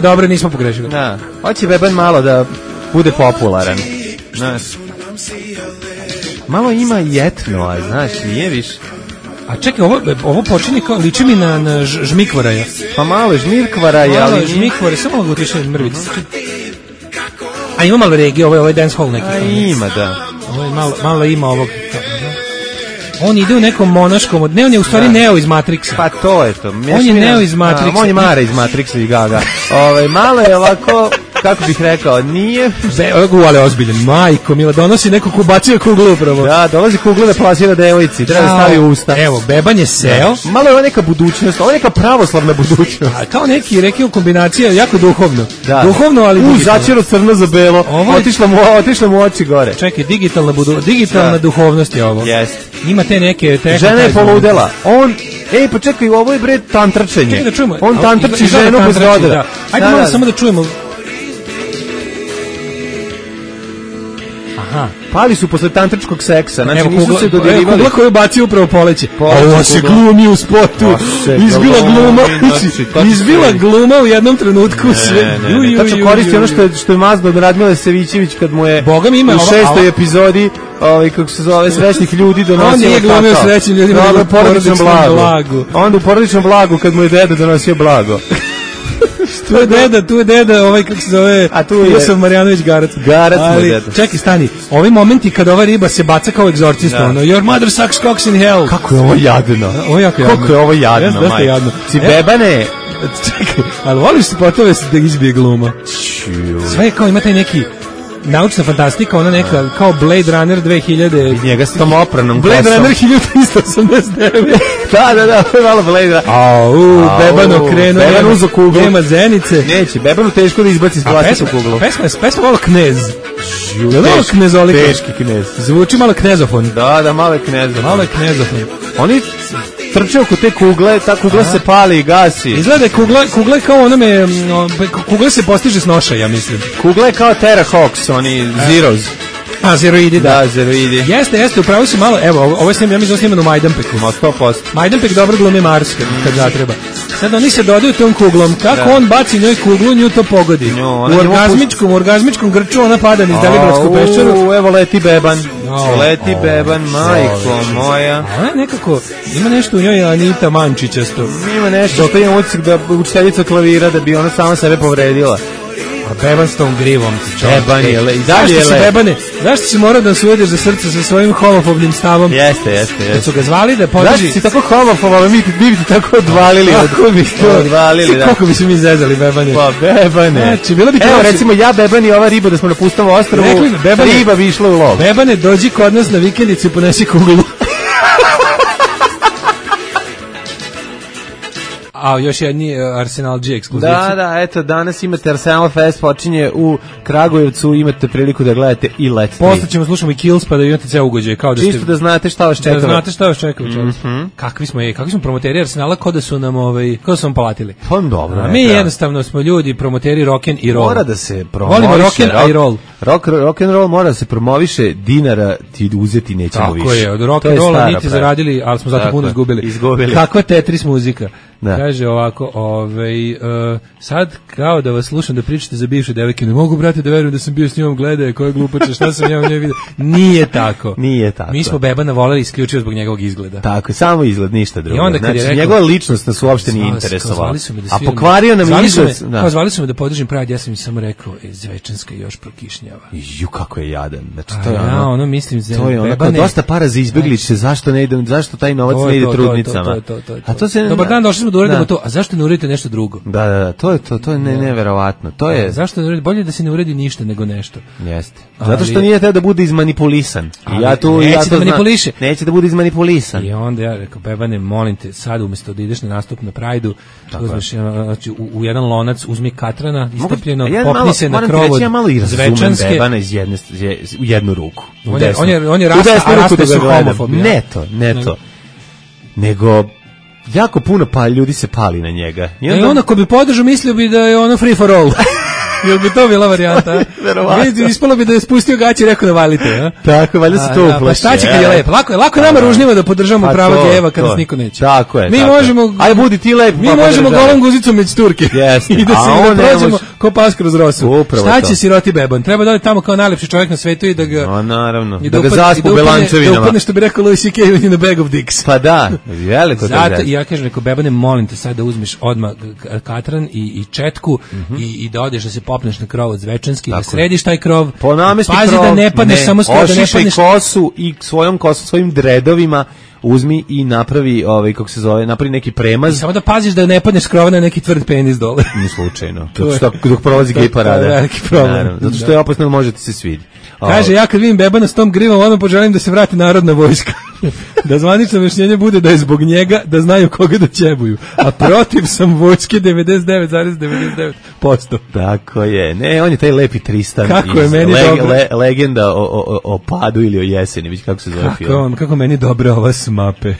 S6: dobro, nismo pogrešili.
S5: Da. Hoće Beban malo da bude popularan. Znaš. Malo ima jetno, znaš, nije više.
S6: A čekaj, ovo počinje kao, liči mi na Žmikvaraja.
S5: Pa malo Žmirkvaraja, ali...
S6: Malo Žmikvaraja, samo mogu utišati mrvice. A ima malo regije, ovo je dance hall neki.
S5: A ima, da.
S6: Ovo je malo ima ovog... On ide u nekom monaškom, on je u stvari Neo iz Matrixa.
S5: Pa to je to.
S6: On je Neo iz Matrixa.
S5: On je Mara iz Matrixa i Gaga. Malo je ovako, kako bih rekao, nije...
S6: Ali ozbiljan, majko mila, donosi neko kubacija kuglu upravo.
S5: Da, dolazi kuglu da plasira devojci, treba da stavi u usta.
S6: Evo, Beban je seo.
S5: Malo je ovo neka budućnost, ovo je neka pravoslavna budućnost.
S6: Kao neki rekao kombinacija, jako duhovno.
S5: Da.
S6: Duhovno, ali digitalno.
S5: Začelo crno za belo, otišla mu oči gore.
S6: Čekaj, digitalna duhovnost je ovo.
S5: Jest.
S6: Ima te neke...
S5: Žena je poludela. Pa čekaj, ovo je bre tantračenje.
S6: Čekaj da čujemo.
S5: On tantrači ženu bez rodera.
S6: Ajde malo samo da čujemo. Aha.
S5: Pali su posle tantričkog seksa, znači nisu se dodirivali.
S6: Kugla koju baci upravo poleće. Ovo se glumi u spotu. Izbila gluma u jednom trenutku.
S5: Tačno koristi ono što je mazno od Radmile Savićević kad mu je u 6. epizodi kako se zove srećnih ljudi donosio.
S6: On nije glumio srećnim ljudima, nego u porodičnom blagu.
S5: Onda u porodičnom blagu kad mu je deda donosio blago.
S6: Tu je deda, kako se zove, Josef Marjanović Garac.
S5: Garac mu je deda.
S6: Čekaj, stani, ovi momenti kad ova riba se baca kao egzorcista, your mother sucks cocks in hell.
S5: Kako je ovo jadno.
S6: Kako
S5: je ovo jadno, majko. Si Bebane.
S6: Čekaj, ali voliš se potove da izbije gluma? Sve kao ima taj neki naučna fantastika, ona neka kao Blade Runner 2000.
S5: I njega s tom opranom
S6: Blade Runner 1389.
S5: Da, to je malo Blade Runner.
S6: Beban okrenuo.
S5: Beban uzo kuglu.
S6: Nema zenice.
S5: Neće, Bebanu teško da izbaci s vlastitu kuglu.
S6: Pesma malo knez. Malo knezolika.
S5: Teški knez.
S6: Zvuči malo knezofon.
S5: Da, malo je knezofon.
S6: Malo je knezofon.
S5: Oni trče oko te kugle, ta kugla se pali i gasi.
S6: Izgleda kugla kao onome, kugla se postiže s noša, ja mislim.
S5: Kugla je kao Terra Hawks, oni Zeros.
S6: Zeroidi, da.
S5: Zeroidi.
S6: Jeste, upravo si malo, evo, ovo je ja mislim sniman u Majdanpeku.
S5: 100%.
S6: Majdanpek dobro glumi Mars kad zatreba. Sad oni se dodaju tom kuglom, kako on baci njoj kuglu, nju to pogodi. U orgazmičkom grču ona pada niz Deliblatsku peščaru.
S5: Evo leti beban. Leti beban, majko moja.
S6: Ona nekako, ima nešto u njoj Anita Mančićasto.
S5: Ima nešto, što imam utisak da učiteljica klavira da bi ona sama sebe povredila.
S6: A beban s tom grivom.
S5: Beban je i dalje je
S6: Bebane, zašto si morao da se uvediš za srce sa svojim homofobnim stavom?
S5: Jeste.
S6: Kad su ga zvali da podrži...
S5: Zašto si tako homofob, ali mi bi ti tako odvalili.
S6: Kako bi se mi zezali, Bebane?
S5: Pa, Bebane.
S6: Znači, bilo bi
S5: evo, recimo, ja, Beban i ova riba da smo na pustom ostrvu, riba bi išla u lov.
S6: Bebane, dođi kod nas na vikendicu i ponesi kuglu. Još jedni Arsenal G ekskluzivci.
S5: Da, eto, danas imate Arsenal Fest, počinje u Kragujevcu, imate priliku da gledate i Let's Play.
S6: Posle ćemo slušamo i Kills, pa da imate ceo ugođaj.
S5: Čisto da znate šta vas čeka.
S6: Da znate šta vas čeka. Kakvi smo promoteri Arsenala, kao da su nam palatili.
S5: Pa dobro.
S6: Mi jednostavno smo ljudi, promoteri rock'n i roll.
S5: Mora da se promoviše.
S6: Volimo rock'n i roll.
S5: Rock'n roll mora da se promoviše, dinara ti uzeti nećemo više.
S6: Tako je, od rock'n rolla niti zaradili, ali smo zato puno izgubili. Kakva Tetris muzika. Kaže ovako, sad kao da vas slušam da pričate za bivše devojke, ne mogu, brate, da verujem da sam bio s njom, gledaj koja glupača, šta sam ja u njoj vidio. Nije tako. Mi smo Bebana voleli isključivo zbog njegovog izgleda.
S5: Tako je, samo izgled, ništa drugo.
S6: I onda kad je rekao,
S5: njegova ličnost nas uopšte nije interesovala. A pokvario nam izgled.
S6: Zvali su me da podržim Pride, ja sam im samo rekao, Zvečanska još prokišnjava.
S5: Ju, kako je jadan. Znači,
S6: to
S5: je ono, dosta para za izbeglice, zašto taj novac ne ide trudnicama?
S6: Dobar dan, došli smo da uredimo to, a zašto ne uredite nešto drugo?
S5: Da, to je neverovatno. To je
S6: zašto ne uredi, bolje da se ne uredi ništa nego nešto.
S5: Jeste. Zato što nije teo da bude izmanipulisan. I ja to
S6: manipuliše.
S5: Neće da bude izmanipulisan.
S6: I onda ja rekao, Bebane, molim te, sad umjesto da ideš na nastup na Prajdu, uzmeš u jedan lonac, uzmi katrana, istopljeno, popni se na krov od Zvečanske.
S5: Bebana u jednu ruku.
S6: On je raste su homofobi.
S5: Ne to. Nego jako puno ljudi se pali na njega.
S6: I onda ako bi podržao, mislio bi da je ono free for all. Jel bi to bila varijanta? Ispalo bi da je spustio gaće i rekao da valite.
S5: Tako, valjda se to uplaši.
S6: Pa šta će kad je lepo? Lako je nama ružnjima da podržamo prava gejeva kada nas niko neće.
S5: Tako je.
S6: Mi možemo...
S5: Aj, budi ti lep.
S6: Mi možemo golom guzicom među Turke.
S5: Jeste.
S6: I da se prođemo ko pas kroz rosu. Šta će siroti Beban? Treba da ode tamo kao najlepši čovjek na svetu i da ga...
S5: naravno. Da ga zaspu belančevinama.
S6: Da upadne, što bi rekao Louis C.K. in a bag of dicks.
S5: Pa da, veliko to je.
S6: Zato ja kažem, rekao, Bebane, molim te sad da uzmeš odmah katran i četku i da odeš da se popneš na krov od Zvečanski, da središ taj krov. Pazi da ne padneš samo skoro, da ne padneš.
S5: Kosu i svojim dredovima uzmi i napravi, kako se zove, napravi neki premaz.
S6: I samo da paziš da ne padneš s krova na neki tvrd penis dole.
S5: Ni slučajno. Dok prolazi gej parada.
S6: To je veliki problem.
S5: Zato što je opasno, možete se svidi.
S6: Kaže, ja kad vidim Bebana s tom grivom, odmah poželim da se vrati narodna vojska. Da zvanično objašnjenje bude da je zbog njega, da znaju koga da ćebuju. A protiv sam vojske 99,99%.
S5: Tako je. Ne, on je taj lepi Tristan.
S6: Kako je meni dobro.
S5: Legenda o padu ili o jeseni, već kako se zove film.
S6: Kako meni dobro ova smape.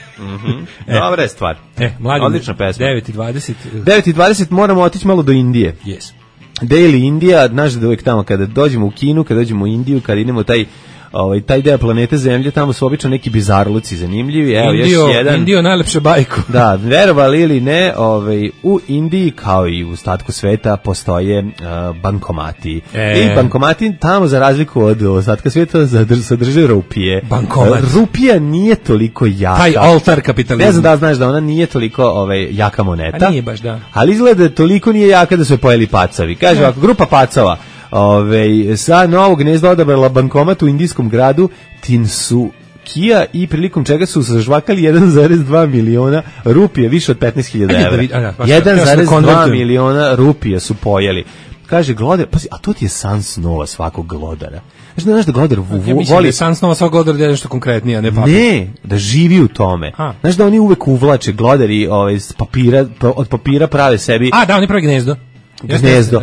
S5: Dobra je stvar.
S6: Mladim,
S5: odlična pesma.
S6: 9:20.
S5: 9:20 moramo otići malo do Indije.
S6: Yes.
S5: Daily Indija, znaš da uvijek tamo kada dođemo u Kinu, kada dođemo u Indiju, kada idemo taj deo planete Zemlje, tamo su obično neki bizarluci zanimljivi. Evo još jedan.
S6: Indio najlepše bajku.
S5: Da, verovali ili ne, u Indiji kao i u ostatku sveta postoje bankomati. I bankomati tamo za razliku od ostatka sveta sadrže rupije.
S6: Bankomat.
S5: Rupija nije toliko jaka.
S6: Taj oltar kapitalizma.
S5: Ne znam da znaš da ona nije toliko jaka moneta.
S6: A nije baš, da.
S5: Ali izgleda toliko nije jaka da su je pojeli pacavi. Kaže ovako, grupa pacova sa Novog Gnezda odabrala bankomat u indijskom gradu Tinsukia i prilikom čega su zažvakali 1,2 miliona rupije, više od 15.000 evra. 1,2 miliona rupije su pojeli. kaže glodar, pazi, a to ti je san snova svakog glodara. Znaš da glodar
S6: voli... Da je san snova svakog glodara da je nešto konkretnije, a ne papir.
S5: Ne, da živi u tome. Znaš da oni uvek uvlače glodari od papira prave sebi...
S6: Da, oni pravi gnezdo.
S5: Gnezdo.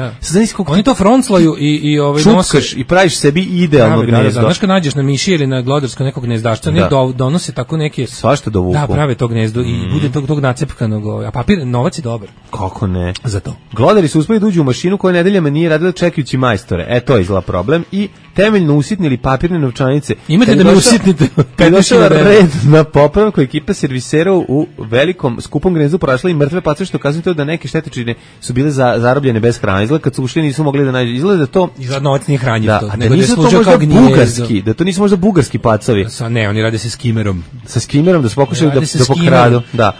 S6: Oni to fronclaju i
S5: čupkaš i praviš sebi idealno gnezdo.
S6: Znaš kad nađeš na miši ili na glodarsko nekog gnezdašca, oni donose tako neke...
S5: Svašta dovuku.
S6: Da, prave to gnezdo i bude tog nacepkanog, a papir, novac je dobar.
S5: Kako ne?
S6: Za to.
S5: Glodari su uspeli da uđu u mašinu koja nedeljama nije radila čekajući majstore. To je izgleda problem. I temeljno usitnili papirne novčanice.
S6: Imate da me usitnite.
S5: Kad je došao red na popravku, ekipa servisera u velikom skupom gnezdu prošla i mrtve pace, što ukazuje to da neke štetočine su bile zarobljene bez hrane. Izgleda kad su ušli nisu mogli da nađu. Izgleda to...
S6: Izgleda novac nije hranjiv to.
S5: Da nisu to možda bugarski, da to nisu možda bugarski pacovi.
S6: Ne, oni rade se skimerom.
S5: Sa skimerom da su pokušali da pokradu. Da.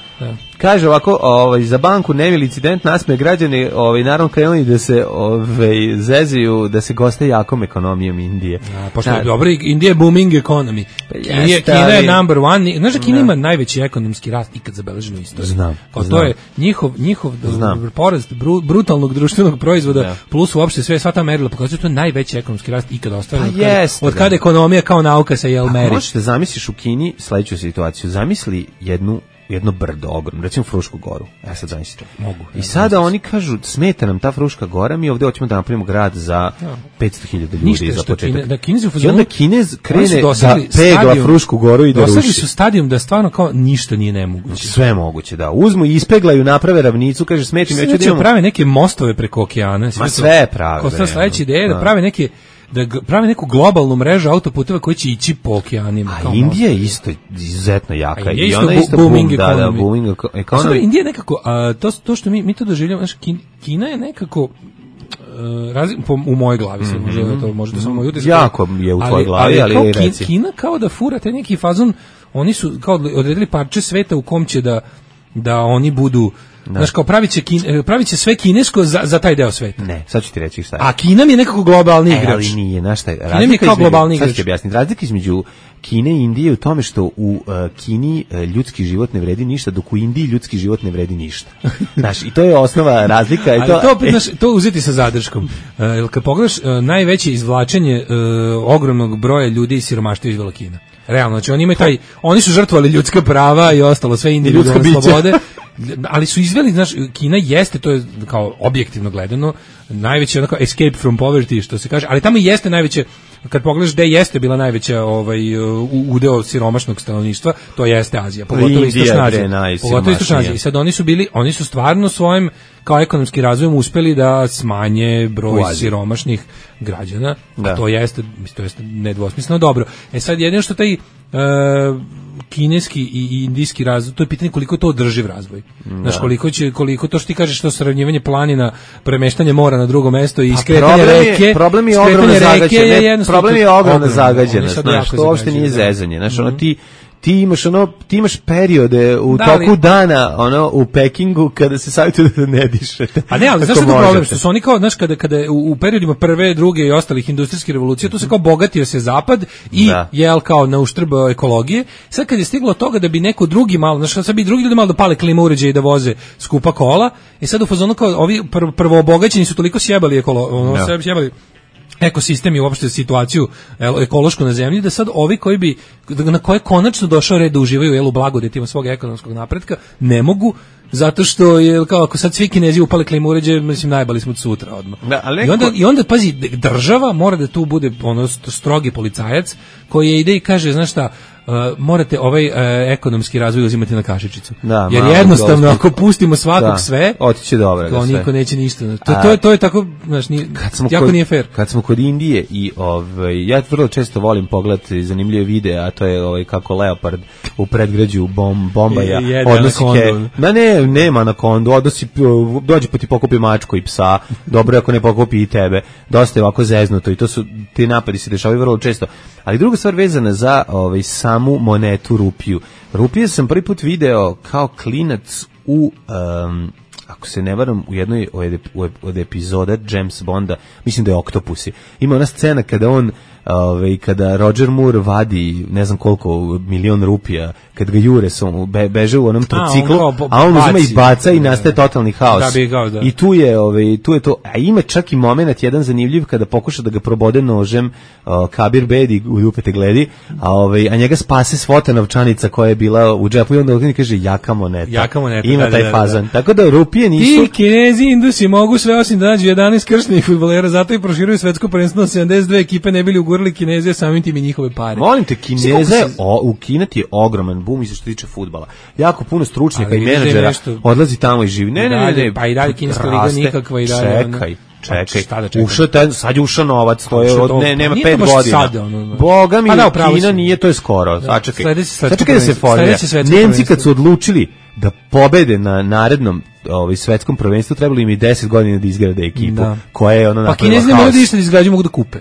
S5: Kaže ovako, za banku nemili incident, nasmeje građani, naravno krenuli da se zezaju, da se goste jakom ekonomijom Indije.
S6: Pošto je dobro, Indija je booming economy. Kina je number one. Znaš da Kina ima najveći ekonomski rast ikad zabeležen u istoriji.
S5: Znam.
S6: To je njihov porast brutalnog društvenog proizvoda plus uopšte sva ta merila pokazuju to je najveći ekonomski rast ikad ostvaren. Od kada ekonomija kao nauka se meri.
S5: Možeš da zamisliš u Kini sledeću situaciju. Zamisli jedno brdo ogromno, recimo Frušku goru. Sad zamislite.
S6: Mogu.
S5: I sada oni kažu, smeta nam ta Fruška gora, mi ovdje hoćemo da napravimo grad za 500.000 ljudi za početak. I onda Kinez krene da pegla Frušku goru i da ruši.
S6: Dosegli su stadijum da stvarno kao ništa nije nemoguće.
S5: Sve moguće, da. Uzmu i ispeglaju, naprave ravnicu, kaže smeti mi,
S6: hoće da prave neke mostove preko okeana.
S5: Ma sve prave.
S6: Kao sledeća ideja da prave neke da prave neku globalnu mrežu autoputeva koji će ići po okeanima.
S5: A Indija je isto izuzetno jaka.
S6: I ona je isto booming
S5: economy.
S6: Indija nekako, to što mi to doživljamo, Kina je nekako u mojoj glavi se može da samo moj utisak.
S5: Jako je u tvojoj glavi, ali reci.
S6: Kina kao da fura taj neki fazon, oni su kao odredili parče sveta u kom će da oni budu. Znaš, kao pravit će sve kinesko za taj deo sveta.
S5: Ne, sad ću ti reći šta je.
S6: A Kina mi je nekako globalni igrač.
S5: Ali nije, znaš šta je.
S6: Kina mi je kao globalni igrač.
S5: Sad ću objasniti. Razlika između Kine i Indije u tome što u Kini ljudski život ne vredi ništa, dok u Indiji ljudski život ne vredi ništa. Znaš, i to je osnova razlika.
S6: To uzeti sa zadrškom. Kad pogledaš, najveće izvlačenje ogromnog broja ljudi iz siromaštva izvela Kina. Realno, znači oni su žrtvovali ljudska prava i ostalo sve individualne slobode. Ali su izveli, znaš, Kina jeste, to je kao objektivno gledano, najveće onako escape from poverty, što se kaže, ali tamo jeste najveće, kad pogledaš gde jeste bila najveća udeo siromašnog stanovništva, to jeste Azija, pogotovo Istočna Azija. I sad oni su stvarno svojim kao ekonomskim razvojem uspeli da smanje broj siromašnih građana, a to jeste nedvosmisleno dobro. Sad jedino što taj kineski i indijski razvoj, to je pitanje koliko je to održiv razvoj. Znaš, koliko to što ti kažeš, to sravnjivanje planina, premeštanje mora na drugo mesto i skretanje reke.
S5: Problem je ogromna zagađenost. Problem je ogromna zagađenost, znaš, to uopšte nije zezanje. Znaš, ti imaš periode u toku dana u Pekingu kada se savjetuje da ne dišete.
S6: A ne, ali znaš što je problem? Što su oni kao, znaš, kada u periodima prve, druge i ostalih industrijskih revolucija, tu se kao bogatio se zapad i jel kao na uštrb ekologije. Sad kad je stiglo toga da bi neko drugi malo, znaš, sad bi drugi ljudi malo da pale klima uređaje i da voze skupa kola, i sad u fazonu kao ovi prvo obogaćeni su toliko sjebali sjebali ekosistem i uopšte situaciju ekološku na zemlji, da sad ovi na koje konačno došao red da uživaju u blagodetima svog ekonomskog napretka, ne mogu, zato što je kao ako sad svi Kinezi upale klimu uređaje, mislim najbali smo od sutra odmah. I onda pazi, država mora da tu bude strogi policajac koji ide i kaže, znaš šta, morate ovaj ekonomski razvoj uzimati na kašičicu. Jer jednostavno ako pustimo svakog sve,
S5: otiće dobro.
S6: To niko neće ništa. To je tako, znaš, jako nije fair.
S5: Kad smo kod Indije i ja vrlo često volim pogledati zanimljive videe, a to je kako leopard u predgrađu Bombaja odnosi nema anakondu, dođe pa ti pokupi mačku i psa, dobro ako ne pokupi i tebe. Dosta je ovako zeznuto i ti napadi se dešavaju vrlo često. Ali druga stvar vezana za samu monetu rupiju. Rupije sam prvi put video kao klinac u ako se ne varam, u jednoj od epizoda James Bonda, mislim da je Octopussy, ima ona scena kada Roger Moore vadi ne znam koliko milion rupija, kad ga jure beže u onom triciklu, a on uzima i baca i nastaje totalni haos.
S6: Da.
S5: I tu je to, a ima čak i moment jedan zanimljiv kada pokuša da ga probode nožem Kabir Bedi u Dupete gledi, a njega spase svota novčanica koja je bila u džepu i onda on kaže jaka moneta. Ima taj fazan. Tako da rupije nisu...
S6: I Kinezi, Indusi mogu sve osim da nađu 11 krštenih fudbalera, zato i proširuju svetsko prvenstvo na 72 ekipe, ne bili ugurali Kineze, samim tim i njihove pare.
S5: Molim te, Kineze, u Kina ti je ogroman boom što se tiče fudbala. Jako puno stručnjaka i menadžera odlazi tamo i živi. Ne.
S6: Pa i dalje kineska liga nikakva i dalje.
S5: Čekaj. Sad je ušao novac, to je nema 5 godina. Boga mi, Kina nije, to je skoro. Sačekaj da se formira. Nemci kad su odlučili da pobede na narednom svetskom prvenstvu, trebalo im i 10 godina da izgrade ekipu koja je napravila haos.
S6: Pa Kinezi ne moraju da izgrađuju, mogu da kupe.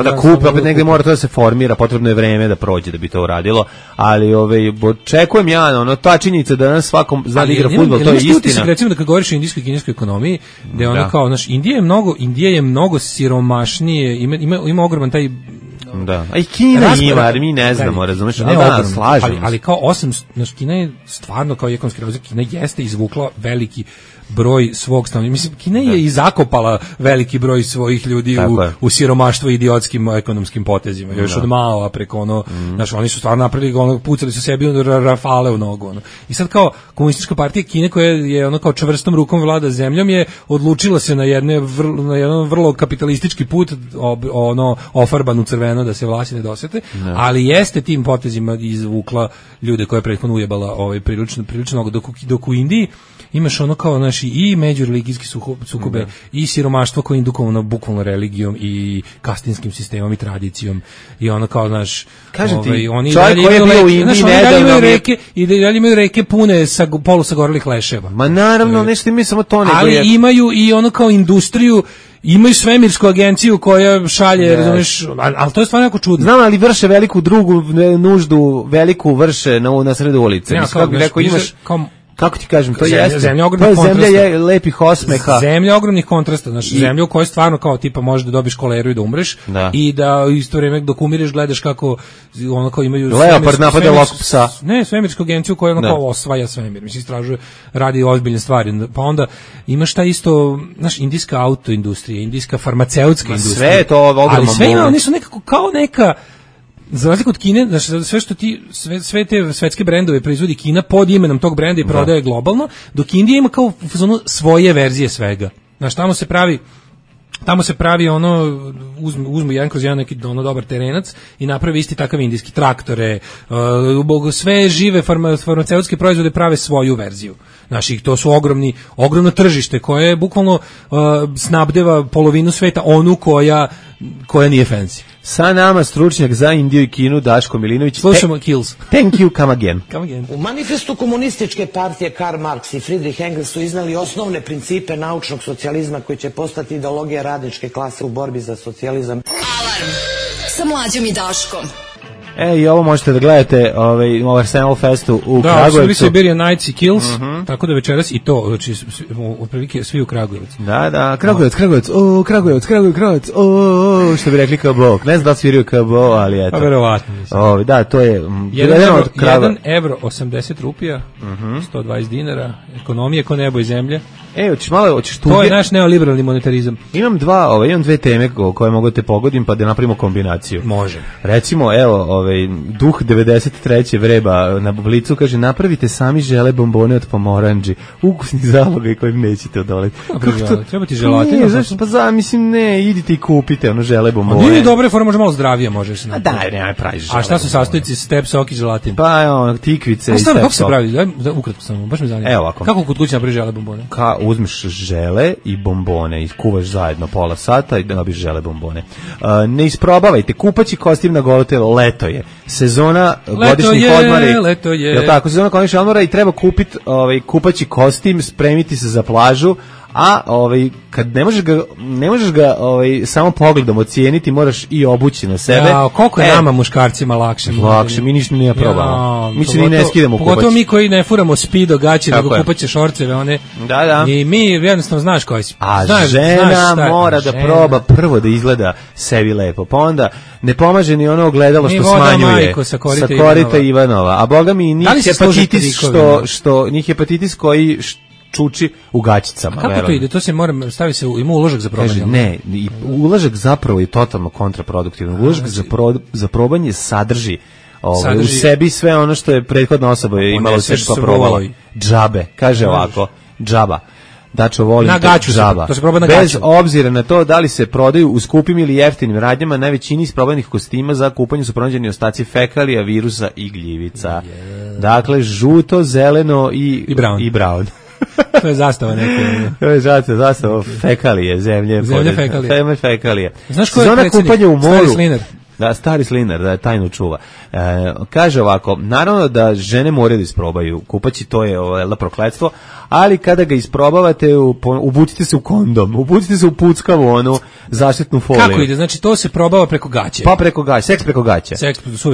S5: Da kupe, opet negde mora to da se formira, potrebno je vreme da prođe da bi to uradilo, ali očekujem ta činjenica da nas svakom zna da igra fudbal, to je istina.
S6: Recimo da kad govoriš o indijskoj i kineskoj ekonomiji, da je ono kao, Indija je mnogo siromašnije, ima ogroman taj...
S5: Da. A i Kina ima, jer mi ne znamo, razumeš? Slažemo.
S6: Ali kao Kina je stvarno kao ekonomski razvoj, Kina jeste izvukla veliki broj svog stanovništva. Mislim, Kina je i zakopala veliki broj svojih ljudi u siromaštvo i idiotskim ekonomskim potezima. Još od Mao preko oni su stvarno napravili, pucali su sebi rafale u nogu. I sad kao komunistička partija Kine koja je kao čvrstom rukom vlada zemljom je odlučila se na jedan vrlo kapitalistički put, ofarban u crveno da se vlasti ne dosete, ali jeste tim potezima izvukla ljude koje je prethodno ujebala prilično dok u Indiji imaš kao i međureligijski sukobe i siromaštvo koje je indukovano bukvalno religijom i kastinskim sistemom i tradicijom i kao
S5: kažem ti,
S6: oni
S5: čovjek koji je bio u Indiji
S6: dalje imaju reke pune polusagorelih leševa.
S5: Ma naravno, nešto imaju samo to,
S6: ali imaju i kao industriju, imaju svemirsku agenciju koja šalje, razumeš, ali to je stvarno jako čudno.
S5: Znam, ali vrše veliku drugu nuždu, veliku vrše na sredu ulice. Kako bi rekao, imaš... Kako ti kažem, to jeste. Zemlja je lepih osmeha.
S6: Zemlja ogromnih kontrasta, zemlja u kojoj stvarno kao tipa možeš da dobiš koleru i da umreš i da u isto vrijeme dok umiriš gledaš kako kao imaju
S5: leopard napada lovskog psa.
S6: Ne, svemirsku agenciju koja kao osvaja svemir, mislim istražuje, radi ozbiljne stvari. Pa onda imaš ta isto, indijska autoindustrija, indijska farmaceutska industrija.
S5: Sve to ogromno.
S6: Ali sve ima, oni su nekako kao neka. Za razliku od Kine, sve što sve te svetske brendove proizvodi Kina pod imenom tog brenda i prodaje globalno, dok Indija ima kao svoje verzije svega. Tamo se pravi uzmu jedan kroz jedan neki dobar terenac i napravi isti takav indijski traktore, sve žive farmaceutske proizvode prave svoju verziju. To su ogromno tržište koje bukvalno snabdeva polovinu sveta, onu koja nije fancy.
S5: Sa nama stručnjak za Indiju i Kinu, Daško Milinović.
S6: Slušamo Kills.
S5: Thank you, come again.
S15: U manifestu komunističke partije Karl Marx i Friedrich Engels su iznali osnovne principe naučnog socijalizma koji će postati ideologija radničke klase u borbi za socijalizam.
S14: Alarm sa Mlađom i Daškom.
S5: I ovo možete da gledate u Arsenal Festu u Kragujevcu.
S6: Da, Siberian Nights i Kills, tako da večeras i to, znači, otprilike svi u Kragujevcu.
S5: Da, Kragujevac, što bi rekli kao Bog. Ne znam da li sviraju kao Bog, ali eto.
S6: Pa verovatno.
S5: Da, to je...
S6: 1 evro 80 rupija, 120 dinara, ekonomije ko nebo i zemlje.
S5: Hoćeš tu...
S6: To je naš neoliberalni monetarizam.
S5: Imam dve teme koje mogu te pogodim pa da napravimo kombinaciju.
S6: Može.
S5: Recimo, duh 93. vreba na Blicu kaže, napravite sami žele bombone od pomoranđi, ukusni zaloga i kojim nećete odoleti.
S6: Treba ti želatina.
S5: Mislim, idite i kupite žele bombone.
S6: Nije dobre forme, može malo zdravije, možeš se
S5: napraviti. Da, nemaj praviš žele.
S6: A šta su sastojci step sok i želatin?
S5: Pa, tikvice i step sok.
S6: Kako se pravi? Ukratko samo, baš me zanima.
S5: Evo ovako.
S6: Kako kod kuće napraviš žele bombone?
S5: Uzmeš žele i bombone i kuvaš zajedno pola sata i dobiš žele bombone. Ne isprobavajte, kupaći kostim na golo telo, leto je. Sezona godišnjih odmora.
S6: Leto je.
S5: Je tako, sezona godišnjih odmora i treba kupiti kupaći kostim, spremiti se za plažu, A kad ne možeš ga samo pogledom ocijeniti, moraš i obući na sebe.
S6: Ja, koliko je nama muškarcima lakše?
S5: Lakše, mi ništa ne probamo. Mi se ni ne skidamo kupaći.
S6: Pogotovo mi koji ne furamo Speedo gaće, nego kupaće šorceve, one.
S5: Da.
S6: I mi jednostavno znaš koji si.
S5: Žena mora da proba prvo da izgleda sebi lepo, pa onda ne pomaže ni ono ogledalo što smanjuje.
S6: Sa
S5: korita Ivanova. A boga mi njih hepatitis koji čuči u gaćicama.
S6: A kako to ide? To se stavi se ima uložak za probanje.
S5: Ne, uložak zapravo je totalno kontraproduktivan. Uložak za probanje sadrži u sebi sve ono što je prethodna osoba imala u sebi pa probala. Džabe, kaže ovako, džaba. Dačo volim džaba. Bez obzira na to da li se prodaju u skupim ili jeftinim radnjama, na većini isprobanih kostima za kupanje su pronađeni ostaci fekalija, virusa i gljivica. Dakle, žuto, zeleno i brown.
S6: To je zastava neke.
S5: To je zastava fekalije, zemlje fekalije.
S6: Znaš ko je predsjednik? Stari Slinar.
S5: Da, stari Slinar, da je tajnu čuva. Kaže ovako, naravno da žene moraju da isprobaju kupaći, to je prokletstvo, ali kada ga isprobavate, ubucite se u kondom, ubucite se u puckavu, onu zaštitnu foliju.
S6: Kako ide? Znači to se probava preko gaće?
S5: Pa preko gaće, seks preko gaće.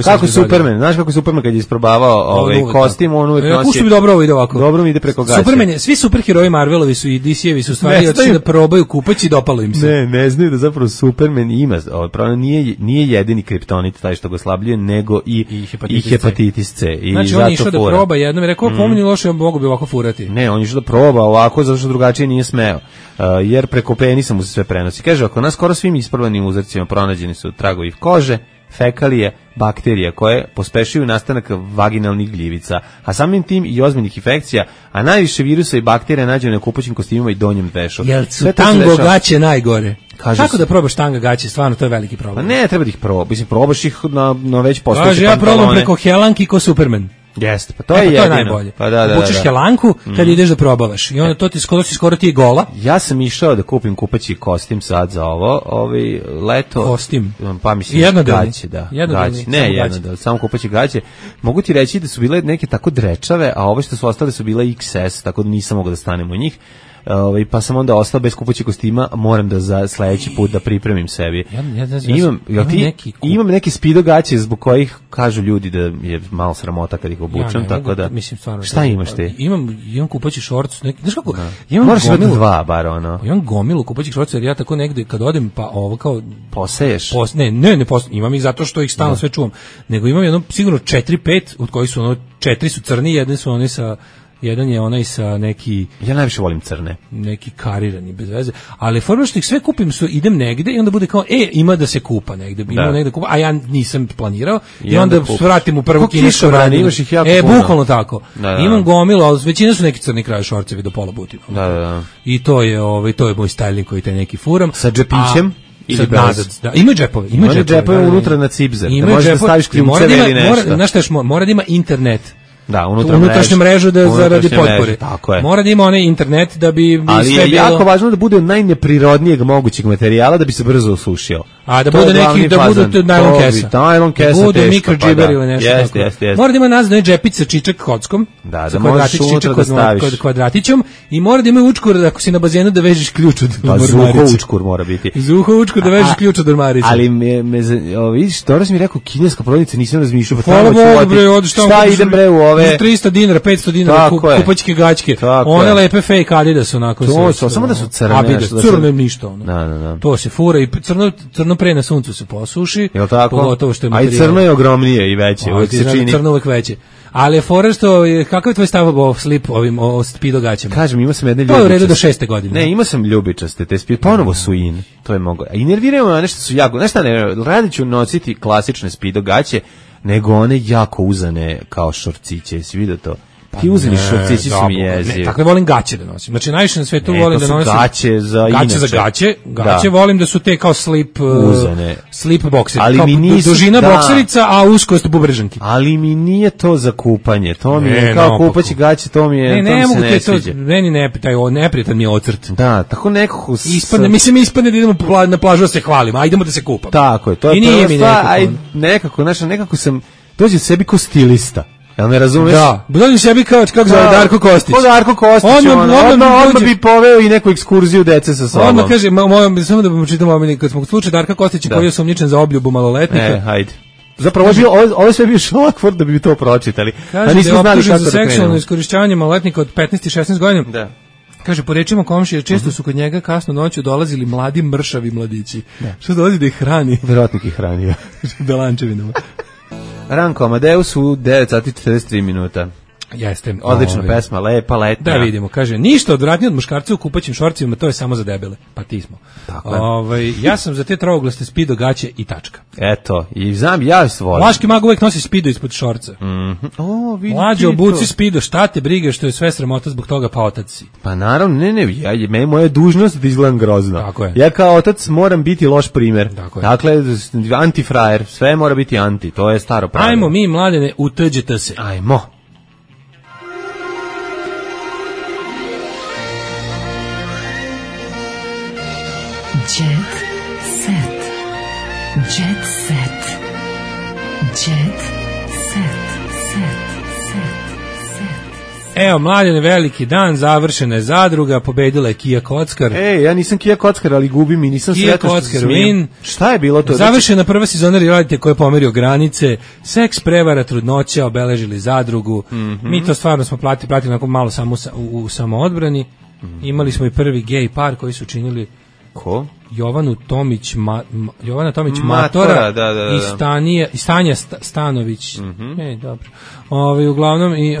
S5: Kako Superman, znaš kako Superman kad je isprobavao kostim, on uvijek nosi...
S6: Pušta mi dobro ovo ide ovako.
S5: Dobro mi ide preko gaće.
S6: Superman, svi superheroji Marvelovi su i DC-evi su stvari otišli da probaju kupaći i dopalo im se.
S5: Ne znaju da zapravo Superman ima, nije jedini kriptonit taj što ga oslabljuje, nego i hepatitis C.
S6: Znači on je išao da proba jednom i rekao, pomeni loše, mogu bi ovako furati.
S5: Ne, on je išao da proba ovako, zato što drugačije nije smeo. Jer preko penisa mu se sve prenosi. Kaže, ako nas skoro svim isprobanim uzorcima pronađeni su tragovi kože, fekalije, bakterija koje pospešuju nastanak vaginalnih gljivica, a samim tim i ozbiljnih infekcija, a najviše virusa i bakterija nađene na kupaćim kostimima i donjem vešu.
S6: Jel su tango gaće najgore? Kako da probaš tanga gaće? Stvarno, to je veliki problem.
S5: Pa ne, treba da ih probaš. Mislim, probaš ih na već postojeće
S6: pantalone. Ja probam preko Helanki ko Superman.
S5: Jeste, pa to je jedino.
S6: To je najbolje.
S5: Pa da.
S6: Učiš Helanku kad ideš da probavaš. I onda to ti skoro ti je gola.
S5: Ja sam išao da kupim kupaći kostim sad za leto.
S6: Kostim?
S5: Pa mislim, gaće, da. Gaće. Ne, jednodelni, samo kupaći gaće. Mogu ti reći da su bile neke tako drečave, a ove što su ostale su bile XS, tako da nisam mogao da stanem u njih. Pa sam onda ostao bez kupaćih kostima, moram da za sledeći put da pripremim sebi. Imam neke Speedo gaće zbog kojih kažu ljudi da je malo sramota kad ih obučem, tako da.
S6: Mislim, stvarno,
S5: šta imaš ti?
S6: Imam kupaći šorc, znaš kako?
S5: Moraš imati dva bar ono.
S6: Imam gomilu kupaćih šorca jer ja tako negde kad odem pa ovo kao
S5: poseješ.
S6: Ne, imam ih zato što ih stalno sve čuvam. Nego imam jedno sigurno 4-5 od kojih su 4 su crni, jedan je onaj sa neki...
S5: Ja najviše volim crne.
S6: Neki karirani, bez veze. Ali forma što ih sve kupim, idem negde i onda bude kao, ima da se kupa negde. Ima negde kupa, a ja nisam planirao. I onda vratim u prvu kinesku radnju.
S5: Imaš ih jako puno.
S6: Bukvalno tako. Imam gomilu, ali većina su neki crni kraj šorcevi do pola butima.
S5: Da.
S6: I to je moj styling koji taj neki furam.
S5: Sa džepićem?
S6: Ima džepove.
S5: Ima džepove unutra na cipzer. Da možeš da staviš ključeve ili nešto.
S6: Znaš šta, mora da ima internet.
S5: Da,
S6: unutrašnju mrežu zaradi potpore. Mora da ima onaj internet da bi
S5: ali
S6: sve bilo.
S5: Ali je jako važno da bude od najneprirodnijeg mogućeg materijala da bi se brzo osušio.
S6: A da bude neki, da bude najlon kesa.
S5: Najlon kesa,
S6: da bude mikrodžiber ili nešto tako. Mora da ima nazad džepić sa čičak kockom.
S5: Da možeš unutra da staviš.
S6: Kvadratićom i mora da ima učkur ako si na bazenu da vežeš ključ od ormarice.
S5: Zuho učkur mora biti.
S6: Zuho učkur da vežeš ključ od ormarice.
S5: Ali vidiš, Toros mi rekao kineska prodavnica, nisam razmišljao.
S6: Šta idem bre u ove 300 dinara, 500 dinara kupaćke gaćke. One lepe fake Adidas onako.
S5: To samo da su crne.
S6: Crne ništa ono. To se fura i crno pre na suncu se posuši.
S5: Jel tako?
S6: Pogotovo što je
S5: materijal. A i crno je ogromnije i veće. Uvijek se čini.
S6: Crno uvijek veće. Ali fora što, kakav je tvoj stav o slip o Speedo gaćama?
S5: Kažem, imao sam jedne ljubičaste.
S6: To je u redu do 6. godine.
S5: Ne, imao sam ljubičaste, te Speedo, ponovo su in. To je mogo. A i nerviraju me nešto su jako, nešto ne, radit ću nositi klasične Speedo gaće, nego one jako uzane kao šorciće, jesi vidio to? Ti uzeli šorcići su mi jezivi.
S6: Tako da volim gaće da nosim. Znači najviše na svetu volim da nosim
S5: gaće za inače.
S6: Gaće volim da su te kao slip
S5: uzane.
S6: Slip bokseri.
S5: Ali
S6: kao
S5: mi nisu,
S6: dužina bokserica, a uskost bubrežanki.
S5: Ali mi nije to za kupanje. To mi je kao kupaći gaće, to mi je
S6: ne mogu te to. Meni neprijatan mi je ocrt.
S5: Da, tako nekako
S6: ispadne da idemo na plažu da se hvalimo, a idemo da se kupamo.
S5: Tako je, to je prva stvar. Nekako sam dođe sebi ko stilista. Jel me razumeš?
S6: Da. Budonim sebi kao kako zove Darko Kostić.
S5: Darko Kostić, odmah bi poveo i neku ekskurziju dece sa sobom.
S6: Odmah kaže, samo da vam čitam omiljeni, kad smo slučaj Darka Kostića koji je osumnjičen za obljubu maloletnika.
S5: Hajde. Zapravo, ovo je sve bio Šolakvord da bi to pročitali.
S6: Kaže da je optužen za seksualno iskorišćavanje maloletnika od 15 i 16 godina. Da. Kaže, po rečima komšije, često su kod njega kasno noću dolazili mladi mršavi mladići. Što dolazi da ih hrani?
S5: Verovatno ih hranio.
S6: Belančevinama.
S5: Ranko Amadeus u 9 sati 43 minuta.
S6: Jeste.
S5: Odlična pesma, lepa, letnja.
S6: Da vidimo, kaže, ništa odvratnije od muškarca u kupaćim šorcima, to je samo za debele. Pa ti smo. Ja sam za te trovoglaste spido gaće i tačka.
S5: Eto, i znam, ja volim.
S6: Vlaški mag uvek nosi spido ispod šorca. Mlađe, obuci spido, šta te brige što je sve sramota zbog toga, pa otac si.
S5: Pa naravno, ne, moja dužnost da izgledam grozno.
S6: Tako je.
S5: Ja kao otac moram biti loš primer. Dakle, antifrajer, sve mora biti anti, to je staro pravilo.
S6: Ajmo mi, mladene, utuđite se.
S5: Ajmo.
S2: Jet set. Jet set. Jet set.
S6: Evo, mladene, veliki dan, završena je zadruga, pobedila je Kija Kockar.
S5: Ja nisam Kija Kockar, ali gubim i nisam sretan što se smijem. Šta je bilo to?
S6: Završena prva sezona realitija koja je pomerio granice, seks, prevara, trudnoća, obeležili zadrugu. Mi to stvarno smo platili onako malo samo u samoodbrani. Imali smo i prvi gej par koji su činili
S5: ko?
S6: Jovana Tomić Matora i Stanja Stanović. Dobro. Uglavnom i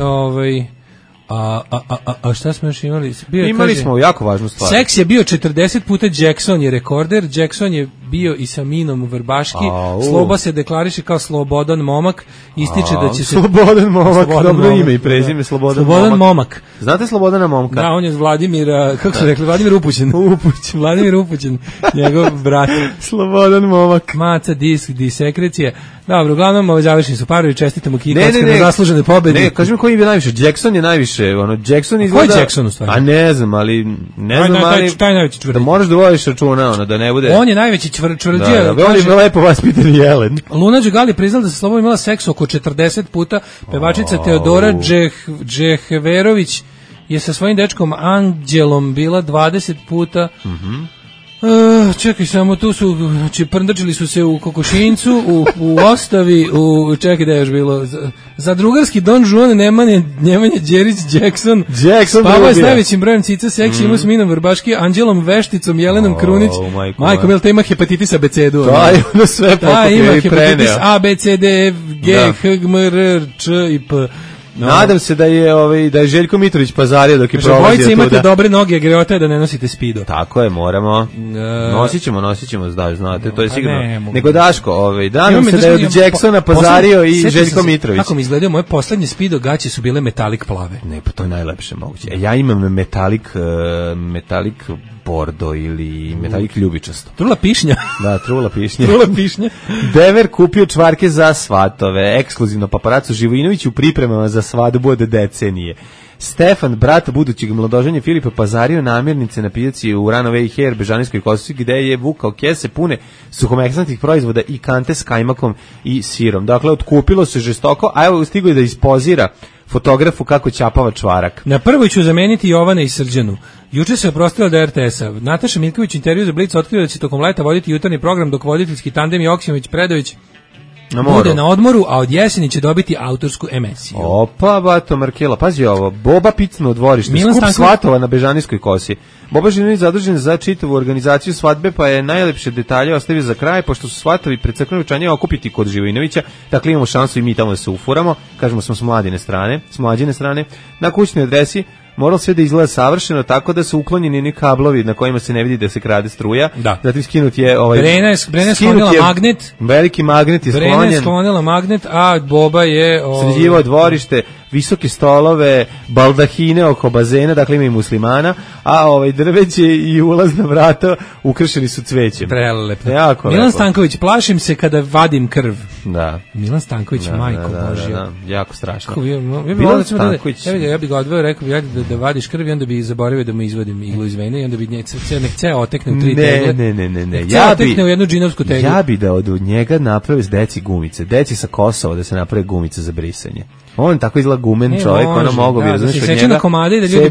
S6: A šta smo još imali?
S5: Imali smo jako važnu stvar.
S6: Seks je bio 40 puta, Jackson je rekorder, Jackson je bio i sa Minom Vrbaški, Sloba se deklariše kao slobodan momak, ističe da će se...
S5: Slobodan momak, dobro ime i prezime, Slobodan
S6: momak.
S5: Znate Slobodana momka?
S6: Da, on je Vladimira, kako su rekli, Vladimir Upućen. Vladimir Upućen, njegov brat.
S5: Slobodan momak.
S6: Maca, disk, disekrecije. Dobro, uglavnom, završeni su parovi, čestitamo Kiji Kockar na zaslužene pobedi.
S5: Ne, kaži mi koji je najviše, Jackson je najviše, Jackson izgleda...
S6: Koji je Jackson u stvari?
S5: A ne znam, ali...
S6: Taj najveći čvrđija.
S5: Da moraš da vodiš računa, da ne bude...
S6: On je najveći čvrđija.
S5: Da, on je lepo vaspitan jelen.
S6: Luna Đugali priznala da se Slobo imala seks oko 40 puta, pevačica Teodora Džehverović je sa svojim dečkom Anđelom bila 20 puta. Čekaj, samo tu su, znači prndrčili su se u Kokošincu, u Ostavi, čekaj da je još bilo, za drugarski Don Juan Nemanja Đerić Jackson spavao je s najvećim brojem cica, seksi imao s Minom Vrbaški, Anđelom Vešticom, Jelenom Krunić, majkom, jel te ima hepatitis abecedu?
S5: Da, ima sve pokupio i preneo.
S6: Hepatitis A, B, C, D, F, G, H, G, M, R, Č i P.
S5: Nadam se da je Željko Mitrović pazario dok je prolazio tu.
S6: Bojice imate dobre noge, greota je da ne nosite spido.
S5: Tako je, moramo. Nosit ćemo, znate, to je sigurno. Nego Daško, nadam se da je od Jacksona pazario i Željko Mitrović.
S6: Kako mi izgledaju, moje poslednje spido gaće su bile metalik plave.
S5: Ne, pa to je najlepše moguće. Ja imam metalik bordo ili metalik ljubičasto.
S6: Trula pišnja.
S5: Da, trula
S6: pišnja.
S5: Dever kupio čvarke za svatove. Ekskluzivno paparacu Živojinović u pripremama za svadbu od decenije. Stefan, brat budućeg mladoženja Filipa, pazario namirnice na pijaci u Runaway Hair Bežanijskoj Kosi, gde je vukao kese pune suhomesnatih proizvoda i kante s kajmakom i sirom. Dakle, otkupilo se žestoko, a evo stigo je da ispozira fotografu kako ćapava čvarak.
S6: Na prvoj ću zameniti Jovana i Srđanu. Juče se oprostila da RTS-a. Nataša Miljković intervju za Blic otkrio da će tokom leta voditi jutarnji program, dok voditeljski tandem Joksimović-Predović bude na odmoru, a od jeseni će dobiti autorsku emisiju.
S5: Opa, bato Markela, pazi ovo, Boba Picno u dvorište, skup svatova na Bežanijskoj Kosi. Boba Živinović zadužen za čitavu organizaciju svadbe, pa je najlepše detalje ostavio za kraj, pošto su svatovi pred crkvenim ručanjem okupiti kod Živojinovića, dakle imamo šansu i mi tamo da se ufuramo, kažemo smo s mlađine strane, na kućnoj adresi. Moralo sve da izgleda savršeno, tako da su uklonjeni ni kablovi na kojima se ne vidi da se krade struja.
S6: Da.
S5: Zatim skinut je
S6: Brena je sklonila magnet.
S5: Veliki magnet je sklonjen.
S6: Brena je sklonila magnet, a Boba je
S5: sređivao dvorište, visoke stolove, baldahine oko bazena, dakle ima i muslimana, a drveće i ulazna vrata ukrašeni su cvećem.
S6: Prelepo. Milan Stanković, plašim se kada vadim krv.
S5: Da.
S6: Milan Stanković, majko Božja.
S5: Da, jako strašno.
S6: Milan Stanković. Ja bih ga odveo, rekao bih da vadiš krv i onda bi zaboravio da mu izvadim iglu iz vene i onda bi ceo otekne u 3 tegle.
S5: Ne.
S6: Ceo otekne u jednu džinovsku teglu.
S5: Ja bi da od njega naprave s deci gumice. Deci sa Kosova da se naprave gumice za brisanje. On tako izgleda gumen čovjek, ono mogu bi razumjeti od njega.
S6: Seče na komade da ljudi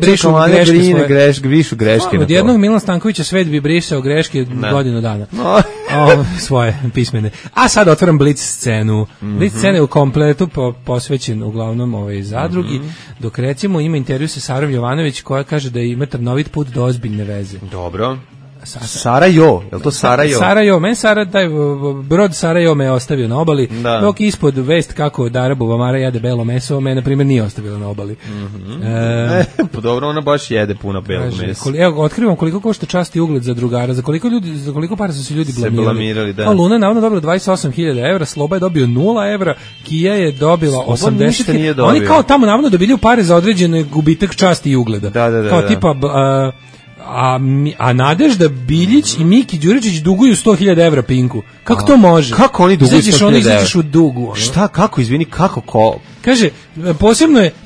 S6: brišu greške. Od jednog Milan Stankovića svet bi brisao greške godinu dana. Svoje pismene. A sad otvaram Blitz scenu. Blitz scena je u kompletu posvećen uglavnom zadrugi, dok recimo ima intervju sa Sarom Jovanović koja kaže da ima trnovit put do ozbiljne veze.
S5: Dobro. Sarajevo, je li to Sarajevo?
S6: Sarajevo, meni taj brod Sarajevo me je ostavio na obali, dok ispod vest kako od Arabova Mara jede belo meso, me na primjer nije ostavilo na obali.
S5: Pa dobro, ona baš jede puno belo meso.
S6: Evo, otkrivam koliko košta čast i ugled za drugara, za koliko para su se ljudi blamirali.
S5: Da.
S6: Luna je navodno dobila 28.000 evra, Sloba je dobio 0 evra, Kija je dobila 80.000. Oni kao tamo navodno dobili pare za određen gubitak časti i ugleda. Kao tipa... A Nadežda Biljić i Miki Đuričić duguju 100.000 evra Pinku. Kako to može?
S5: Kako oni duguju 100.000 evra?
S6: Izađeš u dugu.
S5: Šta, kako, izvini, kako ko?
S6: Kaže,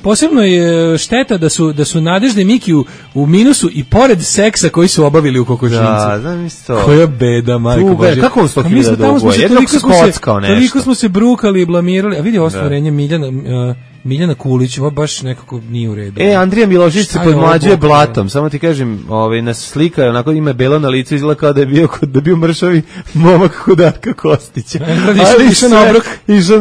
S6: posebno je šteta da su Nadežda i Miki u minusu i pored seksa koji su obavili u kokošincu.
S5: Da, znam isto.
S6: Koja beda, majko Božje.
S5: Kako on 100.000 duguje? Jednog se kockao nešto.
S6: Toliko smo se brukali i blamirali. A vidi ostvarenje Miljana Kulić, ovo baš nekako nije u redu.
S5: Andrija Milošić se podmlađuje blatom. Samo ti kažem, na slika onako ima belo na licu, izgleda kao da je bio mršavi momak kod Darka Kostića.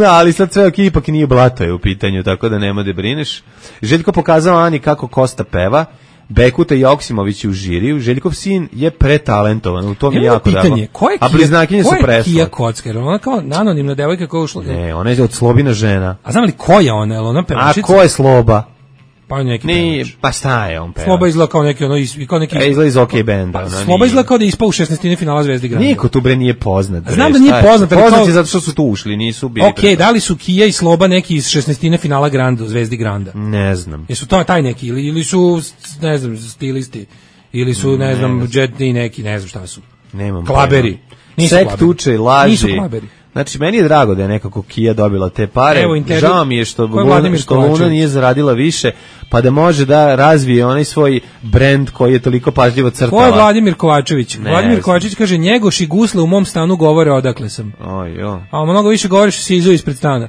S5: Ali sad sve ipak nije blato je u pitanju, tako da nema da brineš. Željko pokazao Ani kako Kosta peva. Bekuta i Joksimović u žiriju. Željkov sin je pretalentovan, u tom je jako drago. A bliznakinje su presla.
S6: Ko je Kija Kockar? Ona kao anonimna devojka koja ušla.
S5: Ne, ona je od Slobina žena.
S6: A znam li ko je ona? Ona pevačica?
S5: A ko je Sloba?
S6: Pa neki pevač.
S5: Pa šta je on pevač?
S6: Sloba izgleda kao neki
S5: izgleda iz OK benda.
S6: Sloba izgleda kao da je ispao u 16. finala Zvezdi Granda.
S5: Niko tu bre nije poznat.
S6: Znam da nije poznat.
S5: Poznat je zato što su tu ušli, nisu bili.
S6: Okej, da li su Kija i Sloba neki iz 16. finala Granda, Zvezdi Granda?
S5: Ne znam.
S6: Jesu to taj neki ili su, ne znam, stilisti ili su, ne znam, džetni neki, ne znam šta su.
S5: Nemam.
S6: Klaberi.
S5: Sekt uče, laži.
S6: Nisu klaberi.
S5: Znači, meni je drago da je nekako Kija dobila te pare. Žao mi je što Luna nije zaradila više, pa da može da razvije onaj svoj brend koji je toliko pažljivo crtala.
S6: Ko je Vladimir Kovačević? Vladimir Kovačević kaže, Njegoš i gusle u mom stanu govore odakle sam. A mnogo više govoriš si izu ispred stana.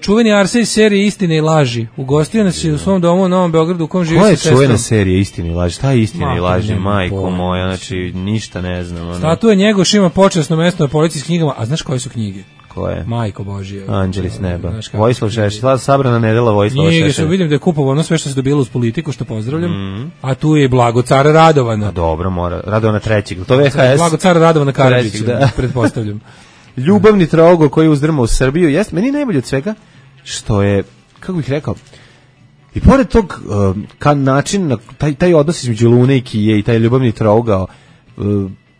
S6: Čuveni Arsej iz serije Istine i laži. Ugostio nas je u svom domu u Novom Beogradu u kom živi sa sestrom.
S5: Koja je čuvena serija Istine i laži? Šta je Istina i laži, majko moja? Znači, ništa ne znam.
S6: Statue Njegoš ima počasno mesto na policijskim knjigama. A znaš koje su knjige?
S5: Koje?
S6: Majko Božje.
S5: Anđeli s neba. Vojislav Šešelj. Sabrana nedela Vojislava Šešelj.
S6: Njega vidim da je kupovao ono sve što se dobilo uz politiku, što pozdravljam. A tu je Blago Cara Radovana.
S5: A dobro, mora. Radovana trećeg. To VHS.
S6: Blago Cara Radovana Karadžić, pretpostavljam.
S5: Ljubavni trougao koji uzdrma u Srbiju. Jeste, meni najbolje od svega što je, kako bih rekao, i pored tog način, taj odnos između Lune i Kije i taj ljubavni trougao,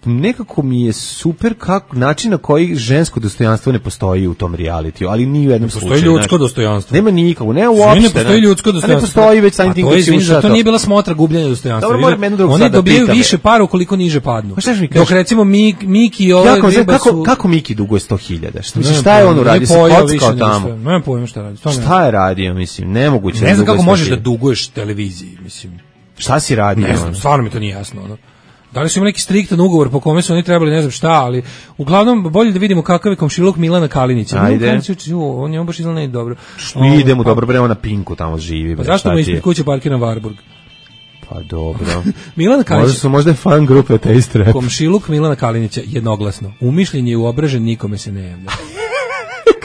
S5: nekako mi je super način na koji žensko dostojanstvo ne postoji u tom realitiju, ali ni u jednom slučaju.
S6: Postoji ljudsko dostojanstvo.
S5: Nema nikako, ne uopšte.
S6: Ne postoji ljudsko dostojanstvo.
S5: Ne postoji već samim tim kad si ušao.
S6: To nije bila smotra gubljenja dostojanstva. Oni dobijaju više para ukoliko niže padnu. Dok recimo Miki i ove ribe su...
S5: Kako Miki duguje 100.000? Šta je on uradio? Se kockao tamo.
S6: Nemam pojma šta radi.
S5: Šta je radio, mislim, nemoguće.
S6: Ne znam kako možeš da duguješ televiziji, mislim.
S5: Šta si radio?
S6: Ne znam, stvarno mi to nije jasno, ono. Da li su imali neki striktan ugovor po kome su oni trebali, ne znam šta, ali uglavnom bolje da vidimo kakav je komšiluk Milana Kalinića.
S5: Ajde.
S6: On je baš izgleda ne dobro.
S5: Idemo dobro, bre, on na Pinku tamo živi.
S6: Pa zašto mu ispred kuće parkiran Varburg?
S5: Pa dobro.
S6: Milan Kalinić.
S5: Možda je fan grupe Taste Rap.
S6: Komšiluk Milana Kalinića jednoglasno. Umišljen je uobražen, nikome se ne javlja.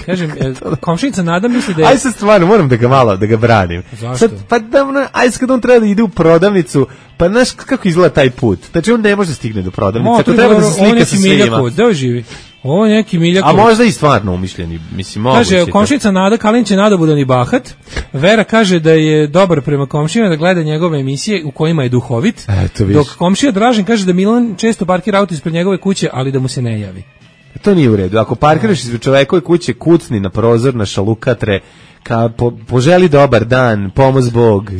S6: Kažem, komšinica Nada misli da je...
S5: Aj sad stvarno, moram da ga branim.
S6: Zašto?
S5: Sad, pa aj sad kad on treba da ide u prodavnicu, pa znaš kako izgleda taj put. Znači on ne može stigne do prodavnice. To treba da se slika sa svima.
S6: Gde živi? Ovo je neki Miljakov.
S5: A možda i stvarno umišljeni, mislim, moguće.
S6: Kaže, komšinica Nada Kalinić je nadobudan i bahat. Vera kaže da je dobar prema komšijama, da gleda njegove emisije u kojima je duhovit. Dok komšija Dražen kaže da Milan često parkira auto ispred njegove kuće, ali da mu se ne javi.
S5: To nije u redu. Ako parkiraš ispred čovekove kuće, kucni na prozor, na šalukatre, poželi dobar dan, pomoz Bog,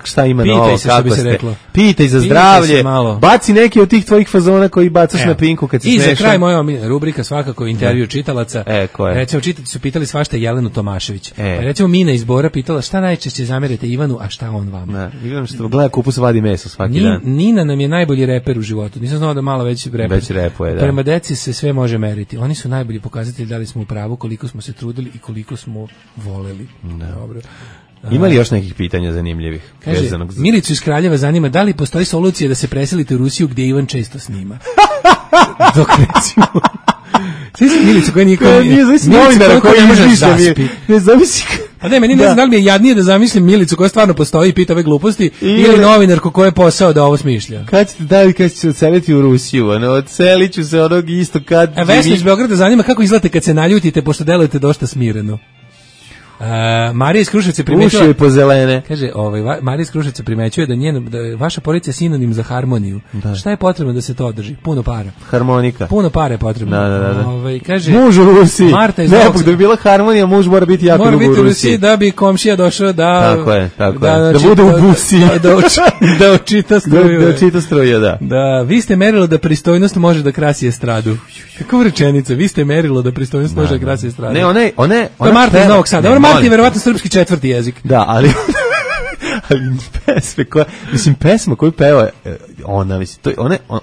S5: šta ima novo, kako ste. Pitaj za zdravlje, baci neki od tih tvojih fazona koji bacaš na Pinku kad se smešan.
S6: I za kraj moja rubrika svakako intervju čitalaca. Recimo čitatelji su pitali svašta Jelenu Tomašević. Recimo Mina iz Bora pitala šta najčešće zamerate Ivanu, a šta on vama.
S5: Ivan što gleda kupus vadi meso svaki dan.
S6: Nina nam je najbolji reper u životu. Nisam znao da malo već
S5: repuje.
S6: Prema deci se sve može meriti. Oni su najbolji pokazatelji da li smo u pravu, koliko smo se trudili i koliko smo voleli. preselili. Dobro.
S5: Ima li još nekih pitanja zanimljivih?
S6: Kaže, Milicu iz Kraljeva zanima da li postoji solucija da se preselite u Rusiju gdje Ivan često snima. Dok recimo... Svi su Milicu koja nije
S5: novinara koji ne može zaspi. Ne zamisli.
S6: A ne, meni ne znam da li mi je jadnije da zamislim Milicu koja stvarno postoji i pita ove gluposti ili novinarku koja je posao da ovo smišlja.
S5: Kad ćete se odseliti u Rusiju? Odselit ću se onog isto kad...
S6: Vesna iz Beograda zanima kako izgledate kad se naljutite, pošto delujete dosta smireno. Marija iz Kruševca primećuje
S5: uši po zelene.
S6: Kaže, Marija iz Kruševca primećuje da vaša porodica je sinonim za harmoniju. Da. Šta je potrebno da se to održi? Puno para.
S5: Harmonika.
S6: Puno para je potrebno.
S5: Da.
S6: Kaže,
S5: muž u Rusiji.
S6: Marta iz
S5: da bi bila harmonija, muž mora biti jako dugo u Rusiji.
S6: Da bi komšija došao da...
S5: Tako je. Da bude u busi.
S6: Da očita struju.
S5: Da očita struju, da.
S6: Da, vi ste merilo da pristojnost može da krasi estradu. Kakva rečenica? Vi ste merilo da pristojnost može da krasi estradu.
S5: Ne, one
S6: to je Marta iz Novog Sada. Marta je verovatno srpski četvrti jezik.
S5: Da, ali pesma koju peva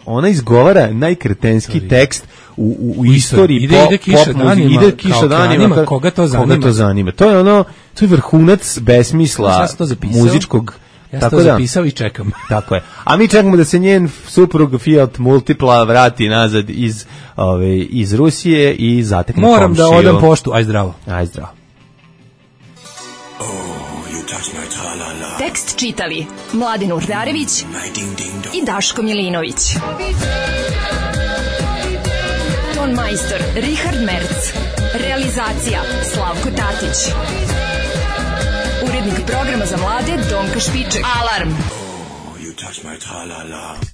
S5: ona izgovara najkretenski tekst u istoriji
S6: ide kiša danima, koga to
S5: zanima. To je vrhunac besmisla muzičkog.
S6: Ja sam to zapisao i čekam.
S5: Tako je. A mi čekamo da se njen suprug Fiat Multipla vrati nazad iz Rusije i zatekne komšiju.
S6: Moram da odam poštu. Aj zdravo.
S14: Tekst čitali Mladin Urdarević i Daško Milinović. Ton majstor Richard Merc. Realizacija Slavko Tatić. Urednik programa za mlade Donka Špiček. Alarm! Oh, you touch my tra-la-la.